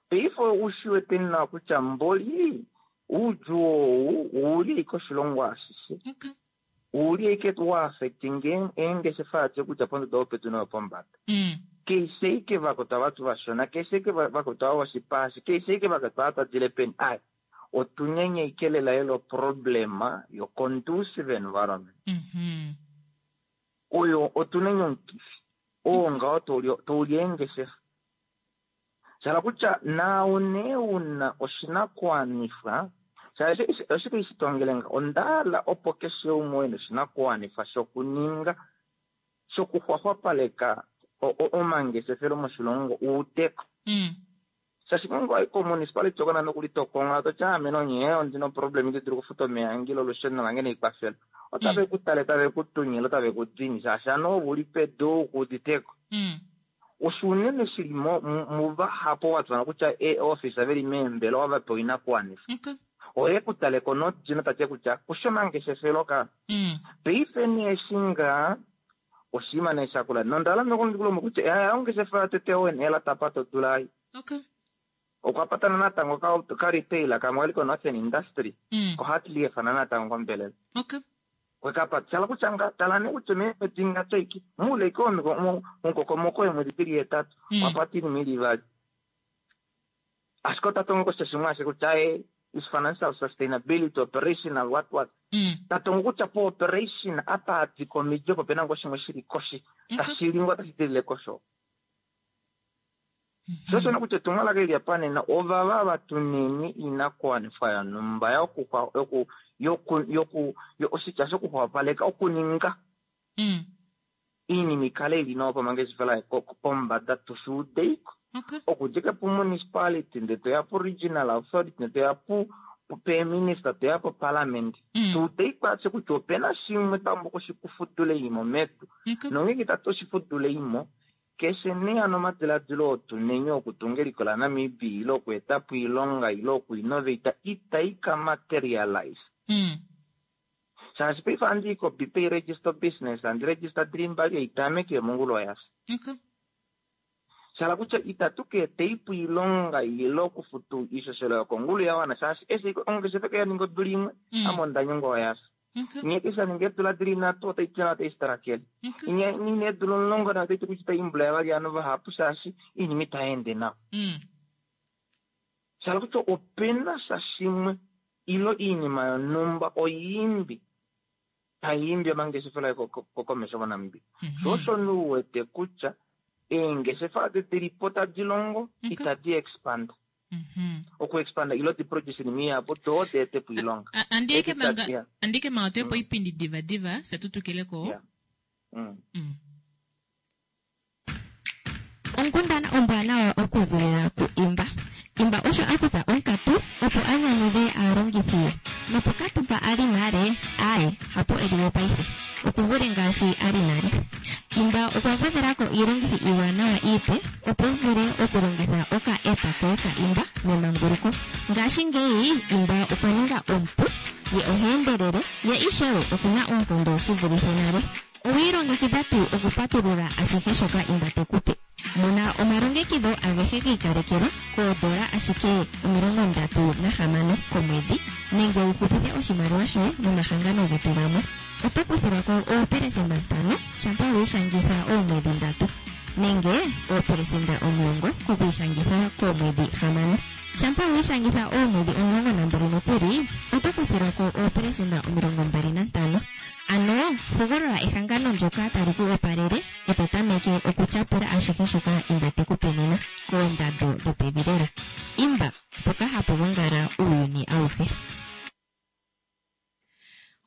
Paife ushiwete nawa kutya mboli oudjuu ou ouli ashike oshilongo ashishe. Ouli ashike wa affecting eengeshefa adishe kutya pondodo yopedu noyopombada. Keshe ike vakwetu avatu vashona, keshe ike vakwetu ava voshipa ashi, keshe ike vakwetu ava twadile peni aye. Otunyenyeike lela lela oproblema yo conducive environment. Oyo otunenye omukifi oo ngaho tauli eengeshefa. Shala kutya naau nee una oshinakuwanifwa, shaashi oshike ishi tongele nga onda hala opo keshe umwe ena oshinakuwanifwa shokuninga shokuxwaxwapaleka omangeshefelo moshilongo uudeko. Shaashi ngeenge wayi komunicipality oko nande okuli tokonga toti ame nonye ondina oproblem ite dulu okufuta omeya ange ile olusheno lange neikwafela. Otave ku tale tave ku tunyile otave ku dini shaashi ano ove uli pedu ku uditeko. Osho unene shili muvahapu ova kutya eeofisa veli meembelewa va pewa oinakuwanifwa. Oye ku taleko nodino tati kutya kusho omangeshefelo ka. Paife nee eshi ngaa oshinima nee shakula nonda hala nokundikulomwe kutya ongeshefa yotete owen tapata odula ai. Okwa patana natango ka retail kamwe kali ko Northern Industry ko Hartleaf natango kombelela. Kwekapa shala kutya nga tala nee kutya meemwedi ngato iki muule ike omukokomoko weemwedi dili hetatu wapata oinima ili ivali. Ashike ota tongo kosha shimwe ashike kutya is financial sustainability operational what what. Tatongo kutya po operation apa adika omidi opo pena ngoo shimwe shili koshi tashi li ngoo tashi dilile kosho. Sho osho kutya etumwalaka eli apa nena ovava vatuneni inakuwanifwa yonhumba oshitya shokuxwapaleka okuninga iinima ikale ili nawa pamangeshefelo pombada tushuudeiko. Okudja pu municipality ndee toya pu regional authority ndee toya pu peeminister toya po parliament. Tuudeiko atye kutya opena shimwe twa oshikufudula eimo medu. Nongeenge tatu oshifudula eimo keshe nee ano omadiladilo otunenye okutunga eliko laNamibia ile okuetapo oilonga ile okuinnovata itai ka materialize. Shaashi paife ohandi i koBPay register business handi register dili mbali eitameke yomongula oyafya. Shala kutya itatu ka eteipo oilonga ile okufuta oishoshela yokongulu ya wana shaashi eshi ongeshefa ke yaninga odula imwe ame onda nyengwa oyafya. Nye keshe aninga eedula dili nhatu otai ti otai sitarakele. Nye nina eedula 10 nayo otai ti kutya itai imbula yavali ovanhu vahapu shaashi oinima itai ende nawa. Shala kutya opena sha shimwe ile oinima yonhumba oyiimbi taiimbi omangeshefelo komesho moNamibia. Sho osho nee uwete kutya eengeshefa adi dilipo tadi longo itadi expand. Okuexpanda ilo di produce iinima ihapu doo di ete po oilonga. Andike manga toyepo oipindi diva diva fye tutukileko. Onkundana ombwanawa okuzilila ku Imba. Imba osho a kutha onkatu opo a nyanyudhe aalongithi ye. Nopokatu mpa a li nale, aaye, hapo e li we paife. Oku vule ngaashi a li nale. Imba okwa gwedhela ko iilongithi iiwanawa iipe opo wu vule okulongitha oka app koye ka Imba memanguluko. Ngashingeyi Imba okwa ninga omupu, ye oha endelele, ye ishewe oku na oonkondo shi vulithe nale. Owi ilongekidha tuu okupatulula ashihe shoka Imba te ku pe? Mona omalongekidho agehe gi ikalekelwa koodola ashike 36 komwedhi nenge wu hupithe oshimaliwa shoye nomahangano getu gamwe. Oto kuthilwa ko oopelesenda 5 shampa wi ishangitha oomwedhi 3 nenge oopelesenda 10 kokwiishangitha koomwedhi 6. Shampa wi ishangitha oomwedhi 12 nokuli oto kuthilwa ko oopelesenda 25. Ano hogolola ehangano ndyoka tali ku opalele e to tameke okutyapula ashihe shoka Imba te ku pe nena koondando dhopevi lela. Imba, mpoka hapu gongala uuyuni auhe.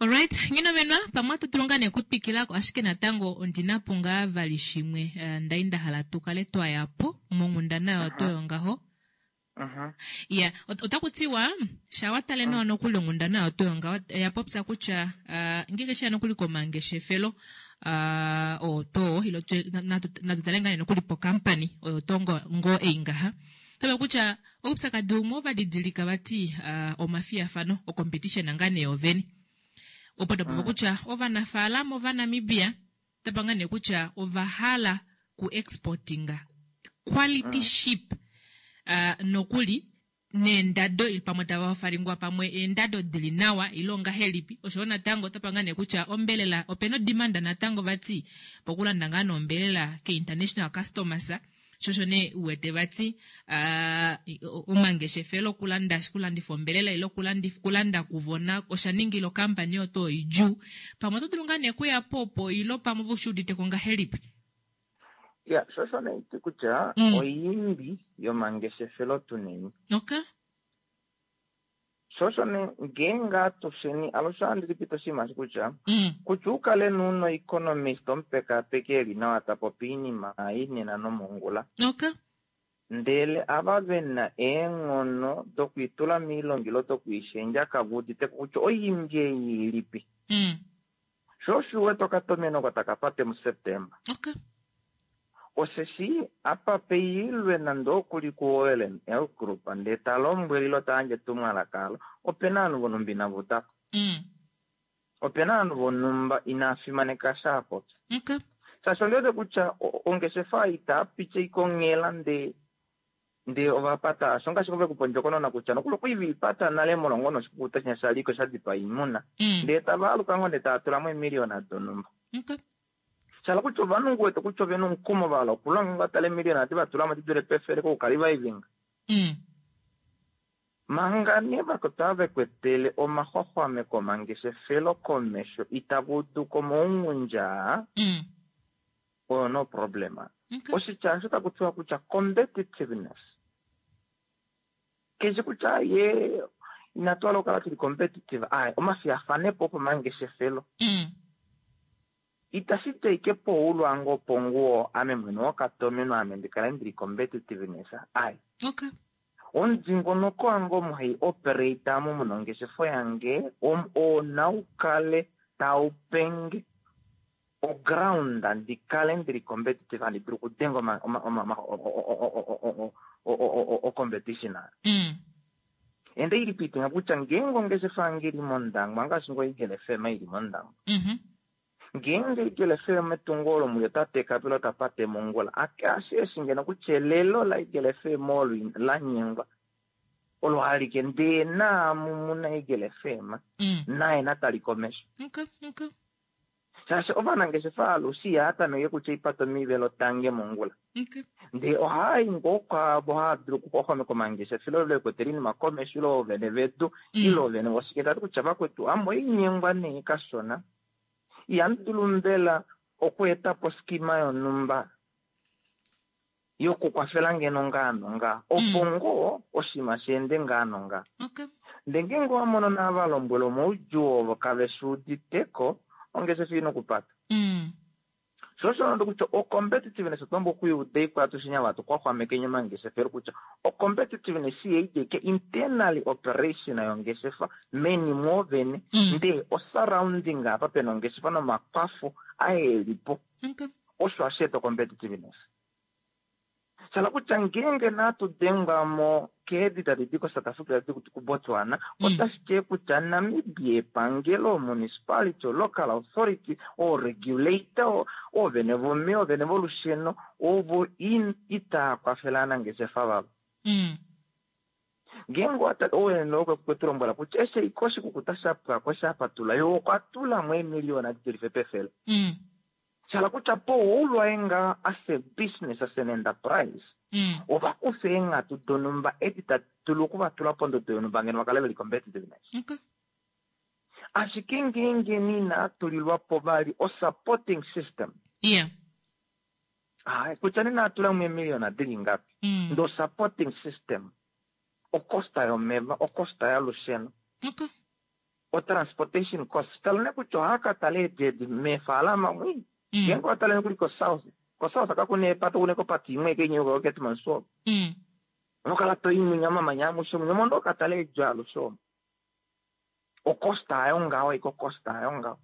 Alright, Nghinomenwa, pamwe ohatu dulu ngaa nee okutwikila ko, ashike natango ondina po ngaa vali shimwe ndali nda hala tu kale twa ya po monghundana yoto yongaho. Ya, otaku tiwa sha wa tale nawa nokuli onghundana yoto yongaho oya popya kutya ngeenge sheya nokuli komangeshefelo oto ilo natu tale ngaa nee nokuli pokampani oyo to ngoo ei ngaha. Tava kutya oupyakadi umwe ova didilika vati omafiyafano ocompetition ngaa nee yovene. Opo tapa kutya ovanafaalama Ovanamibia tapa ngaa nee kutya ova hala ku exportinga quality sheep nokuli neendado pamwe tava ofalingwa pamwe eendado dili nawa ile ongahelipi. Osho natango otapa ngaa nee kutya ombelela opena odimanda natango vati pokulanda ngaa nombelela ke international customers. Shosho nee uwete vati omangeshefelo okulanda okulandifa ombelela ile okulandifa okulanda kuvona osha ningila okampani oto idjuu. Pamwe oto dulu ngaa nee kuya po opo ilo pamwe ove ushi udite ko ngahelipi? Ya, sho osho nee ti kutya oiimbi yomangeshefelo tuneni. Okay. Sho osho nee ngeenge atusheni alushe ohandi lipita oshinima eshi kutya kutya u kale nee una oeconomist omupekapeki eli nawa ta popi oinima ei nena nomongula. Okay. Ndele ava vena eenghono dokwiitula moilonga ile dokwiishendja kave uditeko kutya oiimbi ei ilipi. Sho osho u wete okatomeno oko taka pate muSeptemba. Okay. Osheshi apa peilwe nande oku li kuOil and L Group ndee ta lombwele ile ta yandje etumwalaka alo, ope na ovanhu vonhumba inava uda ko. Ope na ovanhu vonhumba inava fimaneka eshi a popya. Okay. Shaashi ondi wete kutya ongeshefa itaa piti ashike onghela ndee Ndee ova pata osho ngaashi ove kupa ondjokonona kutya nokuli okwa li ve i pata nale molwa ngoo noshikukuta shinya sha liko sha dipaa oimuna. Ndee tava aluka ngoo ndee tava tula mo eemiliyona donhumba. Sha hala kutya ovanhu ngu wete kutya ove na omukumo va hala okulonga ngoo va tale eemiliyona edi va tula mo di dule pefele kokuka-reviving. Manga nee vakwetu ava ve kwetele omaxwaxwameko omangeshefelo komesho itava udu ko omaungundja aa, oyo no problem. Oshitya osho taku tiwa kutya competitiveness. Keshi kutya ye inatu hala okukala tuli competitive, aye, omafiyafanepo opomangeshefelo. Itashi ti ashike poulwango oponguwo ame mwene wokatomeno ame ndi kale ndili competitiveness, aye. Omudingonoko wange omo hai operate amo muna ongeshefa yange, oo nau kale tau penge oground ndi kale ndili competitive handi dulu okudenga oma oma oma o competition Ende ili piitinga kutya ngeenge ongeshefa yange ili mOndangwa ngaashi ngoo Eagle FM ili mOndangwa. Ngeenge Eagle FM etungo olo muli ota teka po ile ota pate mongula, ake ashe eshi ngeno kutya elelo laEagle FM olo la nyengwa olo alike ndee naamu muna Eagle FM naye na tali komesho. Okay, okay. Shaashi ovanangeshefa alushe ihaya tameke kutya oipata omivelo tange mongula. Ndee ohaya i ngoo kwaavo hava dulu okuxwaxwameka omangeshefelo ile vekwetele oinima komesho ile oovene vedu ile oovene voshike tava ti kutya vakwetu ame oinyengwa nee kashona. Ihamu dulu mbela okweeta po oskima yonhumba yokukwafela ngeno ngaa nongaa opo ngoo oshinima shi ende ngaa nongaa. Ndee ngeenge owa mono naava lombwela omaudjuu ovo kave shi udite ko, ongeshefa ina okupata. Sho osho nande kutya o-competitiveness otwa pumbwa okuiuda iko atushe ava hatu xwaxwamekeni omangeshefelo kutya o-competitiveness ihai di ashike internally operation yongeshefa meni mwoovene ndee o-surrounding apa pena ongeshefa nomakwafo aye e li po. Osho hashi eta o-competitiveness. Sha hala kutya ngeenge natu dengwa mo keedi tadi di koSouth Africa tadi di kuBotswana, otashi ti kutya Namibia epangelo, municipality, local authority, ooregulator, oovene vomeva, oovene volusheno, ovo itaa kwafele aanangeshefa vavo. Ngeenge owa tale, oovene okwe tu lombwela kutya eshi ashike oshikukuta sha pwa ko sha patula, ye okwa tula mo eemiliyona di dulife pefele. Sha hala kutya powoulwaye ngaa as a business, as an enterprise, ova kufa eenghatu donhumba edi tadi dulu oku va tula pondodo yonhumba ngeno va kale ve li competitiveness. Ashike ngeenge nee inaa tulilwa po vali o supporting system, Ae, kutya nee naa tula mo eemiliyona di li ngapi, ndee o supporting system, o cost yomeva, o cost yolusheno, O transportation cost, tala nee kutya ohaya ka tala eedi edi meefaalama mwi. Ngeenge owa tale nokuli ko south, ko south kaku na eepate, oku na ike opate imwe ike inya yuka koKeetmanshoop. Oho kala to i mwinya omamanya amushe mwinya, omo ndo ka tala eedi alushe omo. O cost hayo ngaho ashike o cost hayo ngaho.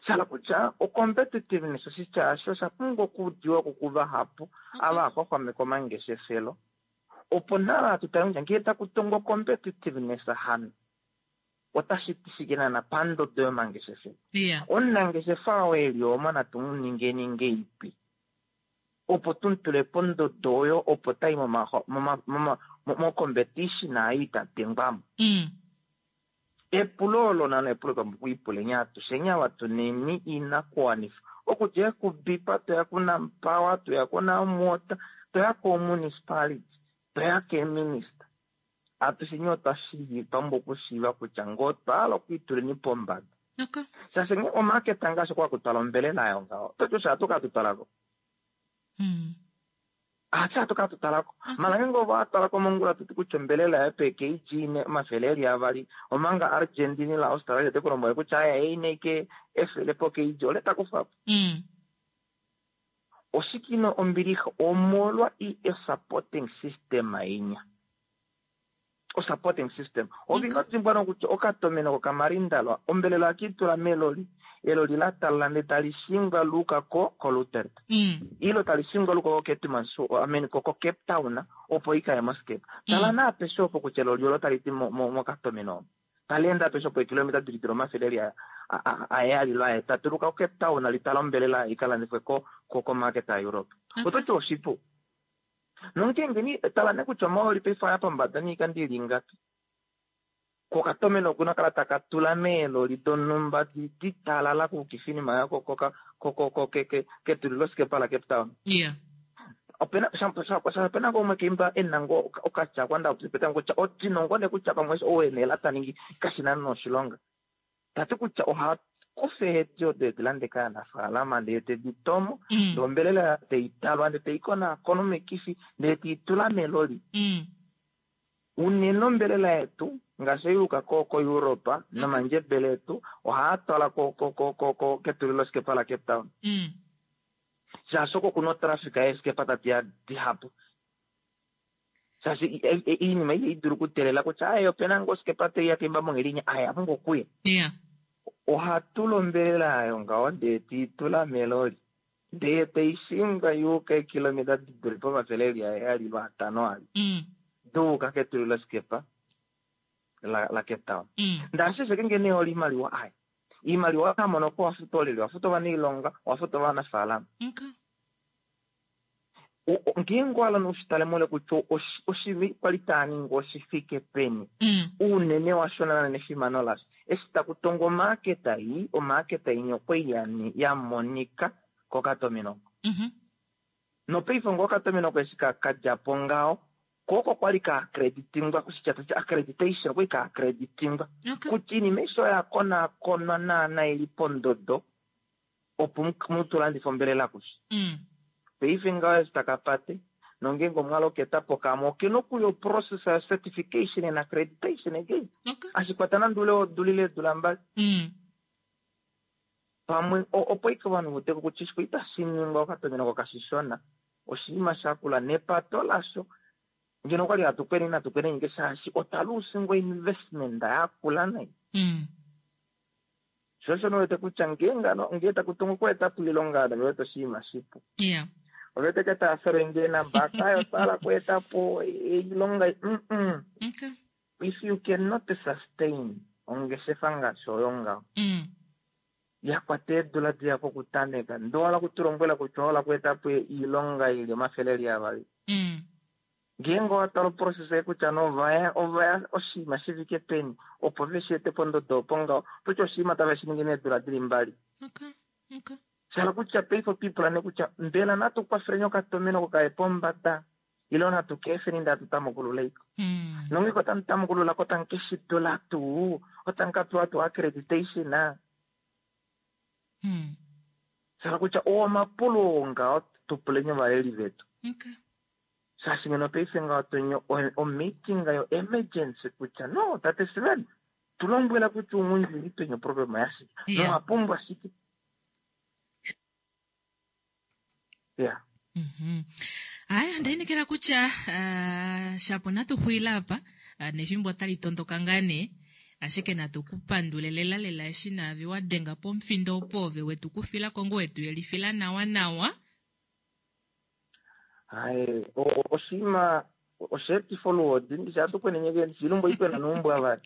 Sha hala kutya o competitiveness oshitya osho osha pumbwa okuudiwa ko kuvahapu ava hava xwaxwameke omangeshefelo. Opo nale hatu tale kutya ngee taku tongwa competitiveness hano otashi ti shike naana pandodo yomangeshefelo. Omunangeshefa oo e li omo natu mu ningeni ngeipi opo tu mu tule pondodo oyo opo tayi mo competition ayo ita dengwa mo. Epulo olo nano epulo twa pumbwa okwiipuleni atusheni ava tuneni iinakuwanifwa okudja kuBipa toya kuNamPower toya kuNamWater toya koomunicipality toya keeminista atusheni otwa pumbwa okushiiva kutya ngee otwa hala okwiituleni pombada shaashi ngee omaketa ngaashi okwa kutwala ombelela ayo ngaho ototi osho hatu ka tutwalako Hatse hatu ka tutalako mala ngeenge ovo atwalako mongula toti kutya ombelela yaye pe kg ine 200 omanga Argentine la Australia te kulombwele kutya aya eine ike 100 po kg ole takufapo oshike ino ombilixa omolwa i supporting system inya o supporting system ove ino dimbwa nokutya okatomeno kokamarindalwa ombelela ohakiitula meloli eloli la talala ndee tali shingwa luuka ko koLutert ilo tali shingwa luuka koKeetmanshoop I mean ko koCape Town opo ikaye moskepa tala nee apeshe opo kutya eloli olo tali di mokatomeno omo tali ende apeshe opo eekilometa dili dili omafele eli aheyali lo ahetatu luuka koCape Town litala ombelela ikalandifwe ko komarket yaEurope ototi oshipu Nongeenge ni tala nee kutya omahooli paife oaya pombada niikando ili ingapi. Kokatomeno okuna kala taka tula meeloli donhumba di ditalala kuukifa oinima yako koka ko ko ke ketulilosikepa la Cape Town. Yeah. Opena opena ngoo umwe keimba ena ngoo okatya kwa nda petango kutya odino ngoo nee kutya pamwe ou ena ela ta ningi kashina noshilonga. Ta ti kutya oha kufa eedi odo edi lande kaanafaalama ndee te di tomo, ndee ombelela tei talwa ndee tei konaakona omikifi ndee tei tula meloli. Unene ombelela yetu ngaashi ei yuuka ko koEurope nomandjebele etu ohaa twala ko ko ko ko ko ketulilosikepa laCape Town. Shaashi oko kuna otrafika yeeskepa tadi ya dihapu. Shaashi iinima ihayi dulu okuteelela kutya aye opena ngoo osikepa tai ya kemba monghedi inya aye apumbwa okuya. Yeah. Oha tula ombelela ayo ngaho ndee tei tula meloli ndee tai shingwa yuuka eekilometa di dule pomafele eli aheyali lwaatano ali duuka ketulilosikepa la la Cape Town. Ndee ashike sheke nee ola iimaliwa aye. Iimaliwa oyo amono ko owafuta olyelye? Owafuta ovanailonga, owafuta ovanafaalama. Okay. Ngeenge owa hala ushitale mole kutya oshimi kwali taa ningi oshifike peni uunene washo naana nefimano lasho eshi taku tongwa omaaketa ii omaaketa inya okwali ya monika kokatomeno oko nopaife ngoo okatomeno oko eshi ka dja po ngaho ko oko kwali ka accreditingwa oshitya tashi accreditation okwali ka accreditingwa kutya iinima aishe oya konaakonwa naana ili pondodo opo mu tu landife ombelela kufye. Paife ngaho eshi taka pate, nongeenge omwa loketa po kamwe, okena okuya oprocess yo certification and accreditation again. Hashi kwata nande oule wodula ile eedula mbali. Pamwe opo ashike ovanhu va udeko kutya eshi itashi ningwa okatomeno oko kashishona, oshinima shakula nepato lasho ngeno okwali hatu kwene inatu kwena ashike shaashi otwa luusingwa investment yakula nai. Sho osho wete kutya ngeenge ano ngee taku tungu okweeta po oilonga ove wete oshinima shipu. Yeah. Ove wete ke tava fele nge nambaka ayo otwa hala okweeta po oilonga mm. Okay. If you cannot sustain ongeshefa ngaashi oyo ngaho ya kwata eedula dihapu okutameka ndee owa hala okutulombwela kutya owa hala okweeta po oilonga ili omafele eli avali Ngeenge owa tala oprocess ei kutya nee ovaya ovaya oshinima shi fike peni opo ve shi ete pondodo opo ngaho, oto ti oshinima tave shi ningi meedula dili mbali. Sha hala kutya paife otwa ipula nee kutya mbela natu kwafeleni okatomeno oko kaye pombada ile natu ka efeni ndee hatu tamukulula iko. Nongeenge otamu tamukulula ko otamu ke shi dula tuu? Otamu ka pewa tuu accreditation? Sha hala kutya oo omapulo oo ngaho tu puleni ovaleli vetu. Shaashi ngeno paife ngaho to nyo o meeting yo emergency kutya no tate Sven tu lombwela kutya uunghundi uli peni oproblema yashike Yeah. nowa pumbwa shike. Yeah. Aya, onda inekela kutya ah, shapo natu xulile apa ah, nefimbo otali tondoka ngaa nee ashike natu ku pandule lela lela eshi naave wa denga pomufindo opo ove wetu kufila ko ngoo wetu yelifila nawa nawa Haye, oshinima osheetifa oluhodi, ndishi hatu kwenenye ke, ndishi ilumbo ikwena nuumbwa vali.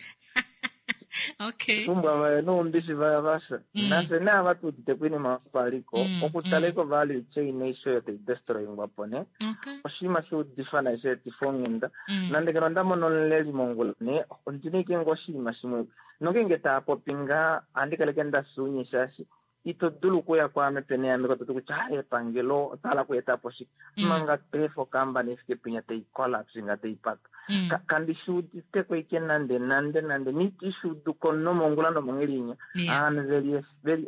Okay. Pumbwa vaye noumbishi vaya vasha. Nafye nee ava tuudite koinima yopaliko, okutala iko value chain aishe oyo tai destroyingwa po nee. Okay. Oshinima shuudifa nai sha etifa onghenda. Nande ngeno onda mono omuleli mongula nee, ondina ashike ngoo oshinima shimwe. Nongeenge taa popi ngaa, ohandi kala ashike nda fya ounye shaashi ito dulu okuya kwaame pene yambeko to ti kutya ah, epangelo otwa hala okueta po shike manga peefa okambani ifike pinya tai collapse nga tai pata. Kandi shi udite ko ike nande nande nande niti shi udu ko nomongula nomonghelinya. Ovanhu veli veli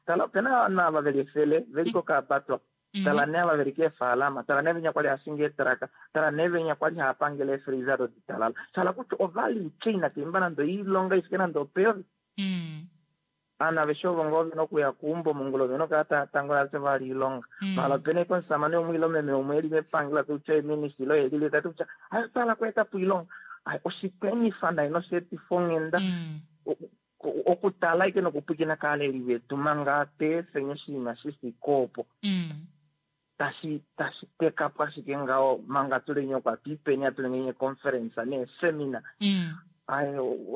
tala opena ovanhu ava veli efele veli kokaapatwa. Tala nee ava veli keefaalama, tala nee venya kwali hashingi eetraka, tala nee venya kwali hava pangele eefreezer doditalala. Sha hala kutya ovalue chain kaimba nande oilonga ifike nande opeyovi. Ovanhu aveshe ovo ngoo vena okuya keumbo mongula ovena okukala tava tangola tava vali oilonga. Maala opena ashike omusamane umwe ile omeme umwe eli mepangelo ta ti kutya oye minister ile oye lili ta ti kutya ai otwa hala okweeta po oilonga. Ai oshikwenifa nai nosheetifa onghenda okutala ashike nokupwiikina kaaleli vetu manga tweefeni oshinima shi fike opo. Tashi tashi teka po ashike ngaho manga tuli okwa twiipeni hatu ningi eeconference neeseminar. Ai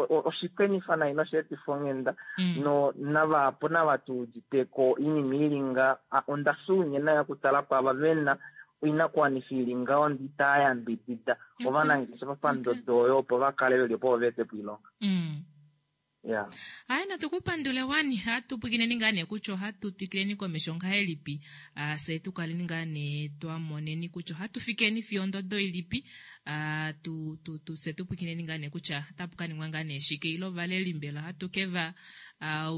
oshikwenifa nai nosheetifa onghenda no navahapu nava tu udite ko oinima ili nga onda fya ounye nayo okutala kwaava vena oinakuwanifa ili ngaho ndee itaa yambidida ovanangeshefa pandodo oyo opo va kale veli opo va ete po oilonga. Ya. Aye natu ku pandule wani hatu pwikineni ngaa nee kutya ohatu twikileni komesho ngahelipi ah, fye tu kaleni ngaa nee twa moneni kutya ohatu fikeni fiyo ondodo ilipi ah, tu, tu, tu, fye tu pwikineni ngaa nee kutya otapu ka ningwa ngaa nee shike ile ovaleli mbela ohatu ke va ah,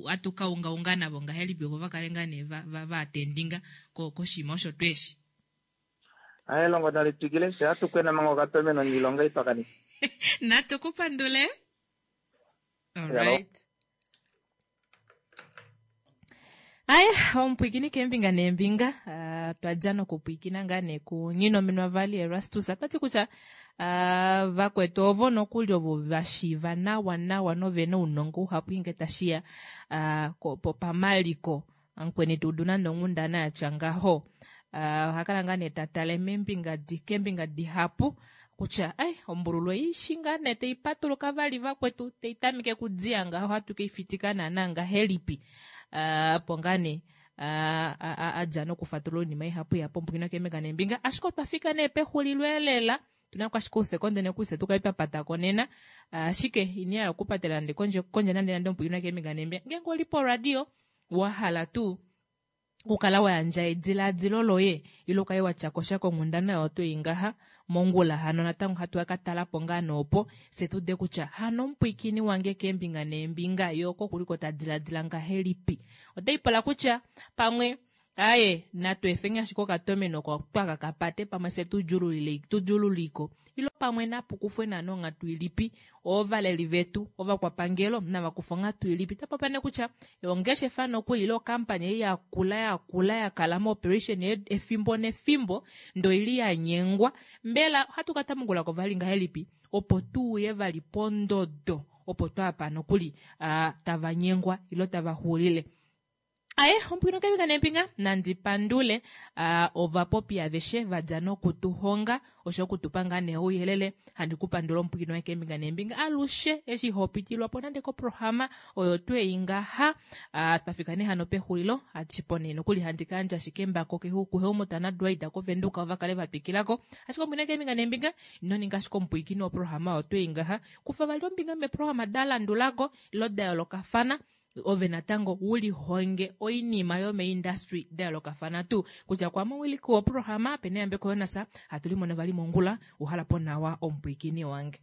hatu ka ungaunga navo ngahelipi opo va kale ngaa nee va, va, va atendinga ko, koshinima osho tweshi. Aye elongo nali twikile fye ohatu kwena manga okatomeno niilonga itwa kanifa. Natu ku pandule. Alright. Aye, omupwikini keembinga neembinga uh, twa dja nokupwikina ngaa nee kuNginominwa Vali Erastus ota ti kutya uh, vakwetu ovo nokuli ovo va shiiva nawa nawa nove na ounongo uhapu nge tashi ya uh, pamaliko Amukweni tu udu nande onghundana ya tya ngaho. Uh, oha kala ngaa nee ta tale meembinga di, keembinga dihapu kutya ai ombululu ei shi ngaa nee tai patuluka vali vakwetu tai tameke kudiya ngaho ohatu ke i fitika naana ngahelipi. Uh, opo ngaa nee uh, a, a dja nokufatulula oinima ihapu ihapu ombukina keembinga neembinga ashike otwa fika nee pexulilo elela tuna ko ashike ousekonde nekuse tu kale twa pata ko nena ashike ini hala okupatela nande kondje kondje nande nande omupwilikini keembinga neembinga ngeenge oli poradio wa hala tuu okukala wa yandja ediladilo loye ile ukale wa tya kosha konghundana oyo twei ngaha mongula hano natango hatu ka tala po ngaa noopo fye tu ude kutya hano omupwiikini wange keembinga neembinga ye oko kuliko ta diladila ngahelipi otai pula kutya pamwe Aye, natu efeni ashike okatomeno oko twaka ka pate pamwe fye tu djululile tu djululiko ilo pamwe napu kufwe naana onghatu ilipi ovaleli vetu ovakwapangelo nava kufe onghatu ilipi ta popi nee kutya ongeshefa nokuli ile okampani ei yakula yakula ya kala mooperation efimbo nefimbo ndee oili ya nyengwa mbela ohatu ka tamukula ko vali ngahelipi opo tu uye vali pondodo opo twaapa nokuli tava nyengwa ilo tava xulile. Aye, ompwino kembinga nembinga nandi pandule uh, ovapopi aveshe va dja nokutuhonga osho okutupa ngaa nee ouyelele. Handi ku pandula omupwikini waye kembinga nembinga alushe eshi ho pitilwa po nande koprograma oyo twei ngaha. Uh, twa fika nee hano pexulilo achipo nee nokuli handi ka yandja ashike embako kuHelmut naDwight koVenduka ova kale va twikila ko. Ashike omupwikini kembinga nembinga ino ninga ashike omupwikini woprograma oyo twei ngaha. Kufa vali ombinga meprograma da landulako ilo da yoolokafana ove natango u lihonge oinima yomeindustry da yoolokafana tuu kutya kwa muwiliki woprograma pene yambeko Jonas hatu limono vali mongula uhala po nawa omupwiikini wange.